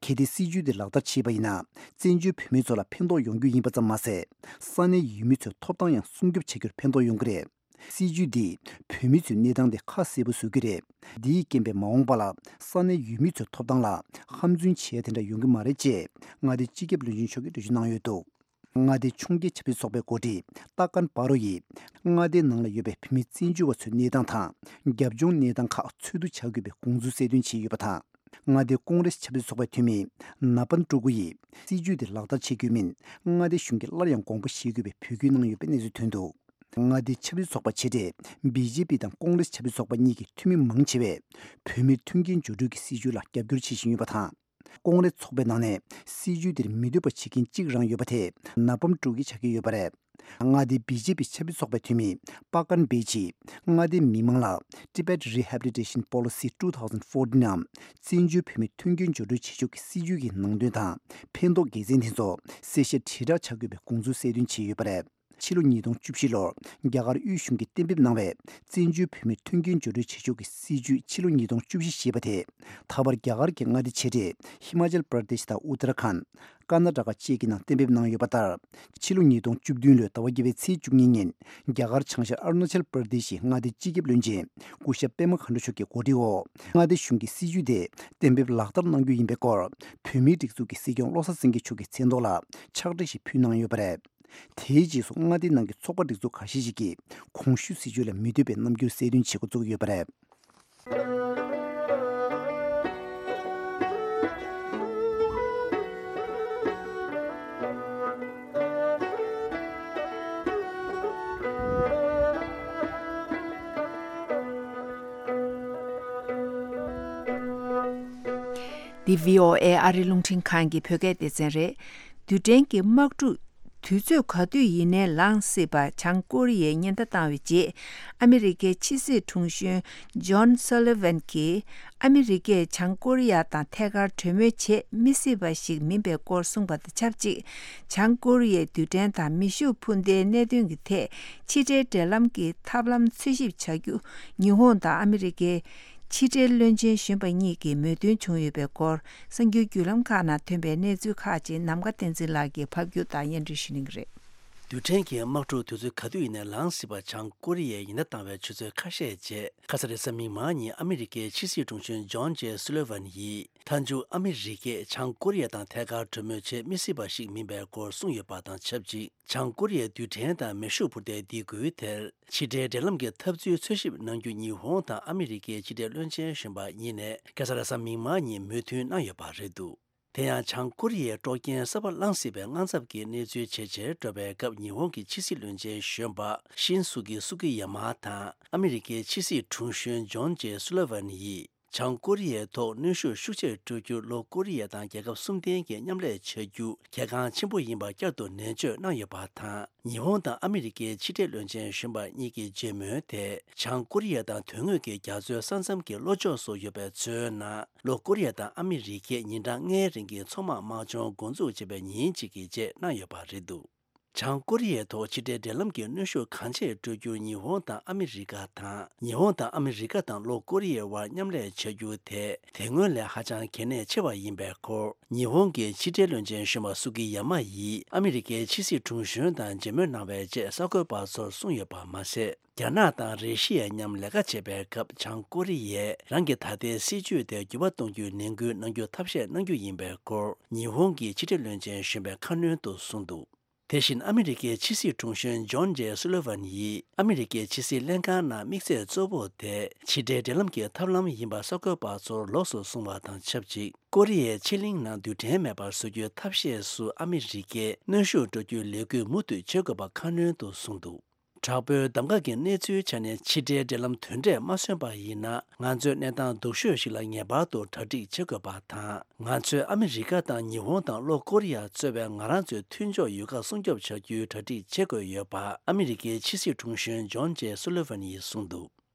གལ་ཏེ་སྲིད་ཇུས་འདི་ལག་བསྟར་བྱས་པ་ཡིན་ན། བཙན་བྱོལ་བོད་མི་ཚོ་ལ་ཕན་ཐོགས་ཡོང་རྒྱུ་ཡིན་པ་ཙམ་མ་ཟད། ས་གནས་ཡུལ་མི་ཚོའི་ཐོབ་ཐང་ཡང་སྲུང་སྐྱོབ་བྱ་རྒྱུར་ཕན་ཐོགས་ཡོང་གི་རེད། སྲིད་ཇུས་འདིས་བོད་མི་ཚོའི་གནས་སྟངས་དེ་ཁ་གསལ་པོ་བཟོ་གི་རེད། འདིའི་རྐྱེན་པས་མ་འོངས་པ་ལ་ས་གནས་ཡུལ་མི་ཚོའི་ཐོབ་ཐང་ལ་ཧམ་རྫུན་བྱེད་ཡ་དེ་འདྲ་ཡོང་གི་མ་རེད་ཅེས་མངའ་སྡེའི་སྤྱི་ཁྱབ་བློན་ཆེན་མཆོག་གིས་འགྲེལ་བརྗོད་གནང་ཡོད་འདུག་མངའ་སྡེའི་ཕྱོགས་འགལ་ཆབ་སྲིད་ཚོགས་པའི་འགོ་ཁྲིད་ཏཱ་ཀན་པ་རོ་ཡིས། མངའ་སྡེའི་ནང་ལ་ཡོད་པའི་བོད་མི་བཙན་བྱོལ་བ་ཚོའི་གནས་སྟངས་དང་། རྒྱབ་ལྗོངས་གནས་སྟངས་ཁག་འཚོལ་བསྡུ་བྱ་དགོས་པའི་དགོངས་ཚུལ་གསལ་སྟོན་བྱས་ཡོད་པ་དང་། མངའ་སྡེའི་ཀོང་རེས་ཆབ་སྲིད་ཚོགས་པའི་འཐུས་མི་ན་པན་ཀྲུ་གུ་ཡིས། སྲིད་ཇུས་དེ་ལག་བསྟར་བྱེད་དགོས་མིན། མངའ་སྡེ་གཞུང་གིས་སླར་ཡང་དགོངས་པ་བཞེས་དགོས་པའི་འབོད་སྐུལ་གནང་ཡོད་པའི་གནས་ཚུལ་ཐོན་འདུག་མངའ་སྡེའི་ཆབ་སྲིད་ཚོགས་པ་ཆེ་གྲས་བི་ཇེ་པི་དང་ཀོང་རེས་ཆབ་སྲིད་ཚོགས་པ་གཉིས་ཀྱི་འཐུས་མི་མང་ཆེ་བས། བོད་མིར་མཐུན་རྐྱེན་སྦྱོར་སྤྲོད་ཀྱི་སྲིད་ཇུས་ལ་རྒྱབ་སྐྱོར་བྱེད་བཞིན་ཡོད་པ་དང་། ཀོང་རེས་ཚོགས་པའི་ནང་ནས་སྲིད་ཇུས་དེར་མི་འདོད་པ་བྱེད་མཁན་གཅིག་རང་ཡོད་པ་དེ་ན་པམ་ཀྲུའུ་ཀི་ཆགས་ཀྱི་ཡོད་པ་རེད། མངའ་སྡེའི་བི་ཇེ་པི་ཆབ་སྲིད་ཚོགས་པའི་འཐུས་མི་པ་ཀན་བེ་ཆིས་མངའ་སྡེའི་མི་མང་ལ་Tibet Rehabilitation Policy two thousand fourteen ནམ་བཙན་བྱོལ་བོད་མིའི་མཐུན་རྐྱེན་སྦྱོར་སྤྲོད་བྱེད་ཕྱོགས་ཀྱི་སྲིད་ཇུས་ཀྱི་ནང་དོན་དང་ཕན་ཐོགས་དགེ་མཚན་དེ་ཚོ་གསལ་བཤད་དྲིལ་བསྒྲགས་བྱ་དགོས་པའི་དགོངས་ཚུལ་གསལ་སྟོན་བྱས་ཡོད་པ་རེད། ཕྱི་ལོ་ཉིས་སྟོང་བཅུ་བཞི་ལོར་རྒྱ་གར་དབུས་གཞུང་གིས་གཏན་འབེབས་གནང་བའི་བཙན་བྱོལ་བོད་མིའི་མཐུན་རྐྱེན་སྦྱོར་སྤྲོད་བྱེད་ཕྱོགས་ཀྱི་སྲིད་ཇུས་ཕྱི་ལོ་ཉིས་སྟོང་བཅུ་བཞི་ཞེས་པ་དེ་ད་བར་རྒྱ་གར་གྱི་མངའ་སྡེ་ཆེ་གྲས་ཧི་མ་ཅལ་པྲ་དེཤ་དང་ཨུ་ཏར་ཁཱན། ཀར་ན་ཊ་ཀ་བཅས་ཀྱི་ནང་གཏན་འབེབས་གནང་ཡོད་པ་ལྟར། ཕྱི་ལོ་ཉིས་སྟོང་བཅུ་བདུན་ལོའི་ཟླ་བ་བརྒྱད་པའི་ཚེས་བཅུ་གཉིས་ཉིན་རྒྱ་གར་བྱང་ཤར་ཨ་རུ་ན་ཅལ་པྲ་དེཤ་ཡི་མངའ་སྡེའི་སྤྱི་ཁྱབ་བློན་ཆེན་སྐུ་ཞབས་པད་མ་མཁའ་འགྲོ་མཆོག་གི་གོ་སྒྲིག་འོག་མངའ་སྡེ་གཞུང་གིས་སྲིད་ཇུས་དེ་གཏན་འབེབས་ལག་བསྟར་གནང་རྒྱུ་ཡིན་པའི་སྐོར་བོད་མིའི་སྒྲིག་འཛུགས་ཀྱི་སྲིད་སྐྱོང་བློ་བཟང་སེང་གེ་མཆོག་གི་མཚན་ཐོག་ལ་ཕྱག་བྲིས་ཤིག་ཕུལ་གནང་ཡོད་པ་རེད། དེའི་རྗེས་སུ་མངའ་སྡེའི་ནང་གི་ཚོགས་པ་སྒྲིག་འཛུགས་ཁ་ཤས་ཤིག་གིས་གོང་ཞུས་སྲིད་ཇུས་ལ་མི་འདོད་པའི་རྣམ་འགྱུར་གསལ་སྟོན་བྱེད་འགོ་བཙུགས་ཡོད་པ་རེད། འདི་བྷི་ཨོ་ཨེ་ཨ་རི་རླུང་འཕྲིན་ཁང་གི་བོད་སྐད་སྡེ་ཚན་རེད། རྡུལ་ཕྲན་གྱི་དམག་འཁྲུག་དུས་ཚོད་ག་དུས་ཡིན་ནའི་ལངས་སྲིད་པ་བྱང་ཀོ་རི་ཡས་ཉེན་བརྡ་བཏང་བའི་རྗེས། ཨ་མི་རི་ཀའི་ཕྱི་སྲིད་དྲུང་གཞོན་ཇོན་སོ་ལི་ཝན་གྱིས། ཨ་མི་རི་ཀས་བྱང་ཀོ་རི་ཡ་དང་ཐད་ཀར་གྲོས་མོལ་བྱེད་མི་སྲིད་པ་ཞིག་མིན་པའི་སྐོར་གསུངས་པ་དང་ཆབས་ཅིག་བྱང་ཀོ་རི་ཡའི་རྡུལ་ཕྲན་དང་མེ་ཤུགས་འཕུར་མདེལ་གནད་དོན་གྱི་ཐད་ཕྱི་འབྲེལ་འབྲེལ་ལམ་གྱི་ཐབས་ལམ་འཚོལ་ཞིབ་བྱ་རྒྱུ། ཉི་ཧོང་དང་ཨ་མི་རི་ཀའི་ཕྱི་འབྲེལ་བློན་ཆེན་གཞོན་པ་གཉིས་ཀྱི་མོས་མཐུན་བྱུང་ཡོད་པའི་སྐོར། གསར་འགྱུར་བརྒྱུད་ལམ་ཁག་ནང་ཐོན་པའི་གནས་ཚུལ་ཁག་ཅིག་ནམ་མཁའ་བསྟན་འཛིན་ལགས་ཀྱིས་ཕབ་སྒྱུར་དང་སྙན་སྒྲོན་ཞུ་གནང་གི་རེད། རྡུལ་ཕྲན་གྱི་དམག་འཁྲུག་དུས་ཚོད་ག་དུས་ཡིན་ནའི་ལངས་སྲིད་པ་བྱང་ཀོ་རི་ཡས་ཉེན་བརྡ་བཏང་བའི་ཆུ་ཚོད་ཁ་ཤས་རྗེས། ཁ་ས་རེས་གཟའ་མིག་དམར་ཉིན་ཨ་མི་རི་ཀའི་ཕྱི་སྲིད་དྲུང་གཞོན་ཇོན་ཇེ་སུ་ལི་ཝན་ཡིས། མཐའ་མཇུག་ཨ་མི་རི་ཀས་བྱང་ཀོ་རི་ཡ་དང་ཐད་ཀར་གྲོས་མོལ་བྱེད་མི་སྲིད་པ་ཞིག་མིན་པའི་སྐོར་གསུངས་ཡོད་པ་དང་ཆབས་ཅིག་བྱང་ཀོ་རི་ཡའི་རྡུལ་ཕྲན་དང་མེ་ཤུགས་འཕུར་མདའི་སྡིགས་སྐུལ་དེར། ཕྱི་འབྲེལ་འབྲེལ་ལམ་གྱི་ཐབས་ཚུལ་འཚོལ་ཞིབ་གནང་རྒྱུ་ཉི་ཧོང་དང་ཨ་མི་རི་ཀའི་ཕྱི་འབྲེལ་བློན་ཆེན་གཞོན་པ་གཉིས་ནས་ཁ་ས་རེས་གཟའ་མིག་དམར་ཉིན་མོས་མཐུན་གནང་ཡོད་པ་རེད་འདུག་དེ་ཡང་བྱང་ཀོ་རི་ཡའི་དཀྲོག་རྐྱེན་གསར་པ་ལངས་སྲིད་པའི་དངངས་འཚབ་ཀྱི་གནས་ཚུལ་ཇེ་ཆེར་འགྲོ་བའི་སྐབས། ཉི་ཧོང་གི་ཕྱི་སྲིད་བློན་ཆེན་གཞོན་པ་ཤིན་སུ་ཀི་སུ་ཀི་ཡ་མ་དང་ཨ་མི་རི་ཀའི་ཕྱི་སྲིད་དྲུང་གཞོན་ཇོན་ཇེ་སུ་ལི་ཝན་ཡིས། བྱང་ཀོ་རི་ཡའི་ཐོག་གནོན་ཤུགས་ཤུགས་ཆེར་སྤྲོད་རྒྱུ། ལྷོ་ཀོ་རི་ཡ་དང་རྒྱལ་ཁབ་གསུམ་ལྡན་གྱིས་མཉམ་ལས་བྱ་རྒྱུ་གལ་འགངས་ཆེན་པོ་ཡིན་པ་བསྐྱར་དུ་ནན་བརྗོད་གནང་ཡོད་པ་དང་། ཉི་ཧོང་དང་ཨ་མི་རི་ཀའི་ཕྱི་འབྲེལ་བློན་ཆེན་གཞོན་པ་གཉིས་ཀྱི་མཇལ་མོལ་དེ། བྱང་ཀོ་རི་ཡ་དང་དོན་དངོས་ཀྱི་རྒྱ་མཚོའི་ས་མཚམས་ཀྱི་ལྷོ་ཕྱོགས་སུ་ཡོད་པའི་མཚོའི་ནང་། ལྷོ་ཀོ་རི་ཡ་དང་ཨ་མི་རི་ཀས་ཉིན་གྲངས་ལྔའི་རིང་གི་མཚོ་དམག་དམག་སྦྱོང་འགོ་འཛུགས་བྱས་པའི་ཉིན་གཅིག་གི་རྗེས་གནང་ཡོད་པ་རེད་འདུག་བྱང་ཀོ་རི་ཡའི་ཐོག་ཕྱི་འབྲེལ་འབྲེལ་ལམ་གྱི་གནོན་ཤུགས་གང་ཆེ་སྤྲོད་རྒྱུར་ཉི་ཧོང་དང་ཨ་མི་རི་ཀ་དང་། ཉི་ཧོང་དང་ཨ་མི་རི་ཀ་དང་ལྷོ་ཀོ་རི་ཡའི་དབར་མཉམ་ལས་བྱ་རྒྱུ་དེ་དེ་སྔོན་ལས་ཧ་ཅང་གལ་གནད་ཆེ་བ་ཡིན་པའི་སྐོར། ཉི་ཧོང་གི་ཕྱི་འབྲེལ་བློན་ཆེན་གཞོན་པ་སུ་ཀི་ཡ་མ་ཡིས་ཨ་མི་རི་ཀའི་ཕྱི་སྲིད་དྲུང་གཞོན་དང་མཇལ་མོལ་གནང་བའི་རྗེས་གསར་འགོད་པ་ཚོར་གསུངས་ཡོད་པ་མ་ཟད། རྒྱ་ནག་དང་རེ་ཤི་ཡ་མཉམ་ལས་ཀ་བྱེད་པའི་སྐབས། བྱང་ཀོ་རི་ཡས་རང་གི་ད་ལྟའི་སྲིད་ཇུས་དེར་འགྱུར་བ་གཏོང་རྒྱུའི་ནན་སྐུལ་གནང་རྒྱུ་ཐབས་ཤེས་གནང་རྒྱུ་ཡིན་པའི་སྐོར། ཉི་ཧོང་གི་ཕྱི་འབྲེལ་བློན་ཆེན་གཞོན་པས་ཁ་སྣོན་དུ་གསུངས་འདུག་དེ་བཞིན་ཨ་མི་རི་ཀའི་ཕྱི་སྲིད་དྲུང་གཞོན་ཇོན་ཇེ་སུ་ལི་ཝན་ཡིས་ཨ་མི་རི་ཀའི་ཕྱི་སྲིད་ལྷན་ཁང་ནང་དམིགས་ཚད་གཙོ་བོ་དེ་ཕྱི་འབྲེལ་འབྲེལ་ལམ་གྱི་ཐབས་ལམ་ཡིན་པ་གསར་འགོད་པ་ཚོར་ལོགས་སུ་གསུངས་པ་དང་ཆབས་ཅིག་ཀོ་རི་ཡའི་ཕྱེད་གླིང་ནང་རྡུལ་ཕྲན་མེད་པར་བཟོ་རྒྱུའི་ཐབས་ཤེས་སུ་ཨ་མི་རི་ཀས་གནོན་ཤུགས་སྤྲོད་རྒྱུའི་ལས་འགུལ་མུ་མཐུད་བྱེད་དགོས་པ་ཁ་སྣོན་དུ་གསུངས་འདུག་དྲག་པོའི་གདམ་ག་གི་གནས་ཚུལ་ཆ་ནས་ཕྱི་འབྲེལ་འབྲེལ་ལམ་དོན་འབྲས་མ་སོན་པ་ཡིན་ན། ང་ཚོས་གནས་སྟངས་སྡུག་ཤོས་ཤིག་ལ་ངེས་པར་དུ་གྲ་སྒྲིག་བྱེད་དགོས་པ་དང་། ང་ཚོས་ཨ་མི་རི་ཀ་དང་ཉི་ཧོང་དང་ལྷོ་ཀོ་རི་ཡ་གཙོས་པའི་ང་རང་ཚོའི་མཐུན་ཕྱོགས་ཡུལ་ཁག་སྲུང་སྐྱོབ་བྱ་རྒྱུའི་གྲ་སྒྲིག་བྱེད་དགོས་ཡོད་པ། ཨ་མི་རི་ཀའི་ཕྱི་སྲིད་དྲུང་གཞོན་ཇོན་ཇེ་སུ་ལི་ཝན་ཡིས་གསུངས་འདུག་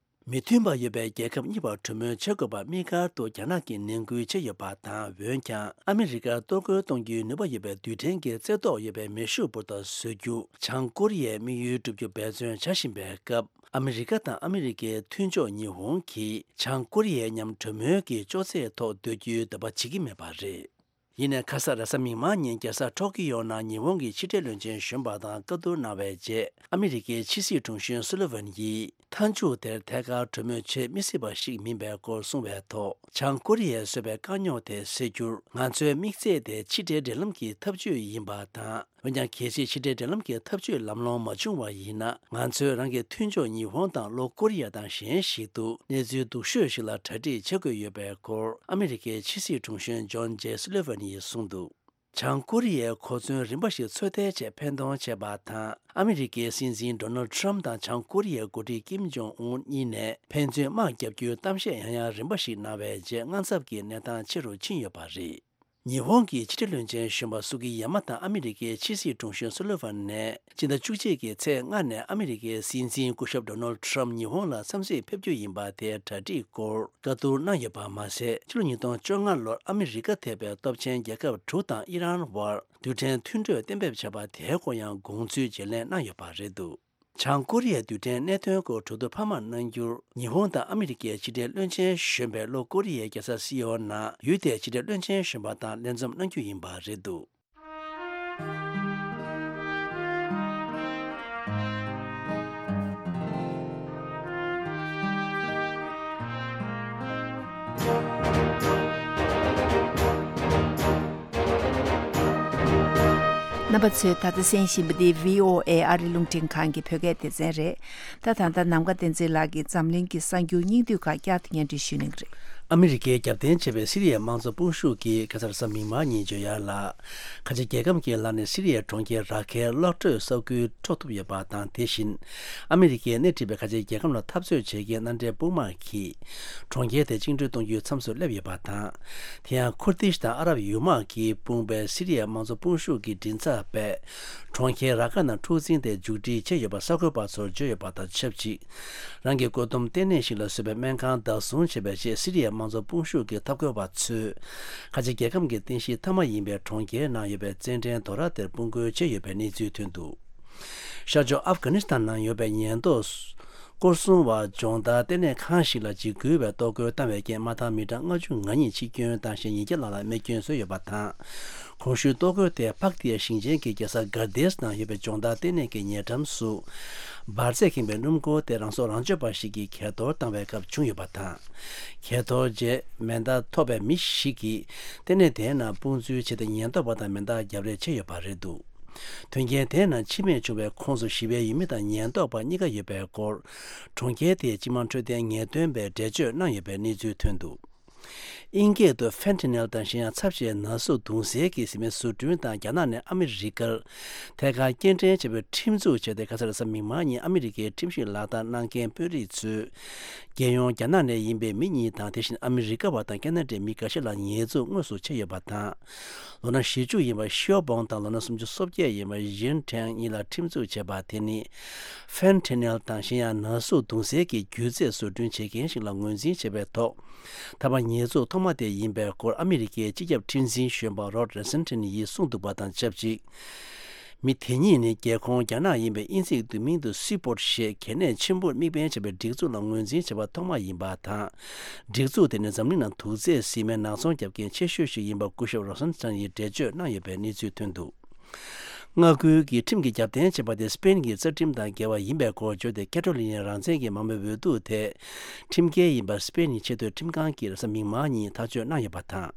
མི་མཐུན་པ་ཡོད་པའི་རྒྱལ་ཁབ་གཉིས་བར་གྲོས་མོལ་བྱེད་དགོས་པ་དམིགས་བཀར་དུ་རྒྱ་ནག་གིས་ནན་སྐུལ་བྱས་ཡོད་པ་དང་། འོན་ཀྱང་ཨ་མི་རི་ཀར་གཏོར་རྒོལ་གཏོང་རྒྱུའི་ནུས་པ་ཡོད་པའི་རྡུལ་ཕྲན་གྱི་རྩེ་བཏོག་ཡོད་པའི་མེ་ཤུགས་འབུར་ཐོག་བཟོ་རྒྱུ། བྱང་ཀོ་རི་ཡའི་དམིགས་ཡུལ་བསྒྲུབ་རྒྱུ་འབད་བརྩོན་བྱ་བཞིན་པའི་སྐབས། ཨ་མི་རི་ཀ་དང་ཨ་མི་རི་ཀའི་མཐུན་ཕྱོགས་ཉི་ཧོང་གིས་བྱང་ཀོ་རི་ཡའི་མཉམ་གྲོས་མོལ་གྱི་ཅོག་ཙེའི་ཐོག་སྡོད་རྒྱུའི་འདོད་པ་བྱེད་ཀྱི་མེད་པ་རེད། ཡིན་ནའི་ཁ་ས་རེས་གཟའ་མིག་དམར་ཉིན་རྒྱལ་ས་ཊོ་ཀི་ཡོ་ནང་ཉི་ཧོང་གི་ཕྱི་འབྲེལ་བློན་ཆེན་གཞོན་པ་དང་བཀའ་བསྡུར་གནང་བའི་རྗེས། ཨ་མི་རི་ཀའི་ཕྱི་སྲིད་དྲུང་གཞོན་སུ་ལི་ཝན་གྱིས། མཐའ་མཇུག་དེར་ཐད་ཀར་གྲོས་མོལ་བྱེད་མི་སྲིད་པ་ཞིག་མིན་པའི་སྐོར་གསུངས་པའི་ཐོག་བྱང་ཀོ་རི་ཡས་བཟོས་པའི་དཀའ་རྙོག་དེ་སེལ་རྒྱུར། ང་ཚོའི་དམིགས་ཚད་དེ་ཕྱི་འབྲེལ་འབྲེལ་ལམ་གྱི་ཐབས་ཇུས་ཡིན་པ་དང་། འོན་ཀྱང་། གལ་སྲིད་ཕྱི་འབྲེལ་འབྲེལ་ལམ་གྱི་ཐབས་ཇུས་ལམ་ལྷོང་མ་བྱུང་བ་ཡིན་ན། ང་ཚོས་རང་གི་མཐུན་ཕྱོགས་ཉི་ཧོང་དང་ལྷོ་ཀོ་རི་ཡ་དང་གཞན་ཞིག་ཏུ་གནས་ཚུལ་སྡུག་ཤོས་ཤིག་ལ་གྲ་སྒྲིག་བྱེད་དགོས་ཡོད་པའི་སྐོར། ཨ་མི་རི་ཀའི་ཕྱི་སྲིད་དྲུང་གཞོན་ཇོན་ཇེ་སུ་ལི་ཝན་ཡིས་གསུངས་འདུག་བྱང་ཀོ་རི་ཡས་གོ་མཚོན་རིམ་པ་ཞིག་འཚོལ་ཐབས་ཆེད་ཕན་གཏོང་བྱས་པ་དང་། ཨ་མི་རི་ཀའི་སྲིད་འཛིན་ཌོ་ནལ་ཌི་ཊརམ་ཕི་དང་བྱང་ཀོ་རི་ཡའི་འགོ་ཁྲིད་ཀིམ་ཇོང་ཨུན་གཉིས་ནས་ཕན་ཚུན་དམག་བརྒྱབ་རྒྱུའི་གཏམ་བཤད་ཡང་ཡང་རིམ་པ་ཞིག་གནང་བའི་རྗེས། དངངས་འཚབ་ཀྱི་གནས་སྟངས་ཆེ་རུ་ཕྱིན་ཡོད་པ་རེད། ཉི་ཧོང་གི་ཕྱི་འབྲེལ་བློན་ཆེན་གཞོན་པ་སུ་གི་ཡ་མ་དང་ཨ་མི་རི་ཀའི་ཕྱི་སྲིད་དྲུང་གཞོན་སུ་ལི་ཝན་ནས། སྤྱི་ཟླ་བཅུ་གཅིག་གི་ཚེས་ལྔ་ནས་ཨ་མི་རི་ཀའི་སྲིད་འཛིན་སྐུ་ཞབས་ཌོ་ནལ་ཌི་ཊརམ་ཕི་ཉི་ཧོང་ལ་འཚམས་གཟིགས་ཕེབས་རྒྱུ་ཡིན་པ་དེའི་གྲ་སྒྲིག་སྐོར་བཀའ་བསྡུར་གནང་ཡོད་པ་མ་ཟད། ཕྱི་ལོ་ཉིས་སྟོང་བཅོ་ལྔ་ལོར་ཨ་མི་རི་ཀ་ཐེ་བའི་སྟོབས་ཆེན་རྒྱལ་ཁབ་དྲུག་དང་ཨི་རན་བར་རྡུལ་ཕྲན་མཐུན་གྲོས་གཏན་འབེབས་བྱས་པ་དེའི་སྐོར་ཡང་དགོངས་ཚུལ་བརྗེ་ལེན་གནང་ཡོད་པ་རེད་འདུག་བྱང་ཀོ་རི་ཡའི་རྡུལ་ཕྲན་གནད་དོན་སྐོར་གྲོས་བསྡུར་འཕར་མ་གནང་རྒྱུར། ཉི་ཧོང་དང་ཨ་མི་རི་ཀའི་ཕྱི་འབྲེལ་བློན་ཆེན་གཞོན་པས་ལྷོ་ཀོ་རི་ཡའི་རྒྱལ་ས་སི་ཨོལ་ནང་ཡུལ་དེའི་ཕྱི་འབྲེལ་བློན་ཆེན་གཞོན་པ་དང་ལས་འཛོམས་གནང་རྒྱུ་ཡིན་པ་རེད་འདུག་རྣམ་པ་ཚོས་ད་ལྟ་གསན་བཞིན་པ་འདི་བྷི་ཨོ་ཨེ་ཨ་རི་རླུང་འཕྲིན་ཁང་གི་བོད་སྐད་སྡེ་ཚན་རེད། ད་ད་ལྟ་ནམ་མཁའ་བསྟན་འཛིན་ལགས་ཀྱིས་འཛམ་གླིང་གི་གསར་འགྱུར་སྙིང་བསྡུས་ཁག་བསྐྱར་དུ་སྙན་སྒྲོན་ཞུ་གནང་གི་རེད། ཨ་མི་རི་ཀས་རྒྱབ་རྟེན་བྱས་པའི་སི་རི་ཡའི་དམངས་གཙོ་དཔུང་ཤུགས་ཀྱིས་ཁ་སང་རེས་གཟའ་མིག་དམར་ཉིན་བརྗོད་ཡག་ལ། ཁ་ཆེ་རྒྱལ་ཁམས་ཀྱི་ལག་ནས་སི་རི་ཡའི་གྲོང་ཁྱེར་ར་ཁའི་གློག་དྲོད་ས་ཁུལ་འཕྲོག་ཐུབ་ཡོད་པ་དང་། དེ་བཞིན་ཨ་མི་རི་ཀས་སྣེ་ཁྲིད་པའི་ཁ་ཆེ་རྒྱལ་ཁམས་ལ་འཐབ་རྩོད་བྱེད་མཁན་མནའ་འབྲེལ་དཔུང་དམག་གིས་གྲོང་ཁྱེར་དེ་བཅིངས་འགྲོལ་གཏོང་རྒྱུའི་མཚམས་སུ་སླེབས་ཡོད་པ་དང་། དེ་ཡང་ཁུར་དིཤ་དང་ཨ་རབ་ཡུལ་དམག་གིས་དཔུང་པའི་སི་རི་ཡའི་དམངས་གཙོ་དཔུང་ཤུགས་ཀྱི་མགྲིན་ཚབ་པས་གྲོང་ཁྱེར་ར་ཀ་ནང་འཁྲུག་འཛིང་དེ་མཇུག་སྒྲིལ་བྱས་ཡོད་པ་གསར་འགོད་པ་ཚོར་བརྗོད་ཡོད་པ་དང་ཆབས་ཅིག་རང་གི་བཀོད་འདོམས་ལྟེ་གནས་ཤིག་ལ་བཟོས་པའི་སྨན་ཁང་བདག་བཟུང་བྱས་པའི་རྗེས། སི་རི་ཡའི་དམངས་གཙོ་དཔུང་ཤུགས་ཀྱི་འཐབ་རྒོལ་བ་ཚོས་ཁ་ཆེ་རྒྱལ་ཁམས་ཀྱི་རྟེན་གཞི་མཐའ་མ་ཡིན་པའི་གྲོང་ཁྱེར་ནང་ཡོད་པའི་རྩེད་འགྲན་རྡོ་ར་དེར་དཔུང་རྒོལ་བྱས་ཡོད་པའི་གནས་ཚུལ་ཐོན་འདུག་ཤར་ཕྱོགས་ཨབ་གྷ་ནི་སི་ཐན་ནང་ཡོད་པའི་ཉེན་རྟོག་སྐོར་སྲུང་བ་སྦྱོང་བརྡར་ལྟེ་གནས་ཁང་ཞིག་ལ་འཇིགས་སྐུལ་བའི་གཏོར་རྒོལ་བཏང་བའི་རྐྱེན། དམག་འཐབ་མི་གྲངས་ལྔ་བཅུ་ང་གཉིས་འཆི་སྐྱོན་བཏང་ཞིང་ཉིས་བརྒྱ་ལྷག་ལ་རྨས་སྐྱོན་བཟོས་ཡོད་པ་དང་། གོང་ཞུས་གཏོར་རྒོལ་དེ་ཕག་ཏི་ཡ་ཞིང་ཆེན་གྱི་རྒྱལ་ས་གྷར་དེས་ནང་ཡོད་པའི་སྦྱོང་བརྡར་ལྟེ་གནས་ཀྱི་ཉེ་འགྲམ་སུ། འབར་རྫས་ཁེངས་པའི་སྣུམ་འཁོར་དེ་རང་སྲོག་རང་གཅོད་པ་ཞིག་གིས་གས་གཏོར་བཏང་བའི་སྐབས་བྱུང་ཡོད་པ་དང་། གས་གཏོར་རྗེས་མེ་མདའ་ཐོགས་པའི་མི་ཞིག་གིས་ལྟེ་གནས་དེའི་ནང་དཔུང་འཛུལ་བྱས་ཏེ། ཉེན་རྟོག་པ་དང་མེ་མདའ་རྒྱབ་རེས་བྱས་ཡོད་པ་རེད་འདུག་དོན་རྐྱེན་དེའི་ནང་འཆི་རྨས་བྱུང་བའི་ཁོངས་སུ་ཞི་བའི་ཡུལ་མི་དང་ཉེན་རྟོག་པ་གཉིས་ཀ་ཡོད་པའི་སྐོར། གྲོང་ཁྱེར་དེའི་སྤྱི་དམངས་འཕྲོད་བསྟེན་ངེས་སྟོན་པས་འགྲེལ་བརྗོད་གནང་ཡོད་པའི་གནས་ཚུལ་ཐོན་འདུག་དབྱིན་སྐད་དུ་ཕེན་ཐི་ནེལ་དང་གཞན་ཡང་ཚབས་ཆེའི་ན་ཟུག་བརྡུངས་སའི་གི་བཟི་སྨན་བཟོ་སྐྲུན་དང་། རྒྱ་ནག་ནས་ཨ་མི་རི་ཀར་ཐད་ཀར་སྐྱེལ་འདྲེན་བྱས་པའི་ཁྲིམས་འཛུགས་བྱས་ཏེ། ཁ་སང་རེས་གཟའ་མིག་དམར་ཉིན་ཨ་མི་རི་ཀའི་ཁྲིམས་ཞིབ་ལག་བསྟར་གནང་མཁན་དཔོན་རིགས་ཚོས། རྒྱལ་ཡོངས་རྒྱ་ནག་ནས་ཡིན་པའི་མི་གཉིས་དང་། དེ་བཞིན་ཨ་མི་རི་ཀ་བ་དང་ཁ་ན་ཌའི་མི་འགའ་ཤས་ལ་ཉེས་འཛུགས་དངོས་སུ་བྱས་ཡོད་པ་དང་། ལོ་ན་བཞི་བཅུ་ཡིན་པ་ཤིའོ་བོང་དང་ལོ་ན་སུམ་ཅུ་སོ་བརྒྱད་ཡིན་པ་ཡིན་ཁྲེང་གཉིས་ལ་ཁྲིམས་འཛུགས་བྱས་པ་དེ་ནི། ཕེན་ཐི་ནེལ་དང་གཞན་ཡང་ན་ཟུག་བརྡུངས་སའི་གི་རྒྱུ་རྫས་བཟོ་སྐྲུན་བྱེད་མཁན་ཞིག་ལ་ངོས་འཛིན་བྱས་པའི་ཐོག་ཐ་མ་ཉེས་འཛུགས་ཐོག་མ་དེ་ཡིན་པའི་སྐོར་ཨ་མི་རི་ཀའི་སྤྱི་ཁྱབ་ཁྲིམས་འཛིན་གཞོན་པ་རོད་རེ་སན་ཐན་ཡིས་གསུངས་འདུག་པ་དང་ཆབས་ཅིག་མི་དེ་གཉིས་ནི་རྒྱལ་ཁོངས་རྒྱ་ནག་ཡིན་པའི་དབྱིན་ཚིག་ཏུ་མིང་དུ་སི་པོར་ཞེས་གལ་གནད་ཆེན་པོར་དམིགས་འབེན་བྱས་པའི་སྒྲིག་འཛུགས་ལ་ངོས་འཛིན་བྱས་པ་ཐོག་མ་ཡིན་པ་དང་། སྒྲིག་འཛུགས་དེ་ནི་འཛམ་གླིང་ནང་དུག་རྫས་བཟི་སྨན་ནག་ཚོང་རྒྱབ་མཁན་ཆེ་ཤོས་ཤིག་ཡིན་པ་སྐུ་ཞབས་རོ་སན་ཐན་ཡིས་འགྲེལ་བརྗོད་གནང་ཡོད་པའི་གནས་ཚུལ་ཐོན་འདུག་མངའ་ཁུལ་གྱི་ཁྲིམས་ཀྱི་རྒྱབ་རྟེན་བྱས་པ་དེ་སི་པེན་གྱི་རྩ་ཁྲིམས་དང་འགལ་བ་ཡིན་པའི་སྐོར་བརྗོད་དེ། ཁེ་ཏྲོ་ལི་ནའི་རང་བཙན་གྱི་མང་མོས་འོས་བསྡུ་དེ་ཁྲིམས་འགལ་ཡིན་པར་སི་པེན་ནི་ཆེས་མཐོའི་ཁྲིམས་ཁང་གིས་རེས་གཟའ་མིག་དམར་ཉིན་ཐག་གཅོད་གནང་ཡོད་པ་དང་།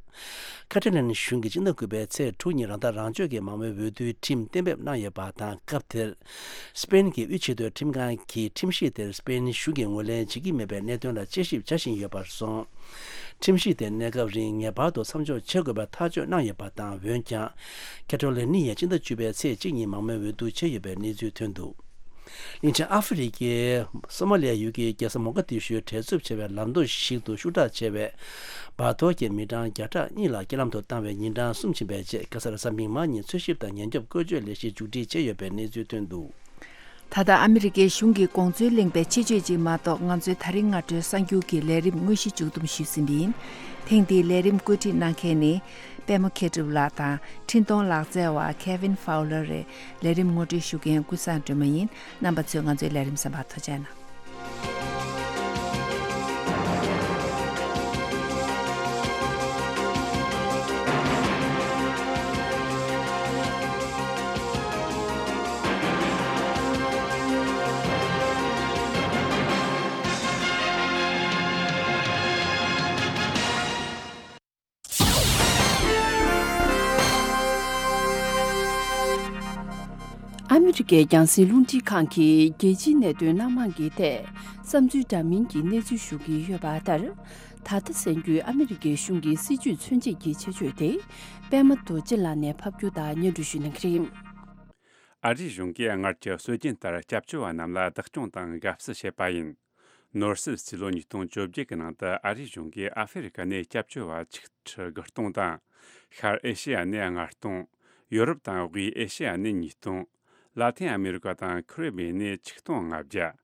ཁེ་ཏྲོ་ལི་ནའི་གཞུང་གིས་སྤྱི་ཟླ་དགུ་པའི་ཚེས་དྲུག་ཉིན་རང་ཐག་རང་གཅོད་ཀྱི་མང་མོས་འོས་བསྡུའི་ཁྲིམས་གཏན་འབེབས་གནང་ཡོད་པ་དང་། སྐབས་དེར་སི་པེན་གྱི་དབུས་ཆེས་མཐོའི་ཁྲིམས་ཁང་གིས་ཁྲིམས་གཞི་དེར་སི་པེན་གཞུང་གིས་ངོས་ལེན་བྱེད་ཀྱི་མེད་པའི་གནད་དོན་ལ་དཔྱད་ཞིབ་བྱ་བཞིན་ཡོད་པར་སོང་། ཁྲིམས་གཞི་དེ་གནས་སྐབས་རིང་ངེས་པར་དུ་མཚམས་འཇོག་བྱེད་དགོས་པའི་ཐག་གཅོད་གནང་ཡོད་པ་དང་། འོན་ཀྱང་། ཁེ་ཏྲོ་ལི་ནི་ཡས་སྤྱི་ཟླ་བཅུ་པའི་ཚེས་གཅིག་ཉིན་མང་མོས་འོས་བསྡུ་བྱས་ཡོད་པའི་གནས་ཚུལ་ཐོན་འདུག་གླིང་ཆེན་ཨ་ཧྥེ་རི་ཁའི་སོ་མ་ལི་ཡ་ཡུལ་གྱི་རྒྱལ་ས་མོ་ག་དི་ཤུའི་བྲེལ་འཚུབ་ཆེ་བའི་ལམ་མདོ་ཞིག་ཏུ་ཤུགས་དྲག་ཆེ་བའི་འབར་གཏོར་གྱིས་མི་གྲངས་བརྒྱ་ཕྲག་གཉིས་ལ་རྐྱེན་ལམ་དུ་བཏང་བའི་ཉིན་གྲངས་གསུམ་ཕྱིན་པའི་རྗེས། ཁ་སང་རེས་གཟའ་མིག་དམར་ཉིན་འཚོལ་ཞིབ་དང་ཉེན་སྐྱོབ་བཀོལ་སྤྱོད་ལས་གཞི་མཇུག་སྒྲིལ་བྱས་ཡོད་པའི་གནས་ཚུལ་ཐོན་འདུག། ད་ལྟ་ཨ་མི་རི་ཀའི་གཞུང་གིས་དགོངས་ཚུལ་གླེང་པའི་ཆེད་བརྗོད་ཅིག་མ་གཏོགས། ང་ཚོའི་ད་རིང་སྔ་དྲོའི་གསར་འགྱུར་གྱི་ལས་རིམ་དངོས་གཞི་མཇུག་བསྡོམས་ཞུས་ཟིན་པ་ཡིན། ཐེངས་འདིའི་ལས་རིམ་བཀོད་སྒྲིག་གནང་མཁན་ནི། པད་མ་མཁས་གྲུབ་ལགས་དང་། འཕྲིན་གཏོང་ལག་རྩལ་བ་Kevin Fowler རེད། ལས་རིམ་ངོ་སྤྲོད་ཞུ་མཁན་ཀུན་བཟང་སྒྲོལ་མ་ཡིན། རྣམ་པ་ཚོས་ང་ཚོའི་ལས་རིམ་གསན་པར་ཐུགས་རྗེ་གནང་། ཨ་མི་རི་ཀའི་རྒྱང་སྲིང་རླུང་འཕྲིན་ཁང་གིས་རྒྱལ་སྤྱིའི་གནད་དོན་སྣ་མང་གི་ཐད་བསམ་ཚུལ་འདྲ་མིན་གྱི་གནས་ཚུལ་ཞུ་གི་ཡོད་པ་ལྟར། ད་ལྟ་གསན་རྒྱུའི་ཨ་མི་རི་ཀའི་གཞུང་གི་སྲིད་བྱུས་མཚོན་བྱེད་ཀྱི་ཆེད་བརྗོད་དེ། པདྨ་རྡོ་རྗེ་ལགས་ནས་ཕབ་སྒྱུར་དང་སྙན་སྒྲོན་ཞུ་གནང་གི་རེད། ཨ་རིའི་གཞུང་གིས་སྔར་གྱི་སྲོལ་རྒྱུན་ལྟར་སྐྱབས་བཅོལ་བ་རྣམས་ལ་བདག་སྐྱོང་དང་དགའ་བསུ་བྱེད་པ་ཡིན། ནོར་སྲིད་རྩིས་ལོ་ཉིས་སྟོང་བཅོ་བརྒྱད་ཀྱི་ནང་དུ། ཨ་རིའི་གཞུང་གིས་ཨ་ཧྥེ་རི་ཁ་ནས་སྐྱབས་བཅོལ་བ་ཆིག་ཁྲི་དགུ་སྟོང་དང་། ཤར་ཨེ་ཤེ་ཡ་ནས་ལྔ་སྟོང་། ཡོ་རོབ་དང་དབུས་ཨེ་ཤེ་ཡ་ནས་ཉིས་སྟོང་། ལ་ཏིན་ཨ་མེ་རི་ཀ་དང་ཁ་རི་བྷི་ཡན་ནས་ཆིག་སྟོང་ལྔ་བརྒྱ།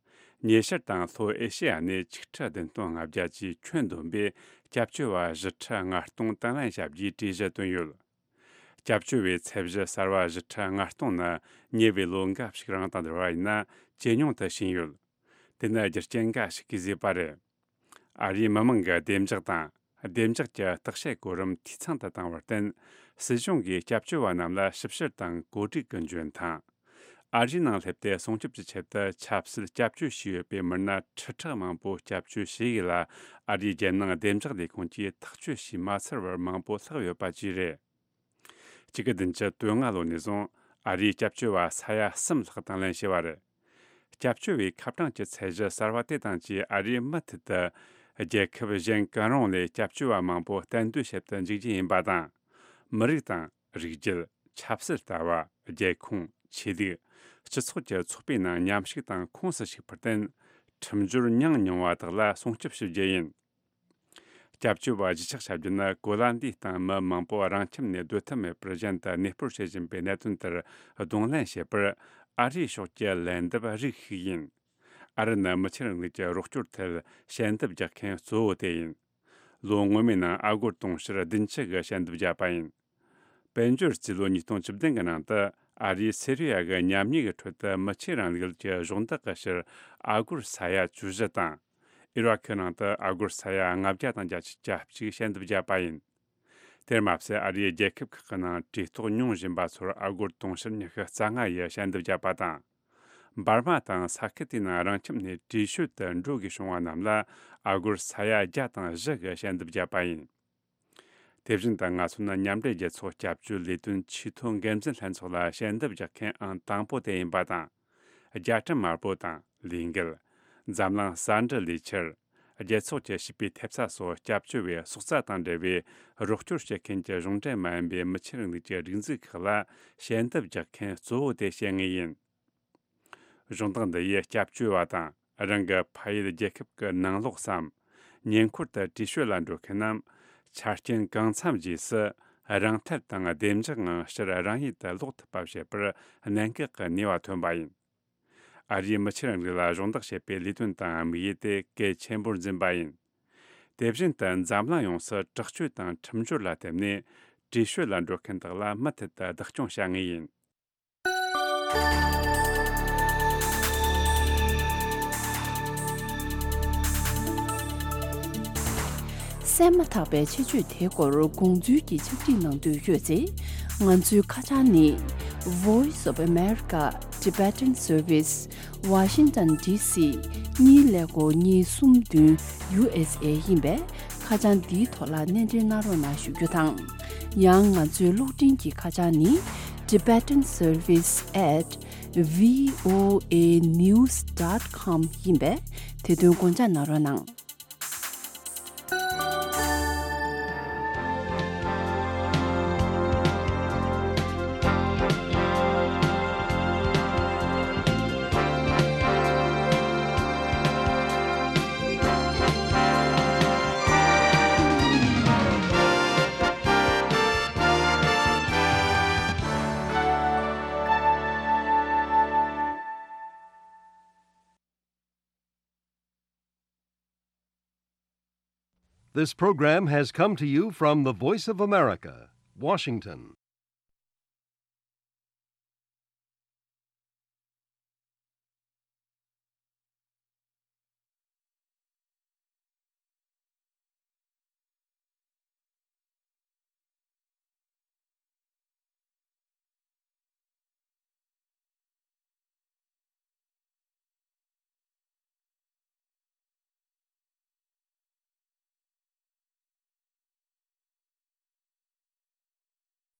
ཉེ་ཤར་དང་ལྷོ་ཨེ་ཤེ་ཡ་ནས་ཆིག་ཁྲི་བདུན་སྟོང་ལྔ་བརྒྱ་བཅས་ཁྱོན་བསྡོམས་པས་སྐྱབས་བཅོལ་བ་བཞི་ཁྲི་ལྔ་སྟོང་དང་ལེན་བྱ་རྒྱུའི་གྲོས་གཞི་བཏོན་ཡོད། སྐྱབས་བཅོལ་བའི་ཚད་གཞི་གསར་བ་བཞི་ཁྲི་ལྔ་སྟོང་ནི་ཉེ་བའི་ལོ་འགའ་ཞིག་རིང་དང་བསྡུར་བ་ཡིན་ན་ཇེ་ཉུང་དུ་ཕྱིན་ཡོད། དེ་ནི་རྒྱུ་རྐྱེན་འགའ་ཞིག་གིས་བཟོས་པ་རེད། ཨ་རིའི་མི་མང་གི་བདེ་འཇགས་དང་། བདེ་འཇགས་ཀྱི་བརྟག་དཔྱད་གོ་རིམ་འཐུས་ཚང་དུ་བཏང་བར་བརྟེན། སྲིད་གཞུང་གིས་སྐྱབས་བཅོལ་བ་རྣམས་ལ་ཞིབ་བཤེར་དང་གོ་སྒྲིག་གི་འཇོན་ཐང་། ཨ་རིའི་ནང་སླེབས་ཏེ་སྲུང་སྐྱོབ་ཀྱི་ཆེད་དུ་ཆབ་སྲིད་སྐྱབས་བཅོལ་བྱས་ཡོད་པའི་མི་སྣ་ཁྲི་ཕྲག་མང་པོ་སྐྱབས་བཅོལ་བྱས་ཡོད་ལ། ཨ་རིའི་རྒྱལ་ནང་བདེ་འཇགས་ལས་ཁུངས་ཀྱིས་ཐག་གཅོད་བྱས་མ་ཚར་བར་མང་པོ་ལྷག་ཡོད་པ་བཅས་རེད། གཅིག་དགུ་བདུན་ཅུ་དོན་ལྔ་ལོ་ནས་བཟུང་ཨ་རིའི་སྐྱབས་བཅོལ་བ་ས་ཡ་གསུམ་ལྷག་དང་ལེན་བྱས་པ་རེད། སྐྱབས་བཅོལ་བའི་ཁ་གྲངས་ཀྱི་ཚད་གཞི་གསར་བ་དེ་དང་བཅས། ཨ་རིས་མུ་མཐུད་དུ་རྒྱལ་ཁབ་གཞན་གང་རུང་ལས་སྐྱབས་བཅོལ་བ་མང་པོ་གཏན་སྡོད་བྱེད་དུ་འཇུག་རྒྱུ་ཡིན་པ་དང་། མི་རིགས་དང་། རིགས་རྒྱུད། ཆབ་སྲིད་ལྟ་བ། རྒྱལ་ཁོངས། ཆོས་ལུགས། སྤྱི་ཚོགས་ཀྱི་ཚོགས་པའི་ནང་མཉམ་ཞུགས་དང་ཁོངས་སུ་ཞུགས་པར་བརྟེན། ཁྲིམས་སྦྱོར་ཉུང་མྱོང་བ་དག་ལ་སྲུང་སྐྱོབ་ཞུ་རྒྱུ་ཡིན། སྐྱབས་བཅོལ་བ་གཞིས་ཆགས་བྱ་རྒྱུ་ནི་གོ་ལ་འདིའི་སྟེང་མི་མང་པོ་རང་ཁྱིམ་ནས་སྡོད་ཐབས་མེད་པར་གཞན་དུ་གནས་སྤོར་བྱེད་བཞིན་པའི་གནད་དོན་དེར་གདོང་ལེན་བྱེད་པར། ཨ་རིའི་ཕྱོགས་ཀྱི་ལན་འདེབས་རིགས་ཤིག་ཡིན། ཨ་རི་ནི་མི་ཆོས་རིང་ལུགས་ཀྱི་རོགས་སྐྱོར་ཐད་ཞལ་འདེབས་རྒྱག་མཁན་གཙོ་བོ་དེ་ཡིན། ལོ་སྔོན་མའི་ནང་ཨ་སྒོར་དུང་ཕྱུར་བདུན་ཅུ་གི་ཞལ་འདེབས་བརྒྱབ་པ་ཡིན། དཔལ་འབྱོར་རྩིས་ལོ་ཉིས་སྟོང་བཅུ་བདུན་གྱི་ནང་དུ། ཨ་རིས་སི་རི་ཡ་གི་ཉམས་ཉེས་ཀྱི་ཁྲོད་དུ་མི་ཆོས་རིང་ལུགས་ཀྱི་གཞོགས་འདེགས་ཀྱི་ཕྱིར་ཨ་སྒོར་ས་ཡ་བཅུ་བཞི་དང་། ཨི་རག་གི་ནང་དུ་ཨ་སྒོར་ས་ཡ་ལྔ་བརྒྱ་དང་བརྒྱད་ཅུ་གྱ་གཅིག་ཞལ་འདེབས་བརྒྱབ་པ་ཡིན། དེར་མ་ཟད། ཨ་རིའི་རྒྱལ་ཁབ་ཁག་གི་ནང་གྲོས་ཐོག་མྱོང་བཞིན་པ་ཚོར་ཨ་སྒོར་དུང་ཕྱུར་ཉི་ཤུ་རྩ་ལྔ་ཡི་ཞལ་འདེབས་བརྒྱབ་པ་དང་། འབར་མ་དང་ས་ཁུལ་དེའི་ནང་རང་ཁྱིམ་ནས་བྲོས་བྱོལ་དུ་འགྲོ་དགོས་བྱུང་བ་རྣམས་ལ་ཨ་སྒོར་ས་ཡ་བརྒྱ་དང་བཞི་གི་ཞལ་འདེབས་བརྒྱབ་པ་ཡིན། དེ་བཞིན་དུ་ང་ཚོ་ནི་མཉམ་འབྲེལ་རྒྱལ་ཚོགས་སྐྱབས་བཅོལ་ལས་དོན་ཆེས་མཐོའི་འགན་འཛིན་ལྷན་ཚོགས་ལ་ཞལ་འདེབས་རྒྱག་མཁན་ཨང་དང་པོ་དེ་ཡིན་པ་དང་། རྒྱ་གྲམ་དམར་པོ་དང་ལས་འགུལ། འཛམ་གླིང་ས་འབྲུ་ལས་འཁྱུར། རྒྱལ་ཚོགས་ཀྱི་བྱིས་པའི་ཐེབས་རྩ་སོགས་སྐྱབས་བཅོལ་བའི་སོགས་རྩ་དང་འབྲེལ་བའི་རོགས་སྐྱོར་བྱེད་མཁན་གྱི་གཞུང་འབྲེལ་མ་ཡིན་པའི་མི་ཆོས་རིང་ལུགས་ཀྱི་སྒྲིག་འཛུགས་ཁག་ལ་ཞལ་འདེབས་རྒྱག་མཁན་གཙོ་བོ་དེ་བྱེད་ངེས་ཡིན། གཞུང་དག་འདི་ཡིས་སྐྱབས་བཅོལ་བ་དང་། རང་གི་ཕ་ཡུལ་རྒྱལ་ཁབ་ཀྱི་ནང་ལོགས་སམ། ཉེ་འཁོར་དུ་བྲོས་བྱོལ་ལ་འགྲོ་མཁན་ནམ། ཆ་རྐྱེན་གང་འཚམ་རྗེས་སུ་རང་འཐད་དང་བདེ་འཇགས་ངང་ཕྱིར་རང་ཡུལ་དུ་ལོག་ཐུབ་པ་བྱེད་པར་གནད་འགག་གི་ནུས་པ་ཐོན་པ་ཡིན། ཨ་རིའི་མི་ཆོས་རིང་ལུགས་ལ་གཞོགས་འདེགས་བྱེད་པའི་ལས་དོན་དང་དམིགས་ཡུལ་དེ་གལ་ཆེན་པོར་འཛིན་པ་ཡིན། དེ་བཞིན་དུ་འཛམ་གླིང་ཡོངས་སུ་དྲག་སྤྱོད་དང་ཁྲིམས་སྦྱོར་ལ་བརྟེན་ནས་བྲོས་བྱོལ་ལ་འགྲོ་མཁན་དག་ལ་མུ་མཐུད་དུ་བདག་སྐྱོང་བྱ་ངེས་ཡིན། གསན་མ་ཐག་པའི་ཆེད་བརྗོད་དེའི་སྐོར་དགོངས་ཚུལ་གྱི་ཕྱག་བྲིས་གནང་འདོད་ཡོད་ཚེ། ང་ཚོའི་ཁ་བྱང་ནི། Voice of America Tibetan Service Washington D C གཉིས་ཀླད་ཀོར་གཉིས་གསུམ་བདུན་U S A ཡིན་པས། ཁ་བྱང་འདིའི་ཐོག་ལ་སྣེ་འདྲེན་གནང་རོགས་གནང་ཞུ་རྒྱུ་དང་། ཡང་ང་ཚོའི་གློག་འཕྲིན་གྱི་ཁ་བྱང་ནི། Tibetan Service at V O A news dot com ཡིན་པས། དེ་དོན་དགོངས་འཇགས་གནང་རོགས་གནང་། This program has come to you from the Voice of America, Washington.